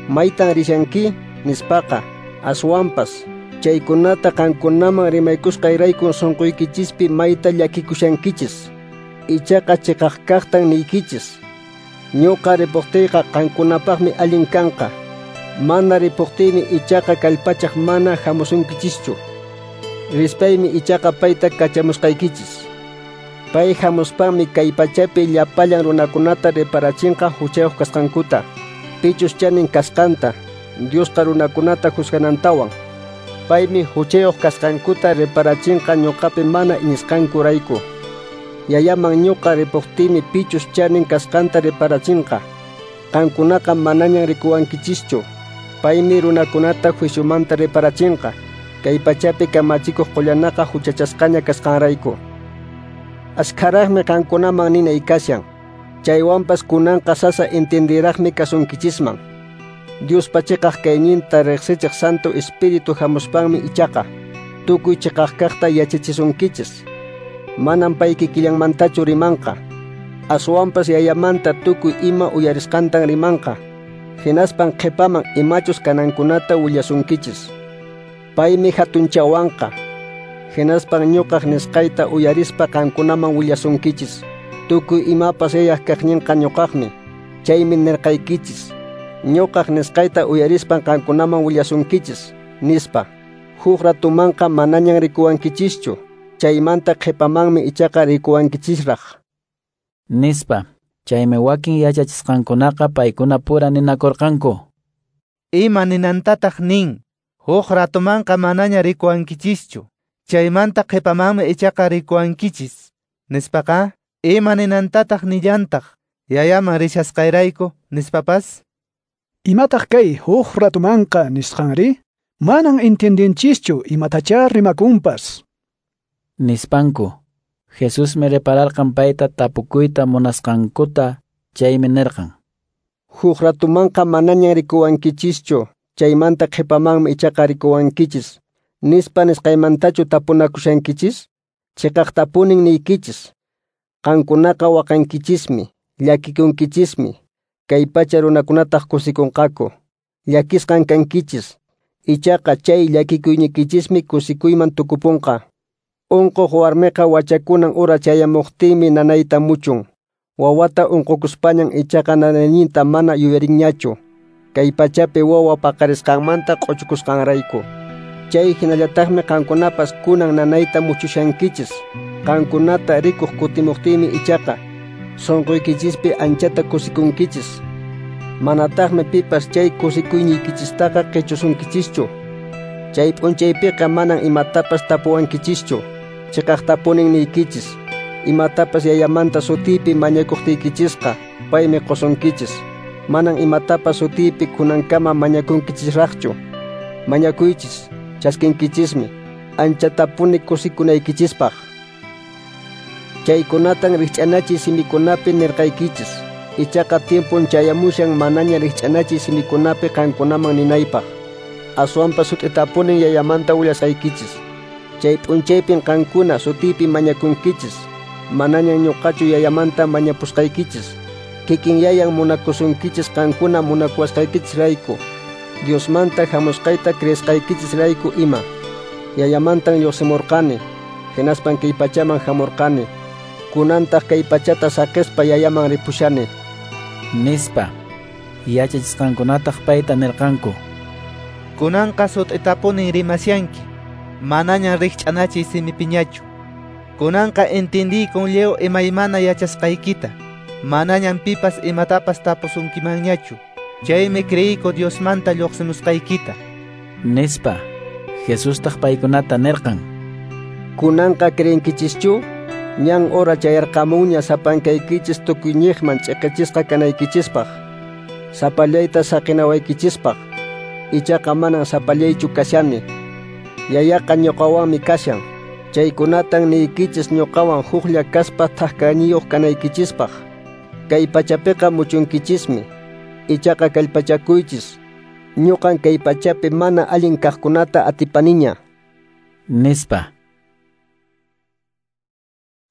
maytan rishanki nispaqa. Aswanpas chaykunata qankunaman rimaykusqayraykun sunquykichispi mayta llakikushankichis. Ichaqa chiqaq kaqtan niykichis, ñuqa ripuqtiyqa qankunapaqmi allin kanqa. Mana ripuqtiymi ichaqa kallpachaq mana hamusunkichischu. Rispaymi ichaqa payta kachamusqaykichis. Pay hamuspanmi kay pachapi llapallan runakunata reparachinqa huchayuq kasqankuta, pichus chanin kasqanta, Diosqa runakunata juzganantawan. Paymi huchayuq kasqankuta reparachinqa ñuqapi mana iñisqankurayku. Yayaman ñuqa ripuqtiymi pichus chanin kasqanta reparachinqa. Qankunaqa manañan rikuwankichischu. Paymi runakunata juiciomanta reparachinqa, kay pachapi kamachikuq qullanaqa huchachasqaña kasqanrayku. Askharaqmi qankunaman ninay kashan, chaywanpas kunanqa sasa entendiraqmi kasunkichisman. Diospa chiqaq kayninta riqsichiq Santo Espíritu hamuspanmi ichaqa tukuy chiqaq kaqta yachachisunkichis. Manam pay kikillanmantachu rimanqa, aswanpas Yayamanta tukuy ima uyarisqantan rimanqa. Hinaspan qhipaman imachus kanankunata willasunkichis. Paymi hatunchawanqa. Hinaspan ñuqaq nisqayta uyarispa qankunaman willasunkichis. Tukuy imapas Yayaq kaqninqa ñuqaqmi. Chaymi nirqaykichis. Ñuqaq nisqayta uyarispan qankunaman willasunkichis, nispa. Huk ratumanqa manañan rikuwankichischu. Chaymanta qhipamanmi ichaqa rikuwankichisraq. Nispa. Chaymi wakin yachachisqankunaqa paykuna pura ninakurqanku. Ima ninantataq nin, huk ratumanqa manaña rikuwankichischu, chaymanta qhipamanmi ichaqa rikuwankichis, nispaqa, ima ninantataq nillantaq, Yayaman rishasqayrayku, nispapas? Imataq kay huk ratumanqa nisqanri? Manan entiendenchischu imatachá rimakunpas. Nispanku. Jesusmi repararqan payta tapukuyta munasqankuta, chaymi nirqan: Huk ratumanqa manañan rikuwankichischu, chaymanta qhipamanmi ichaqa rikuwankichis, nispa nisqaymantachu tapunakushankichis? Chiqaqtapunin niykichis. Qankunaqa waqankichismi, llakikunkichismi, kay pacha runakunataq kusikunqaku. Llakisqan kankichis, ichaqa chay llakikuyniykichismi kusikuyman tukupunqa. Unquq warmiqa wachakunan ura chayamuqtinmi nanayta muchun. Wawata unqukuspañan ichaqa nanayninta mana yuyarinñachu. Kay pachapi wawa paqarisqanmanta q'uchukusqanrayku. Chay hinallataqmi qankunapas kunan nanayta muchushankichis. Qankunata rikuq kutimuqtinmi ichaqa sunquykichispi anchata kusikunkichis. Manataqmi pipas chay kusikuyniykichistaqa qichusunkichischu. Chay p'unchaypiqa manan imatapas tapuwankichischu. Chiqaqtapunin niykichis. Imatapas Yayamanta sutiypi mañakuqtiykichisqa, paymi qusunkichis. Manan imatapas sutiypi kunankama mañakunkichisraqchu. Mañakuychis, chaskinkichismi, anchatapuni kusikunaykichispaq. Chaykunatan rikch'anachiy simikunapi nirqaykichis. Ichaqa tiempon chayamushan manaña rikch'anachiy simikunapi qankunaman ninaypaq. Aswanpas sut'itapunin Yayamanta willasqaykichis. Chay p'unchaypin qankuna sutiypi mañakunkichis. Manañan ñuqachu Yayamanta mañapusqaykichis. Kikin Yayan munakusunkichis qankuna munakuwasqaykichisrayku, Diosmanta hamusqayta creesqaykichisrayku ima. Yayamantan lluqsimurqani, hinaspan kay pachaman hamurqani. Kunantaq kay pachata saqispa Yayaman ripushani. Nispa. Yachachisqankunataq payta nirqanku: Kunanqa sut'itapunin rimashanki, manañan rikch'anachiy simipiñachu. Kunanqa entendiykun lliw imaymana yachasqaykita. Manañan pipas imatapas tapusunkimanñachu. Chaymi creiyku Diosmanta lluqsimusqaykita. Nispa. Jesustaq paykunata nirqan: Kunanqa creenkichischu? Ñan hora chayarqamunña sapankaykichis tukuyñiqman ch'iqichisqa kanaykichispaq, sapallayta saqinawaykichispaq. Ichaqa manan sapallaychu kashani. Yayaqa ñuqawanmi kashan. Chaykunatan niykichis ñuqawan huklla kaspa thakkayniyuq kanaykichispaq. Kay pachapiqa muchunkichismi. Ichaqa kallpachakuychis. Ñuqan kay pachapi mana allin kaqkunata atipaniña. Nispa.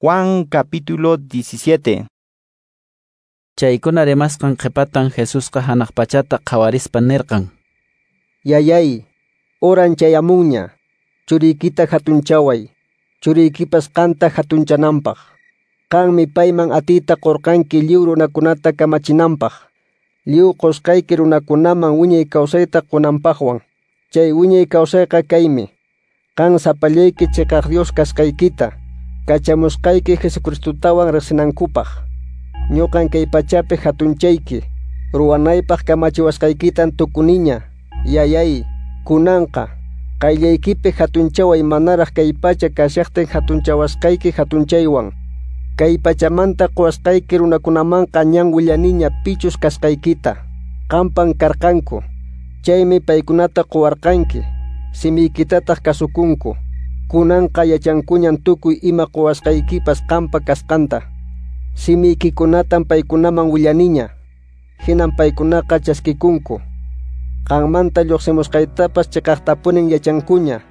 Juan capítulo diecisiete. Chaykuna rimasqan qhipatan Jesusqa hanaq pachata qhawarispa nirqan: Yayay, horan chayamunña, churiykita hatunchaway, churiykipas qanta hatunchananpaq. Qanmi payman atiyta qurqanki lliw runakunata kamachinanpaq, Lliw qusqayki runakunaman wiñay kawsayta qunanpaqwan. Chay wiñay kawsayqa kaymi: qan sapallayki chiqaq Dios kasqaykita, kachamusqayki Jesucristotawan riqsinankupaq. Ñuqan kay pachapi hatunchayki, ruwanaypaq kamachiwasqaykitan tukuniña. Yayay, kunanqa qayllaykipi hatunchaway manaraq kay pacha kashaqtin hatunchawasqayki hatunchaywan. Kay pachamanta quwasqayki runakunamanqa ñan willaniña pichus kasqaykita. Qampan karqanku, chaymi paykunata quwarqanki, simiykitataq kasukunku. Kunanqa yachankuñan tukuy ima quwasqaykipas qampa kasqanta. Simiykikunatan paykunaman willaniña, hinan paykunaqa chaskikunku. Qanmanta lluqsimusqaytapas chiqaqtapunin yachankuña,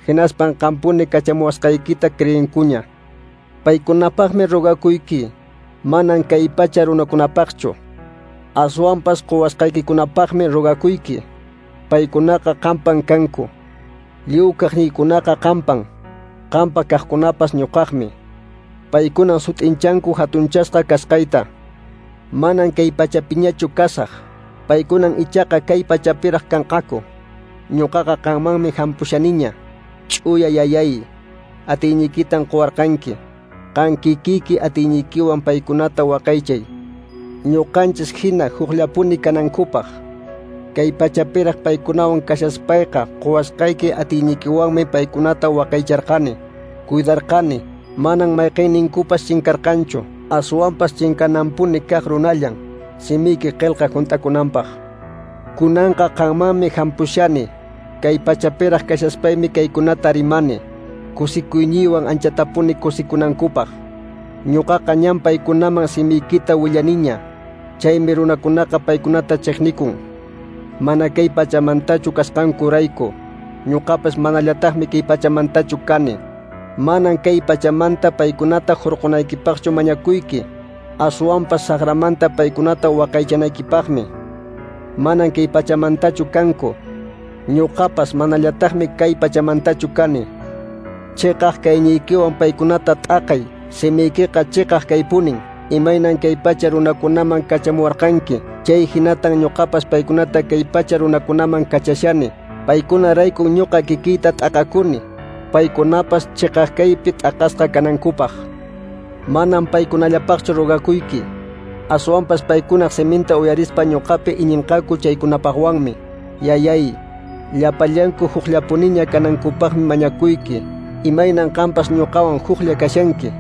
hinaspan qampuni kachamuwasqaykita creenkuña. Paykunapaqmi rogakuyki, manan kay pacha runakunapaqchu, aswanpas quwasqaykikunapaqmi rogakuyki. Paykunaqa qampan kanku, lliw kaqniykunaqa qampan, qampa kaqkunapas ñuqaqmi. Paykunan sut'inchanku hatunchasqa kasqayta. Manan kay pachapiñachu kasaq, paykunan ichaqa kay pachapiraq kanqaku. Ñuqaqa qanmanmi hampushaniña. Ch'uya yayay, atiynikitan quwarqanki. Qan kikiyki atiynikiwan paykunata waqaychay, ñuqanchis hina hukllapuni kanankupaq. Kay pachapiraq paykunawan kashaspayqa quwasqayki atiynikiwanmi paykunata waqaycharqani, cuidarqani. Manan mayqinninkupas chinkarqanchu, aswanpas chinkananpuni kaq runallan, simiyki qillqa hunt'akunanpaq. Kunanqa qanmanmi hampushani, kay pachapiraq kashaspaymi kaykunata rimani, kusikuyniywan anchatapuni kusikunankupaq. Ñuqaqa ñan paykunaman simiykita willaniña, chaymi runakunaqa paykunata chiqnikun. Mana kay pachamantachu kasqankurayku, ñuqapas manallataqmi kay pachamantachu kani. Manan kay pachamanta paykunata hurqunaykipaqchu mañakuyki, aswanpas saqramanta paykunata waqaychanaykipaqmi. Manan kay pachamantachu kanku, ñuqapas manallataqmi kay pachamantachu kani. Chiqaq kayniykiwan paykunata t'aqay, simiykiqa chiqaq kaypunin. Imaynan kay pacha runakunaman kachamuwarqanki, chay hinatan ñuqapas paykunata kay pacha runakunaman kachashani. Paykunarayku ñuqa kikiyta t'aqakuni, paykunapas chiqaq kaypi t'aqasqa kanankupaq. Manan paykunallapaqchu rogakuyki, aswanpas paykunaq siminta uyarispa ñuqapi iñinqaku chaykunapaqwanmi. Yayay, llapallanku hukllapuniña kanankupaqmi mañakuyki, imaynan qampas ñuqawan huklla kashanki,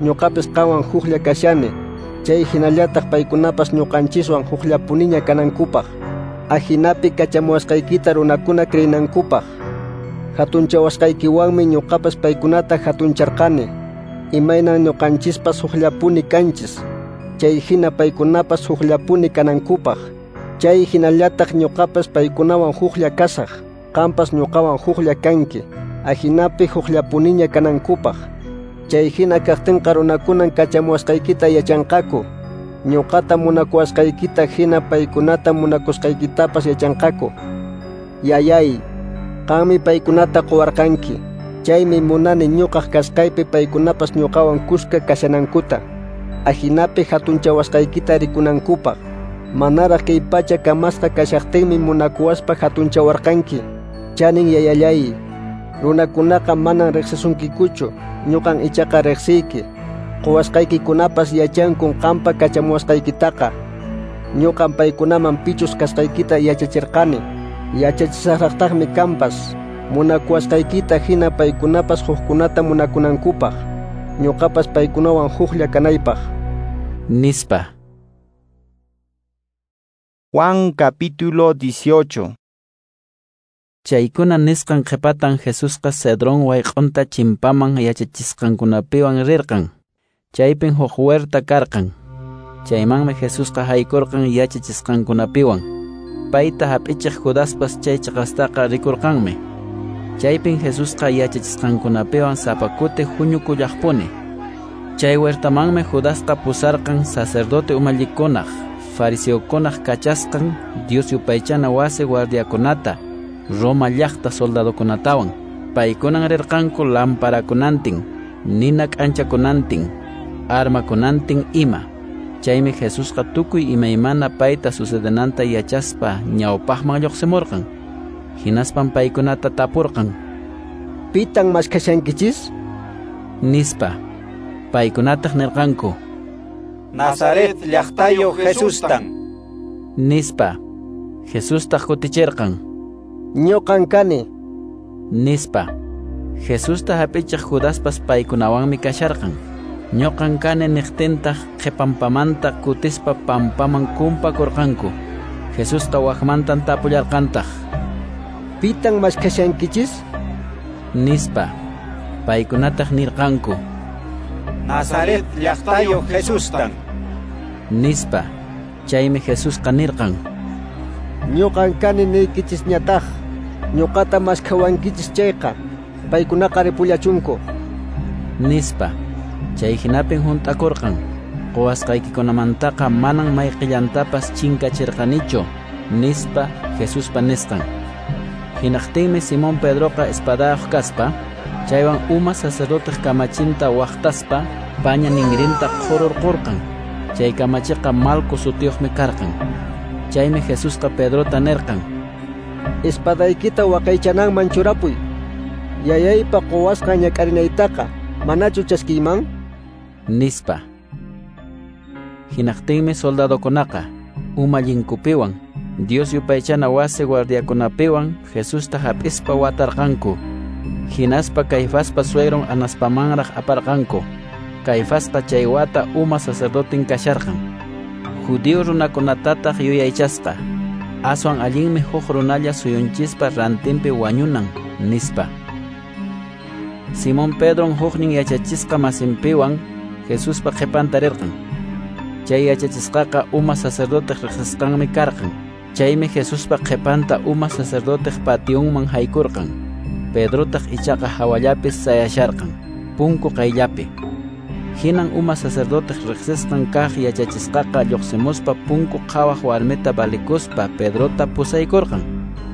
ñuqapis qanwan huklla kashani, chay hinallataq paykunapas ñuqanchiswan hukllapuniña kanankupaq, ahinapi kachamuwasqaykita runakuna creenankupaq. Hatunchawasqaykiwanmi ñuqapas paykunata hatuncharqani, imaynan ñuqanchispas hukllapuni kanchis, chay hina paykunapas hukllapuni kanankupaq. Chay hinallataq ñuqapas paykunawan huklla kasaq, qampas ñuqawan huklla kanki, ahinapi hukllapuniña kanankupaq. Chay hina kaqtinqa runakunan kachamuwasqaykita yachanqaku, ñuqata munakuwasqaykita hina paykunata munakusqaykitapas yachanqaku. Yayay, qanmi paykunata quwarqanki, chaymi munani ñuqaq kasqaypi paykunapas ñuqawan kuska kashanankuta, ahinapi hatunchawasqaykita rikunankupaq. Manaraq kay pacha kamasqa kashaqtinmi munakuwaspa hatunchawarqanki. Chanin yayallay, runakunaqa manan riqsisunkikuchu, ñuqan ichaqa riqsiyki. Quwasqaykikunapas yachankun qampa kachamuwasqaykitaqa. Ñuqan paykunaman pichus kasqaykita yachachirqani, yachachisaqraqtaqmi kanpas, munakuwasqaykita hina paykunapas hukkunata munakunankupaq, ñuqapas paykunawan huklla kanaypaq. Nispa. Juan capítulo dieciocho. Chaykuna nisqan qhipatan Jesusqa Cedrón wayq'unta chimpaman yachachisqankunapiwan rirqan. Chaypin huk huerta karqan. Chaymanmi Jesusqa haykurqan yachachisqankunapiwan. Payta hap'ichiq Judaspas chay chiqastaqa rikurqanmi. Chaypin Jesusqa yachachisqankunapiwan sapa kuti huñukullaqpuni. Chay huertamanmi Judasqa pusarqan sacerdote umallikunaq, fariseokunaq kachasqan Dios yupaychana wasi guardiakunata, Roma llaqta soldadokunatawan. Paykunan rirqanku lamparakunantin, nina k'anchakunantin, armakunantin ima. Chaymi Jesusqa tukuy imaymana payta sucedenanta yachaspa ñawpaqman lluqsimurqan. Hinaspan paykunata tapurqan: Pitan maskhashankichis? Nispa. Paykunataq nirqanku: Nazaret llaqtayuq Jesustan. Nispa. Jesustaq kutichirqan: Ñuqan kani. Nispa. Jesusta hap'ichiq Judaspas paykunawanmi kasharqan. Ñuqan kani niqtintaq qhipampamanta kutispa pampaman kumpakurqanku. Jesusqa waqmantan tapullarqantaq: Pitan maskhashankichis? Nispa. Paykunataq nirqanku: Nazaret llaqtayuq Jesustan. Nispa. Chaymi Jesusqa nirqan: Ñuqan kani niykichisñataq. Ñuqata maskhawankichis chayqa, paykunaqa ripullachunku. Nispa. Chay hinapin hunt'akurqan: Quwasqaykikunamantaqa manan mayqillantapas chinkachirqanichu, nispa Jesuspa nisqan. Hinaqtinmi Simón Pedroqa espadayuq kaspa, chaywan uma sacerdoteq kamachinta waqtaspa paña ninrinta qhururqurqan. Chay kamachiqa Malco sutiyuqmi karqan. Chaymi Jesusqa Pedrota nirqan: Espadaykita waqaychananman churapuy. Yayaypa quwasqan ñak'arinaytaqa manachu chaskiyman? Nispa. Hinaqtinmi soldadokunaqa umallinkupiwan Dios yupaychana wasi guardiakunapiwan Jesusta hap'ispa watarqanku. Hinaspa Caifaspa suegron Anaspamanraq aparqanku. Caifasqa chay wata uma sacerdotin kasharqan. Judío runakunatataq yuyaychasqa: Aswan allinmi huk runalla suyunchispa rantinpi wañunan, nispa. Simón Pedron huknin yachachisqa masinpiwan Jesuspa qhipanta rirqan. Chay yachachisqaqa uma sacerdoteq riqsisqanmi karqan. Chaymi Jesuspa qhipanta uma sacerdoteq pationman haykurqan. Pedrotaq ichaqa hawallapi sayasharqan, punku qayllapi. Hinan uma sacerdoteq riqsisqan kaq yachachisqaqa lluqsimuspa punku qhawaq warmita valikuspa Pedrota pusaykurqan.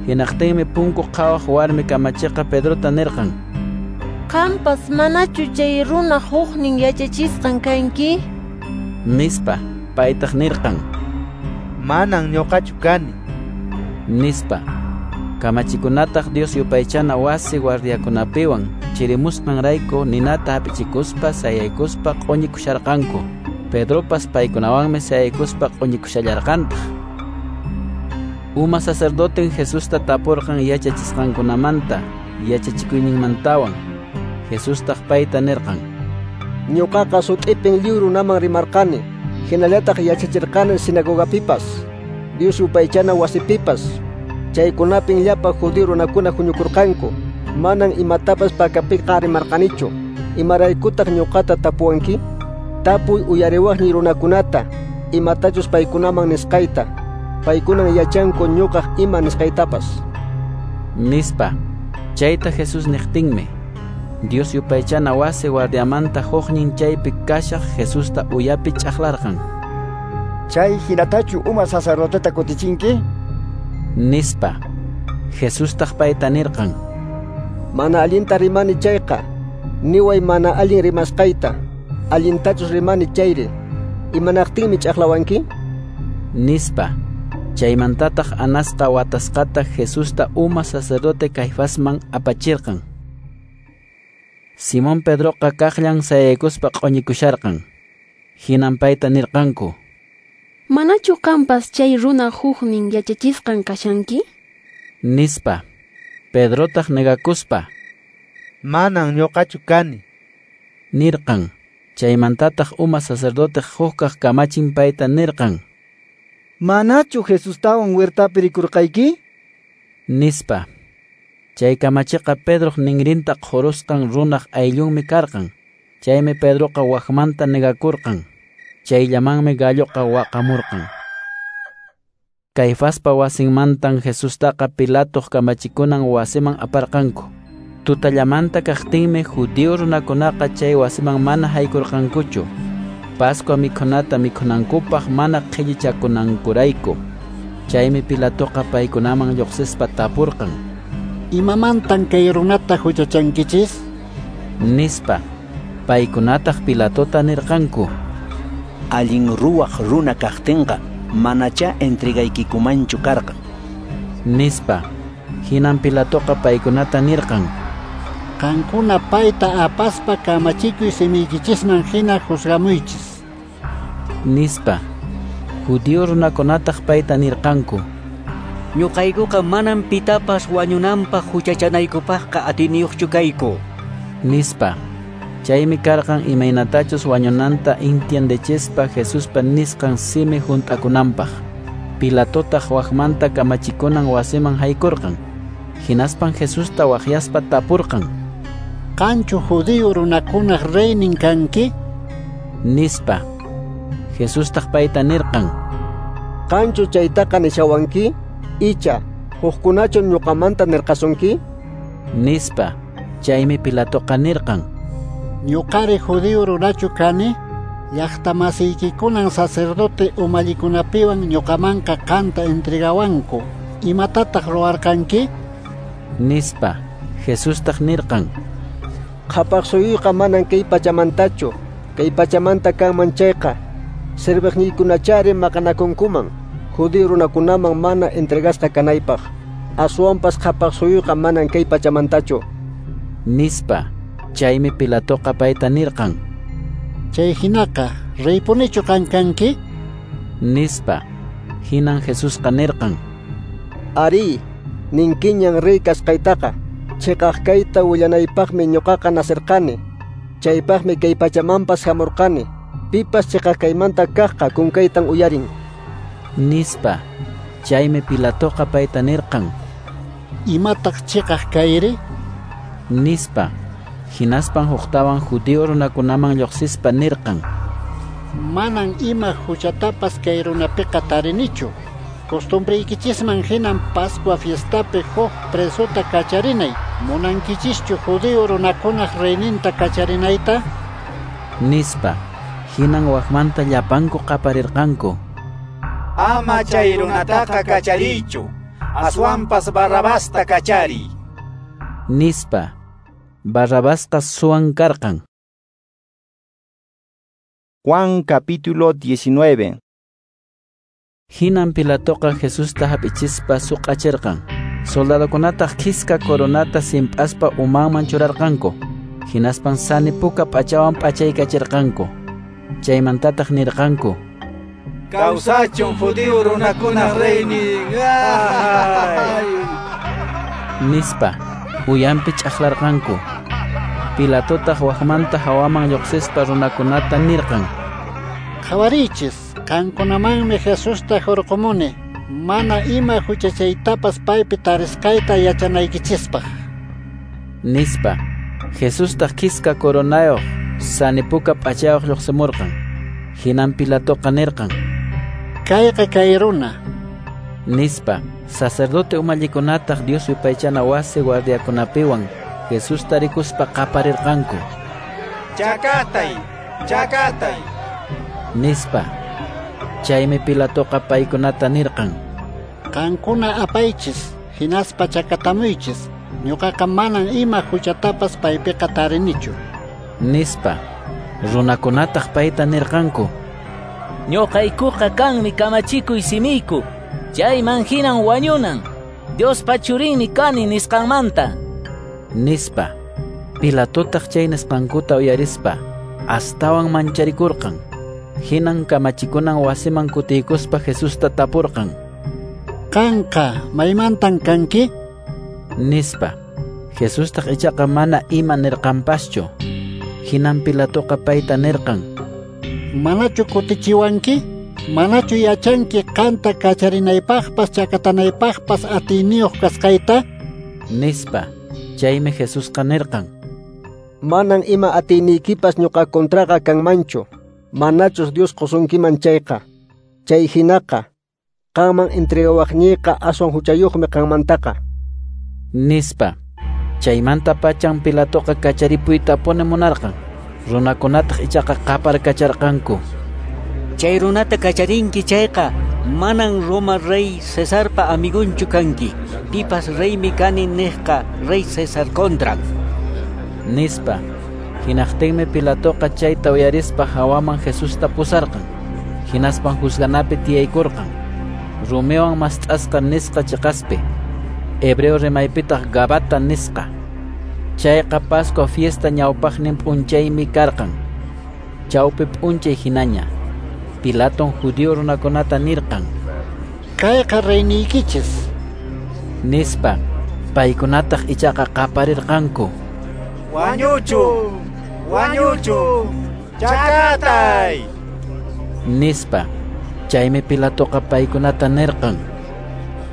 Hinaqtinmi punku qhawaq warmi kamachiqa Pedrota nirqan: Qampas manachu chay runa huknin yachachisqan kanki? Nispa. Paytaq nirqan: Manan ñuqachu kani. Nispa. Kamachikunataq Dios yupaychana wasi guardiakunapiwan chirimusqanrayku ninata hap'ichikuspa sayaykuspa q'uñikusharqanku. Pedropas paykunawanmi sayaykuspa q'uñikushallarqantaq. Uma sacerdoten Jesusta tapurqan yachachisqankunamanta, yachachikuyninmantawan. Jesustaq payta nirqan: Ñuqaqa sut'ipin lliw runaman rimarqani, hinallataq yachachirqani sinagogapipas, Dios yupaychana wasipipas. Chaykunapin llapa judío runakuna huñukurqanku. Manan imatapas pakapiqa rimarqanichu. Imaraykutaq ñuqata tapuwanki? Tapuy uyariwaqniy runakunata, imatachus paykunaman nisqayta. Paykunan yachanku ñuqaq ima nisqaytapas. Nispa. Chayta Jesús niqtinmi Dios yupaychana wasi guardiamanta huknin chaypi kashaq Jesusta uyapi ch'aqlarqan: Chay hinatachu uma sacerdoteta kutichinki? Nispa. Jesustaq payta nirqan: Mana allinta rimani chayqa, niway mana allin rimasqayta. Allintachus rimani chayri, imanaqtinmi ch'aqlawanki? Nispa. Chaymantataq Anasqa watasqata Jesusta uma sacerdote Caifasman apachirqan. Simón Pedroqa kaqllan sayaykuspa q'uñikusharqan. Hinan payta nirqanku: Manachu qampas chay runa huknin yachachisqan kashanki? Nispa. Pedrotaq negakuspa: Manan ñuqachu kani, nirqan. Chaymantataq uma sacerdoteq hukkaq kamachin payta nirqan: Manachu Jesustawan huertapi rikurqayki? Nispa. Chay kamachiqa Pedroq ninrinta qhurusqan runaq ayllunmi karqan. Chaymi Pedroqa waqmanta negakurqan. Chayllamanmi galloqa waqamurqan. Caifaspa wasinmantan Jesustaqa Pilatoq kamachikunan wasiman aparqanku. Tutallamanta kaqtinmi judío runakunaqa chay wasiman mana haykurqankuchu. Pascua mikhunata mikhunankupaq mana qhillichakunankurayku. Chaymi Pilatoqa paykunaman lluqsispa tapurqan: Imamantan kay runata huchachankichis? Nispa. Paykunataq Pilatota nirqanku: Allin ruwaq runa kaqtinqa manachá entregaykikumanchu karqan. Nispa. Hinan Pilatoqa paykunata nirqan: Qankuna payta apaspa kamachikuy simiykichisman hina juzgamuychis. Nispa. Judío runakunataq payta nirqanku: Ñuqaykuqa manam pitapas wañunanpaq huchachanaykupaqqa atiniyuqchu kayku. Nispa. Chaymi karqan imaynatachus wañunanta intiendechispa Jesuspa nisqan simi hunt'akunanpaq. Pilatotaq waqmanta kamachikunan wasiman haykurqan. Hinaspan Jesusta waqyaspa tapurqan: Qanchu judío runakunaq reynin kanki? Nispa. Jesustaq payta nirqan: Qanchu chaytaqa nishawanki? Icha, hukkunachu ñuqamanta nirqasunki? Nispa. Chaymi Pilatoqa nirqan: Ñuqari judío runachu kani? Llaqtamasiykikunan sacerdote umallikunapiwan ñuqamanqa qanta entregawanku. Imatataq ruwarqanki? Nispa. Jesustaq nirqan: Qhapaq suyuyqa manan kay pachamantachu. Kay pachamanta kanman chayqa, serviqniykunachari maqanakunkuman judío runakunaman mana entregasqa kanaypaq. Aswanpas qhapaq suyuyqa manan kay pachamantachu. Nispa. Chaymi Pilatoqa payta nirqan: Chay hinaqa, reypunichu qan kanki? Nispa. Hinan Jesusqa nirqan: Ari, ninkiñan rey kasqaytaqa. Chiqaq kayta willanaypaqmi ñuqaqa nasirqani. Chaypaqmi kay pachamanpas hamurqani. Pipas chiqaq kaymanta kaqqa kunkaytan uyarin. Nispa. Chaymi Pilatoqa payta nirqan: Imataq chiqaq kayri? Nispa. Hinaspan huktawan judío runakunaman lluqsispa nirqan: Manan ima huchatapas kay runapiqa tarinichu. Costumbriykichisman hinan Pascua fiestapi huk presota kacharinay. Munankichischu judío runakunaq reyninta kacharinayta? Nispa. Hinan waqmanta llapanku qaparirqanku: Ama chay runataqa kachariychu, aswanpas Barrabasta kachariy. Nispa. Barrabasqa suwan karqan. Juan capítulo diecinueve. Hinan Pilatoqa Jesusta hap'ichispa suq'achirqan. Soldadokunataq khiska coronata simp'aspa umanman churarqanku. Hinaspan sani puka p'achawan p'achaykachirqanku. Chaymantataq nirqanku: Kawsachun judío runakunaq reynin. Nispa. Uyanpi ch'aqlarqanku. Pilatotaq waqmanta hawaman lluqsispa runakunata nirqan: Qhawariychis, qankunamanmi Jesusta hurqumuni, mana ima huchachaytapas paypi tarisqayta yachanaykichispaq. Nispa. Jesustaq khiska coronayuq sani puka p'achayuq lluqsimurqan. Hinan Pilatoqa nirqan: Kayqa kay runa. Nispa. Sacerdote umallikunataq Dios yupaychana wasi guardiakunapiwan Jesusta rikuspa qaparirqanku: Chakatay, chakatay. Nispa. Chaymi Pilatoqa paykunata nirqan: Qankuna apaychis, hinaspa chakatamuychis. Ñuqaqa manan ima huchatapas paypiqa tarinichu. Nispa. Runakunataq payta nirqanku: Ñuqaykuqa kanmi kamachikuy simiyku. Chayman hinan wañunan. Diospa churinmi kani nisqanmanta. Nispa. Pilatotaq chay nisqankuta uyarispa astawan mancharikurqan. Hinan kamachikunan wasiman kutiykuspa Jesusta tapurqan: Qanqa maymantan kanki? Nispa. Jesustaq ichaqa mana ima nirqanpaschu. Hinan Pilatoqa payta nirqan: Manachu kutichiwanki? Manachu yachanki qanta kacharinaypaqpas chakatanaypaqpas atiyniyuq kasqayta? Nispa. Chaymi Jesusqa nirqan: Manan ima atiyniykipas ñuqa contraqa kanmanchu, manachus Dios qusunkiman chayqa. Chay hinaqa, qanman entregawaqniyqa aswan huchayuqmi qanmantaqa. Nispa. Chaymanta pachan Pilatoqa kacharipuytapuni munarqan. Runakunataq ichaqa qaparkacharqanku: Chay runata kacharinki chayqa, manan Roma rey Cesarpa amigunchu kanki. Pipas reymi kani niqqa rey Cesar contran. Nispa. Hinaqtinmi Pilatoqa chayta uyarispa hawaman Jesusta pusarqan. Hinaspan juzganapi tiyaykurqan, rumiwan mast'asqa nisqa chiqaspi, hebreo rimaypitaq Gabata nisqa. Chayqa Pascua fiesta ñawpaqnin p'unchaymi karqan, chawpi p'unchay hinaña. Pilaton judío runakunata nirqan: Kayqa reyniykichis, nispa. Paykunataq ichaqa qaparirqanku: Wañuchun! Wañuchun! Chakatay! Nispa. Chaymi Pilatoqa paykunata nirqan: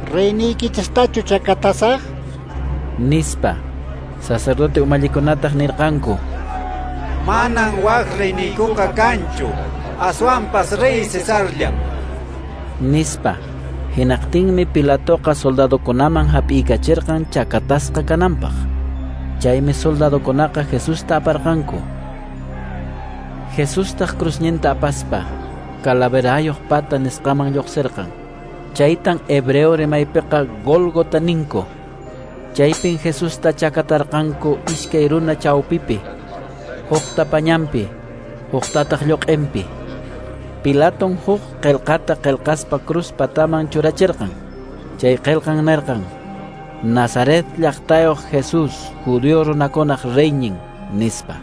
Reyniykichistachu chakatasaq? Nispa. Sacerdote umallikunataq nirqanku: Manan wak reyniykuqa kanchu, aswanpas rey Cesarllam, nispa. Hinaqtinmi Pilatoqa soldadokunaman hap'iykachirqan chakatasqa kananpaq. Chaymi soldadokunaqa Jesusta aparqanku. Jesustaq cruzninta apaspa calaverayuq pata nisqaman lluqsirqan. Chaytan hebreo rimaypiqa Gólgota ninku. Chaypin Jesusta chakatarqanku iskay runa chawpipi, hukta pañanpi, huktataq lluq'inpi. Pilaton huk qillqata qillqaspa cruz pataman churachirqan. Chay qillqan nirqan: Nazaret llaqtayuq Jesús, judío runakunaq reynin, nispa.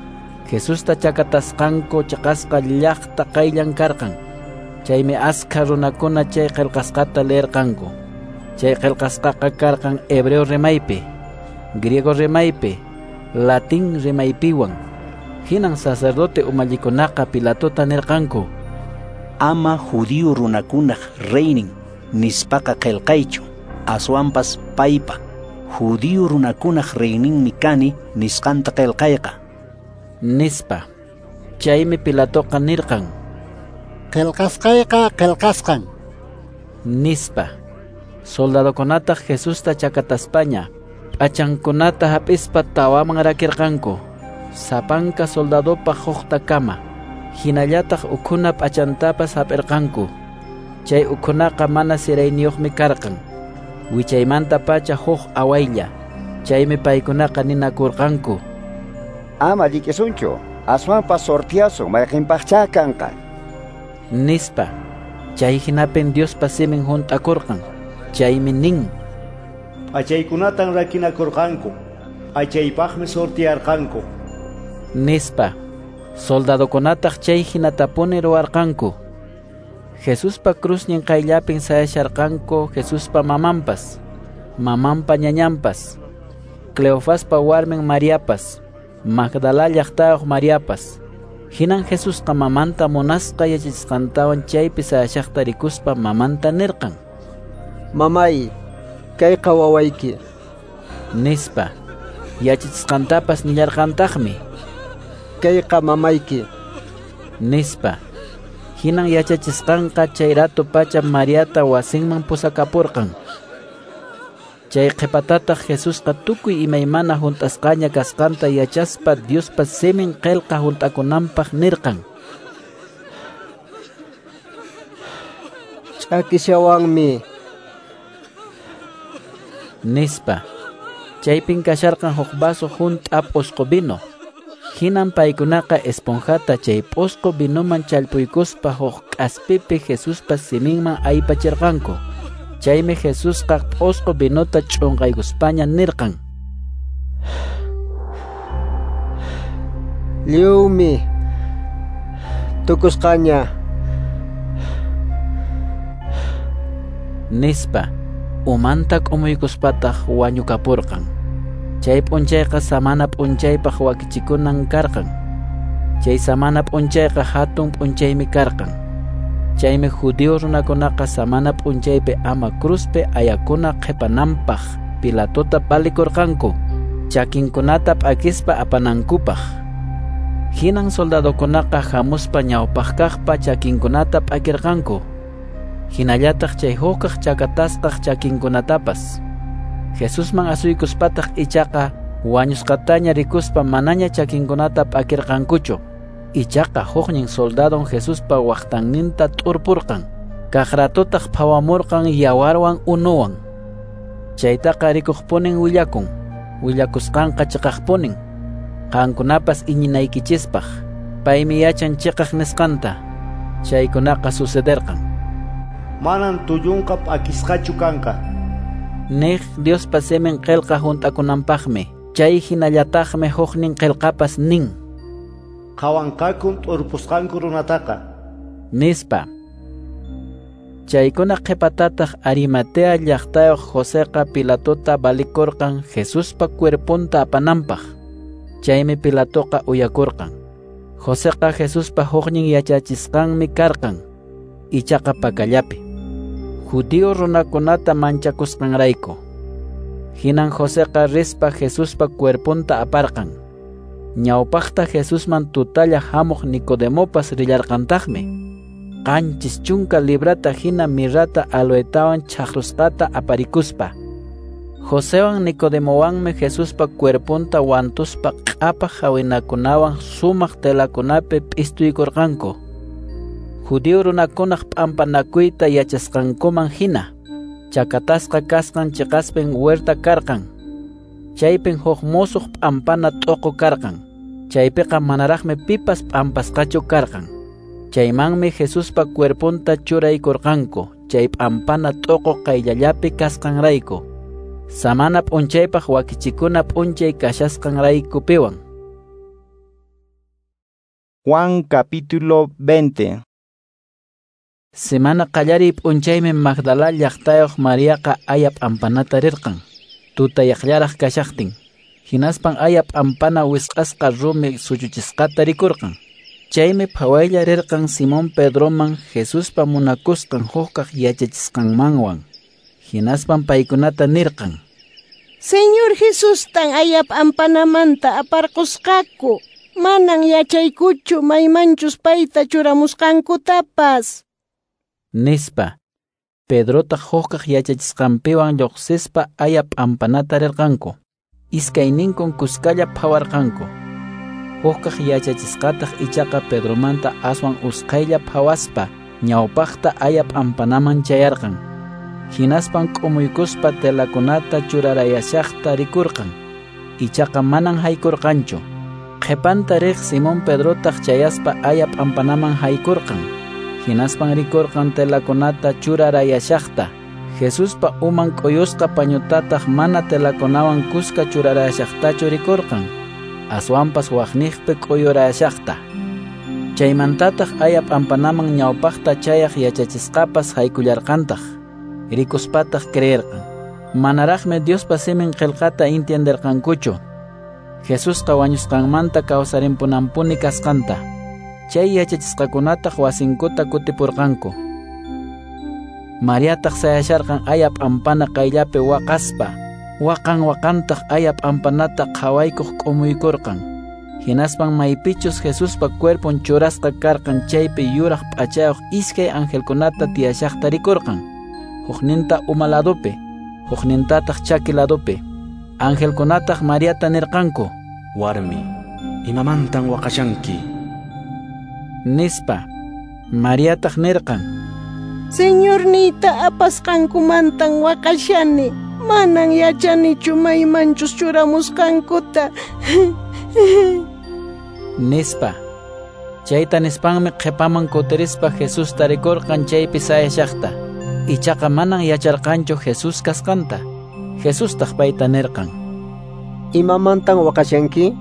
Jesusta chakatasqanku chiqasqa llaqta qayllan karqan. Chaymi askha runakuna chay qillqasqata leerqanku. Chay qillqasqaqa karqan hebreo rimaypi, griego rimaypi, latín rimaypiwan. Hinan sacerdote umallikunaqa Pilatota nirqanku: Ama judío runakunaq reynin nispaqa qillqaychu, aswanpas paypa judío runakunaq reyninmi kani nisqanta qillqayqa, nispa. Chaymi Pilatoqa nirqan: Qillqasqayqa qillqasqan, nispa. Soldadokunataq Jesusta chakataspaña p'achankunata hap'ispa tawaman rakirqanku, sapanka soldadopaq huktakama. Hinallataq ukhuna p'achantapas hap'irqanku. Chay ukhunaqa mana sirayniyuqmi karqan, wichaymantapacha huk awaylla. Chaymi paykunaqa ninakurqanku: Ama llik'isunchu, aswanpas sortiasun mayqinpaqchá kanqa, nispa. Chay hinapin Diospa simin hunt'akurqan. Chaymi nin: P'achaykunatan rakinakurqanku, p'achaypaqmi sortiarqanku, nispa. Soldadokunataq chay hinatapuni ruwarqanku. Jesuspa cruznin qayllapin sayasharqanku Jesuspa mamanpas, mamanpa ñañanpas, Cleofaspa warmin Mariapas, Magdala llaqtayuq Mariapas. Hinan Jesusqa mamanta munasqa yachachisqantawan chaypi sayashaqta rikuspa mamanta nirqan: Mamay, kayqa wawayki, nispa. Yachachisqantapas nillarqantaqmi: Kayqa mamayki, nispa. Hinan yachachisqanqa chay rato pacha Mariata wasinman pusakapurqan. Chay qhipatataq Jesusqa tukuy imaymana hunt'asqaña kasqanta yachaspa Diospa simin qillqa hunt'akunanpaq nirqan: Ch'akishawanmi, nispa. Chaypin kasharqan huk vaso hunt'a p'usqu vino. Hinan paykunaqa esponjata chay p'usqu vinoman challpuykuspa huk k'aspipi Jesuspa siminman aypachirqanku. Chaymi Jesusqa p'usqu vinota ch'unqaykuspaña nirqan: Lliwmi tukusqaña, nispa. Umanta k'umuykuspataq wañukapurqan. Chay p'unchayqa samana p'unchaypaq wakichikunan karqan. Chay samana p'unchayqa hatun p'unchaymi karqan. Chaymi judío runakunaqa samana p'unchaypi ama cruzpi ayakuna qhipananpaq Pilatota palikurqanku, chakinkunata p'akispa apanankupaq. Hinan soldadokunaqa hamuspa ñawpaqkaqpa chakinkunata p'akirqanku, hinallataq chay hukaq chakatasqaq chakinkunatapas. Jesusman asuykuspataq ichaqa wañusqataña rikuspa manaña chakinkunata p'akirqankuchu. Ichaqa huknin soldadon Jesuspa waqtanninta t'urpurqan. Kaq ratotaq phawamurqan yawarwan unuwan. Chaytaqa rikuqpunin willakun. Willakusqanqa chiqaqpunin, qankunapas iñinaykichispaq. Paymi yachan chiqaq nisqanta. Chaykunaqa sucederqan. Manan tullunqa p'akisqachu kanqa. Niq Diospa simin qillqa hunt'akunanpaqmi. Chay hinallataqmi huknin qillqapas nin. Qhawanqakun t'urpusqanku runataqa. Nispa. Chaykuna qhipatataq Arimatea llaqtayuq Joseqa Pilatota valikurqan Jesuspa cuerponta apananpaq. Chaymi Pilatoqa uyakurqan. Joseqa Jesuspa huknin yachachisqanmi karqan, ichaqa pakallapi. Judío runakunata manchakusqanrayku. Hinan Joseqa rispa Jesuspa cuerponta aparqan. Ñawpaqta Jesusman tutalla hamuq Nicodemopas rillarqantaqmi. Qanchis chunka librata hina mirrata aloetawan chaqrusqata aparikuspa. Josewan Nicodemowanmi Jesuspa cuerponta wantuspa q'apaq hawinakunawan sumaq telakunapi p'istuykurqanku. Judío runakunaq p'ampanakuyta yachasqankuman hina, chakatasqa kasqan chiqaspin huerta karqan. Chaypin huk musuq p'ampana t'uqu karqan. Chaypiqa manaraqmi pipas p'ampasqachu karqan. Chaymanmi Jesuspa cuerponta churaykurqanku, chay p'ampana t'uqu qayllallapi kasqanrayku. Samana p'unchaypaq wakichikuna p'unchay kashasqanraykupiwan. Juan capítulo veinte. Semana qallariy p'unchaymi Magdala llaqtayuq Mariaqa aya p'ampanata rirqan, tutayaqllaraq kashaqtin. Hinaspan aya p'ampana wisq'asqa rumi suchuchisqata rikurqan. Chaymi phawaylla rirqan Simón Pedroman Jesuspa munakusqan hukkaq yachachisqanmanwan. Hinaspan paykunata nirqan: Señor Jesustan aya p'ampanamanta aparqusqaku. Manan yachaykuchu maymanchus payta churamusqankutapas. Nispa. Pedrotaq hukkaq yachachisqanpiwan lluqsispa aya p'ampanata rirqanku. Iskayninkun kuskalla phawarqanku. Hukkaq yachachisqataq ichaqa Pedromanta aswan usqhaylla phawaspa ñawpaqta aya p'ampanaman chayarqan. Hinaspan k'umuykuspa telakunata churarayashaqta rikurqan. Ichaqa manan haykurqanchu. Qhipanta riq Simón Pedrotaq chayaspa aya p'ampanaman haykurqan. Hinaspan rikurqan telakunata churarayashaqta. Jesuspa uman k'uyusqa pañutataq mana telakunawan kuska churarayashaqtachu rikurqan. Aswanpas waqniqpi k'uyurayashaqta. Chaymantataq aya p'ampanaman ñawpaqta chayaq yachachisqapas haykullarqantaq. Rikuspataq creerqan. Manaraqmi Diospa simin qillqata entienderqankuchu. Jesusqa wañusqanmanta kawsarimpunanpuni kasqanta. Chay yachachisqakunataq wasinkuta kutipurqanku. Mariataq sayasharqan aya p'ampana qayllapi waqaspa. Waqan waqantaq aya p'ampanata qhawaykuq k'umuykurqan. Hinaspan maypichus Jesuspa cuerpon churasqa karqan chaypi yuraq p'achayuq iskay angelkunata tiyashaqta rikurqan. Hukninta uma ladopi, huknintataq chaki ladopi. Angelkunataq Mariata nirqanku: Warmi, imamantan waqashanki? Nispa. Mariataq nirqan: Señorniyta apasqankumantan waqashani. Manan yachanichu maymanchus churamusqankuta. Nispa. Chayta nispanmi qhipaman kutirispa Jesusta rikurqan chaypi sayashaqta. Ichaqa manan yacharqanchu Jesús kasqanta. Jesustaq payta nirqan: Imamantan waqashanki?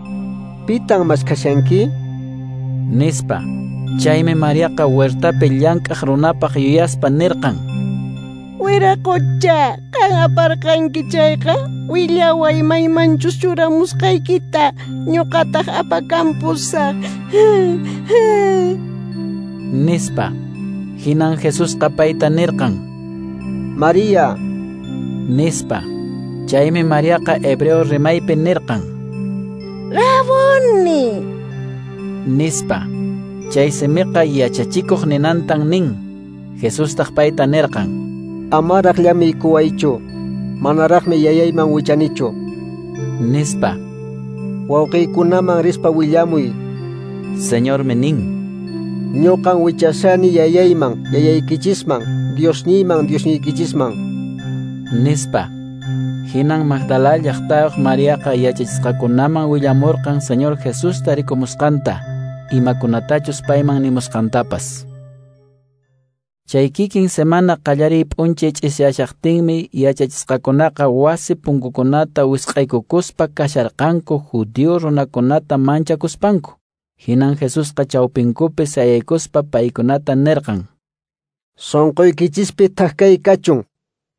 Pitan maskhashanki? Nispa. Chaymi Mariaqa huertapi llank'aq runapaq yuyaspa nirqan: Wiraqocha, qan aparqanki chayqa, willaway maymanchus churamusqaykita, ñuqataq apakampusaq. Nispa. Hinan Jesusqa payta nirqan: María. Nispa. Chaymi Mariaqa hebreo rimaypi nirqan: Raboni. Nispa. Chay simiqa yachachikuq ninantan nin. Jesustaq payta nirqan: Amaraq llamiykuwaychu, manaraqmi yayayman wichanichu. Nispa. Wawqiykunaman rispa willamuy. Señormi nin: Ñuqan wichashani yayayman, yayaykichisman, Diosniyman, Diosniykichisman. Nispa. Hinan Magdala llaqtayuq Mariaqa yachachisqakunaman willamurqan Señor Jesusta rikumusqanta, imakunatachus payman nimusqantapas. Chay kikin semana qallariy p'unchay ch'isiyashaqtinmi yachachisqakunaqa wasi punkukunata wisq'aykukuspa kasharqanku judío runakunata manchakuspanku. Hinan Jesusqa chawpinkupi sayaykuspa paykunata nirqan: Sonqoykichispi thak kachun,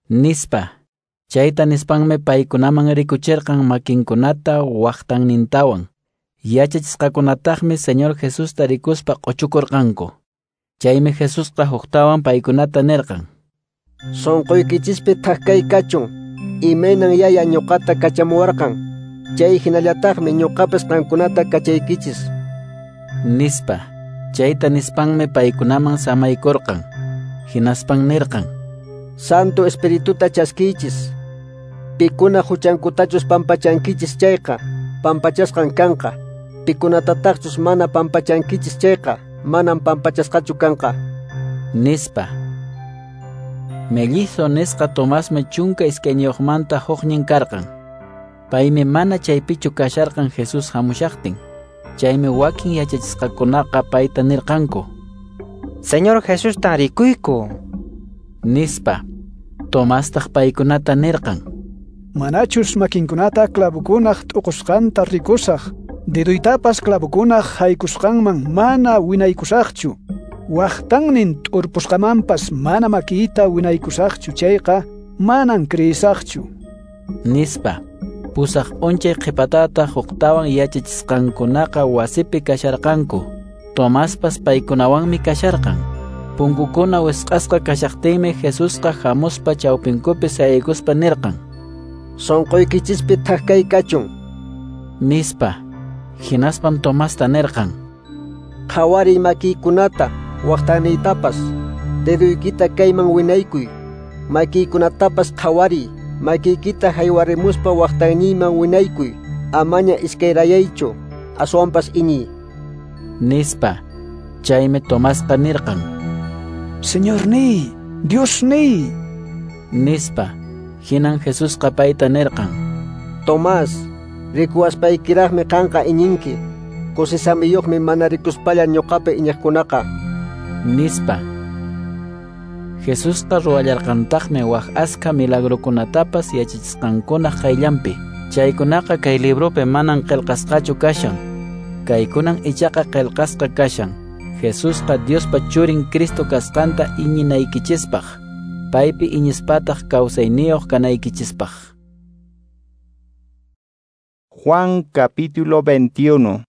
nispa. Chayta nispanmi paykunaman rikuchirqan makinkunata waqtannintawan. Yachachisqakunataqmi Señor Jesusta rikuspa q'uchukurqanku. Chaymi Jesusqa huktawan paykunata nirqan: Sonqoykichispi thak kachun, imaynan Yaya ñuqata kachamuwarqan, chay hinallataqmi ñuqapas qankunata kachaykichis, nispa. Chayta nispanmi paykunaman samaykurqan. Hinaspan nirqan: Santo Espirituta chaskiychis. Pikuna huchankutachus pampachankichis chayqa, pampachasqan kanqa. Pikunatataqchus mana pampachankichis chayqa, manam pampachasqachu kanqa, nispa. Mellizo nisqa Tomasmi chunka iskayniyuqmanta huknin karqan. Paymi mana chaypichu kasharqan Jesús hamushaqtin. Chaymi wakin yachachisqakunaqa payta nirqanku: Señor Jesustan rikuyku, nispa. Tomastaq paykunata nirqan: Manachus makinkunata clavukunaq t'uqusqanta rikusaq, deduytapas clavukunaq haykusqanman mana winaykusaqchu, waqtannin t'urpusqamanpas mana makiyta winaykusaqchu chayqa, manan kriyisaqchu, nispa. Pusaq p'unchay qhipatataq huktawan yachachisqankunaqa wasipi kasharqanku. Tomaspas paykunawanmi kasharqan. Punkukuna wisq'asqa kashaqtinmi Jesusqa hamuspa chawpinkupi sayaykuspa nirqan: Sonqoykichispi thak kachun, nispa. Hinaspan Tomasta nirqan: Qhawariy makiykunata, waqtaniytapas, deduykita kayman winaykuy, makiykunatapas qhawariy, makiykita haywarimuspa waqtaniyman winaykuy, amaña iskayrayaychu, aswanpas iñiy, nispa. Chaymi Tomasqa nirqan: Señorniy, Diosniy, nispa. Hinan Jesusqa payta nirqan: Tomás, rikuwaspaykiraqmi qanqa iñinki. Kusisamiyuqmi mana rikuspalla ñuqapi iñiqkunaqa, nispa. Jesusqa ruwallarqantaqmi wak askha milagrukunatapas yachachisqankunaq qayllanpi. Chaykunaqa kay libropi manan qillqasqachu kashan. Kaykunan ichaqa qillqasqa kashan: Jesusqa Diospa Churin Cristo kasqanta iñinaykichispaq, paypi iñispataq kawsayniyuq kanaykichispaq. Juan capítulo veintiuno.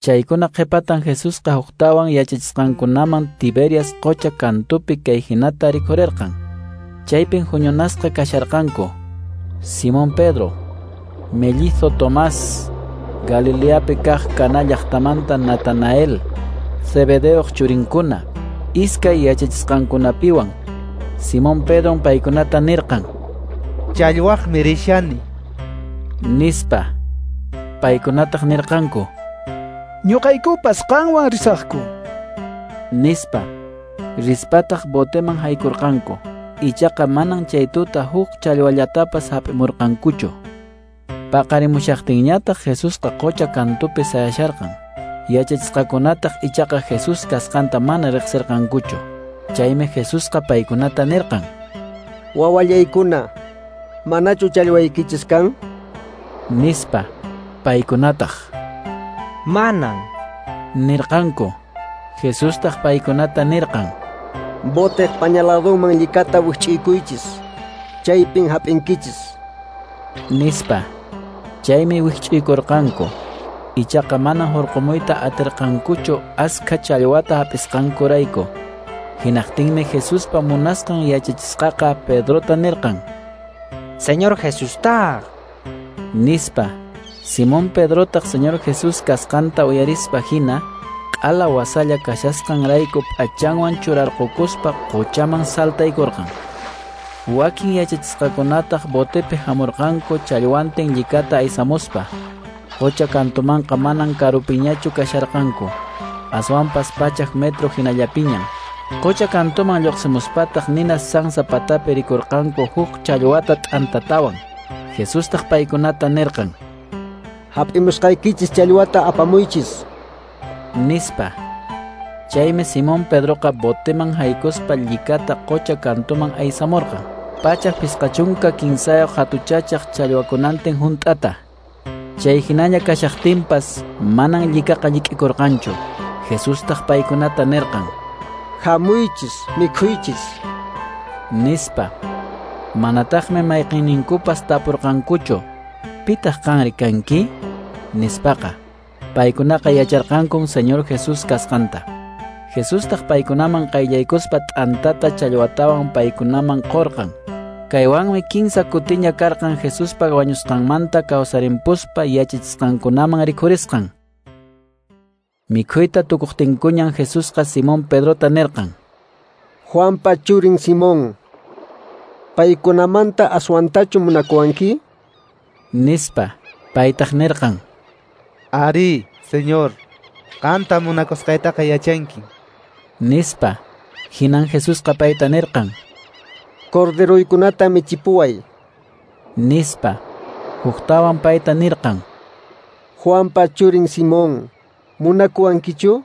Chaykuna qhipatan Jesusqa huktawan yachachisqankunaman Tiberias qocha kantupi kay hinata rikhurirqan. Chaypin huñunasqa kasharqanku Simón Pedro, mellizo Tomás, Galileapi kaq Caná llaqtamanta Natanael, Zebedeoq churinkuna, iskay yachachisqankunapiwan. Simón Pedron paykunata nirqan: Challwaqmi rishani, nispa. Paykunataq nirqanku: Ñuqaykupas qanwan risaqku, nispa. Rispataq boteman haykurqanku. Ichaqa manan chay tuta huk challwallatapas hap'imurqankuchu. Paqarimushaqtinñataq Jesusqa qocha kantupi sayasharqan. Yachachisqakunataq ichaqa Jesús kasqanta mana riqsirqankuchu. Chaymi Jesusqa paykunata nirqan: Wawallaykuna, manachu challwaykichis kan? Nispa. Paykunataq: Manan, nirqanku. Jesustaq paykunata nirqan: Boteq pañaladunman llikata wikch'iykuychis, chaypin hap'inkichis, nispa. Chaymi wikch'uykurqanku. Ichaqa mana hurqumuyta atirqankuchu askha challwata hap'isqankurayku. Hinaqtinmi Jesuspa munasqan yachachisqaqa Pedrota nirqan: Señor Jesustaq, nispa. Simón Pedrotaq Señor Jesús kasqanta uyarispa hina, q'ala wasalla kashasqanrayku p'achanwan churarqukuspa qochaman saltaykurqan. Wakin yachachisqakunataq botepi hamurqanku challwantin llikata aysamuspa. Qocha kantumanqa manan karupiñachu kasharqanku, aswanpas pachak metro hinallapiñan. Qocha kantuman lluqsimuspataq nina sansa patapi rikurqanku huk challwata t'antatawan. Jesustaq paykunata nirqan: Hap'imusqaykichis challwata apamuychis, nispa. Chaymi Simón Pedroqa boteman haykuspa llikata qocha kantuman aysamurqan. Pachak phisqa chunka kinsayuq hatuchachaq challwakunantin hunt'ata. Chay hinaña kashaqtinpas manan llikaqa llik'ikurqanchu. Jesustaq paykunata nirqan: Hamuychis, mikhuychis, nispa. Manataqmi mayqinninkupas tapurqankuchu: Pitaq qanri kanki? Nispaqa. Paykunaqa yacharqankun Señor Jesús kasqanta. Jesustaq paykunaman qayllaykuspa t'antata challwatawan paykunaman qurqan. Kaywanmi kinsa kutiña karqan Jesuspa wañusqanmanta kawsarimpuspa yachachisqankunaman rikhurisqan. Mikhuyta tukuqtinkuñan Jesusqa Simón Pedrota nirqan: Juanpa churin Simón, paykunamanta aswantachu munakuwanki? Nispa. Paytaq nirqan: Ari, Señor, qanta munakusqaytaqa yachanki, nispa. Hinan Jesusqa payta nirqan: Corderoykunata michipuway, nispa. Huktawan payta nirqan: Juanpa churin Simón, munakuwankichu?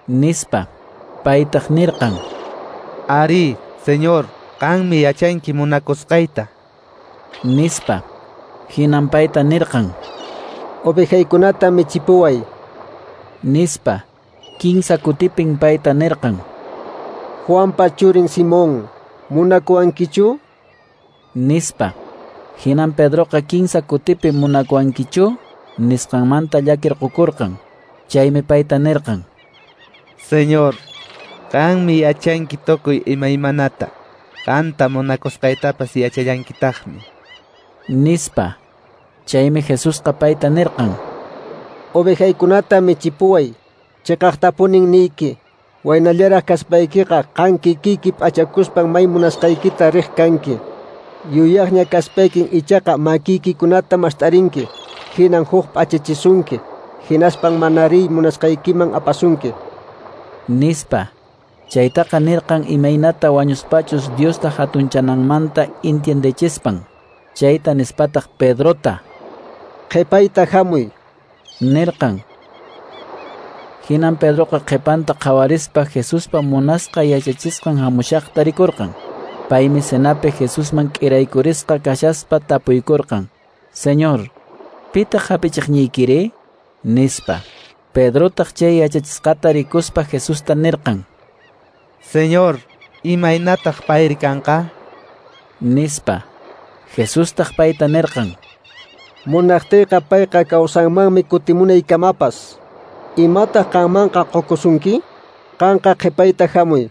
Nispa. Paytaq nirqan: Ari, Señor, qanmi yachanki munakusqayta, nispa. Hinan payta nirqan: Ovejaykunata michipuway, nispa. Kinsa kutipin payta nirqan: Juanpa churin Simón, munakuwankichu? Nispa. Hinan Pedroqa kinsa kutipi munakuwankichu nisqanmanta llakirqukurqan. Chaymi payta nirqan: Señor, qanmi yachanki tukuy imaymanata. Qanta munakusqaytapas yachallankitaqmi, nispa. Chaymi Jesusqa payta nirqan: Ovejaykunata michipuway. Chiqaqtapunin niyki, waynallaraq kaspaykiqa qan kikiyki p'achakuspan may munasqaykita riq kanki. Yuyaqña kaspaykin ichaqa makiykikunata mast'arinki, hinan huk p'achachisunki, hinaspan mana riy munasqaykiman apasunki, nispa. Chaytaqa nirqan imaynata wañuspachus Diosta hatunchananmanta entiendechispan. Chayta nispataq Pedrota: Qhipayta hamuy, nirqan. Hinan Pedroqa qhipanta qhawarispa Jesuspa munasqa yachachisqan hamushaqta rikurqan. Paymi cenapi Jesusman k'iraykurisqa kashaspa tapuykurqan: Señor, pitaq hapichiqniykiri? Nispa. Pedrotaq chay yachachisqata rikuspa Jesusta nirqan: Señor, imaynataq payri kanqa? Nispa. Jesustaq payta nirqan: Munaqtiyqa payqa kawsanmanmi kutimunaykamapas. Imataq qanmanqa qukusunki? Qanqa qhipayta hamuy,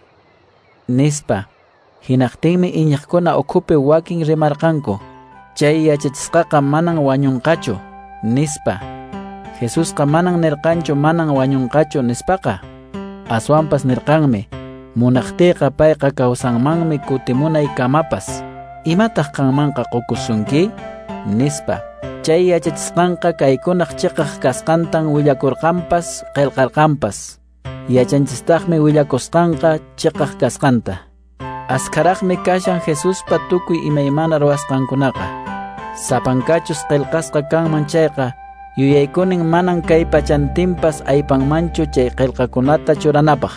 nispa. Hinaqtinmi iñiqkuna ukhupi wakin rimarqanku: Chay yachachisqaqa manan wañunqachu, nispa. Jesusqa manan nirqanchu manan wañunqachu nispaqa. Aswanpas nirqanmi: Munaqtiyqa payqa kawsanmanmi kutimunaykamapas. Imataq qanmanqa qukusunki? Nispa. Chay yachachisqanqa kaykunaq chiqaq kasqantan willakurqanpas qillqarqanpas. Yachanchistaqmi willakusqanqa chiqaq kasqanta. Askharaqmi kashan Jesuspa tukuy imaymana ruwasqankunaqa. Sapankachus qillqasqa kanman chayqa, yuyaykunin manan kay pachantinpas aypanmanchu chay qillqakunata churanapaq.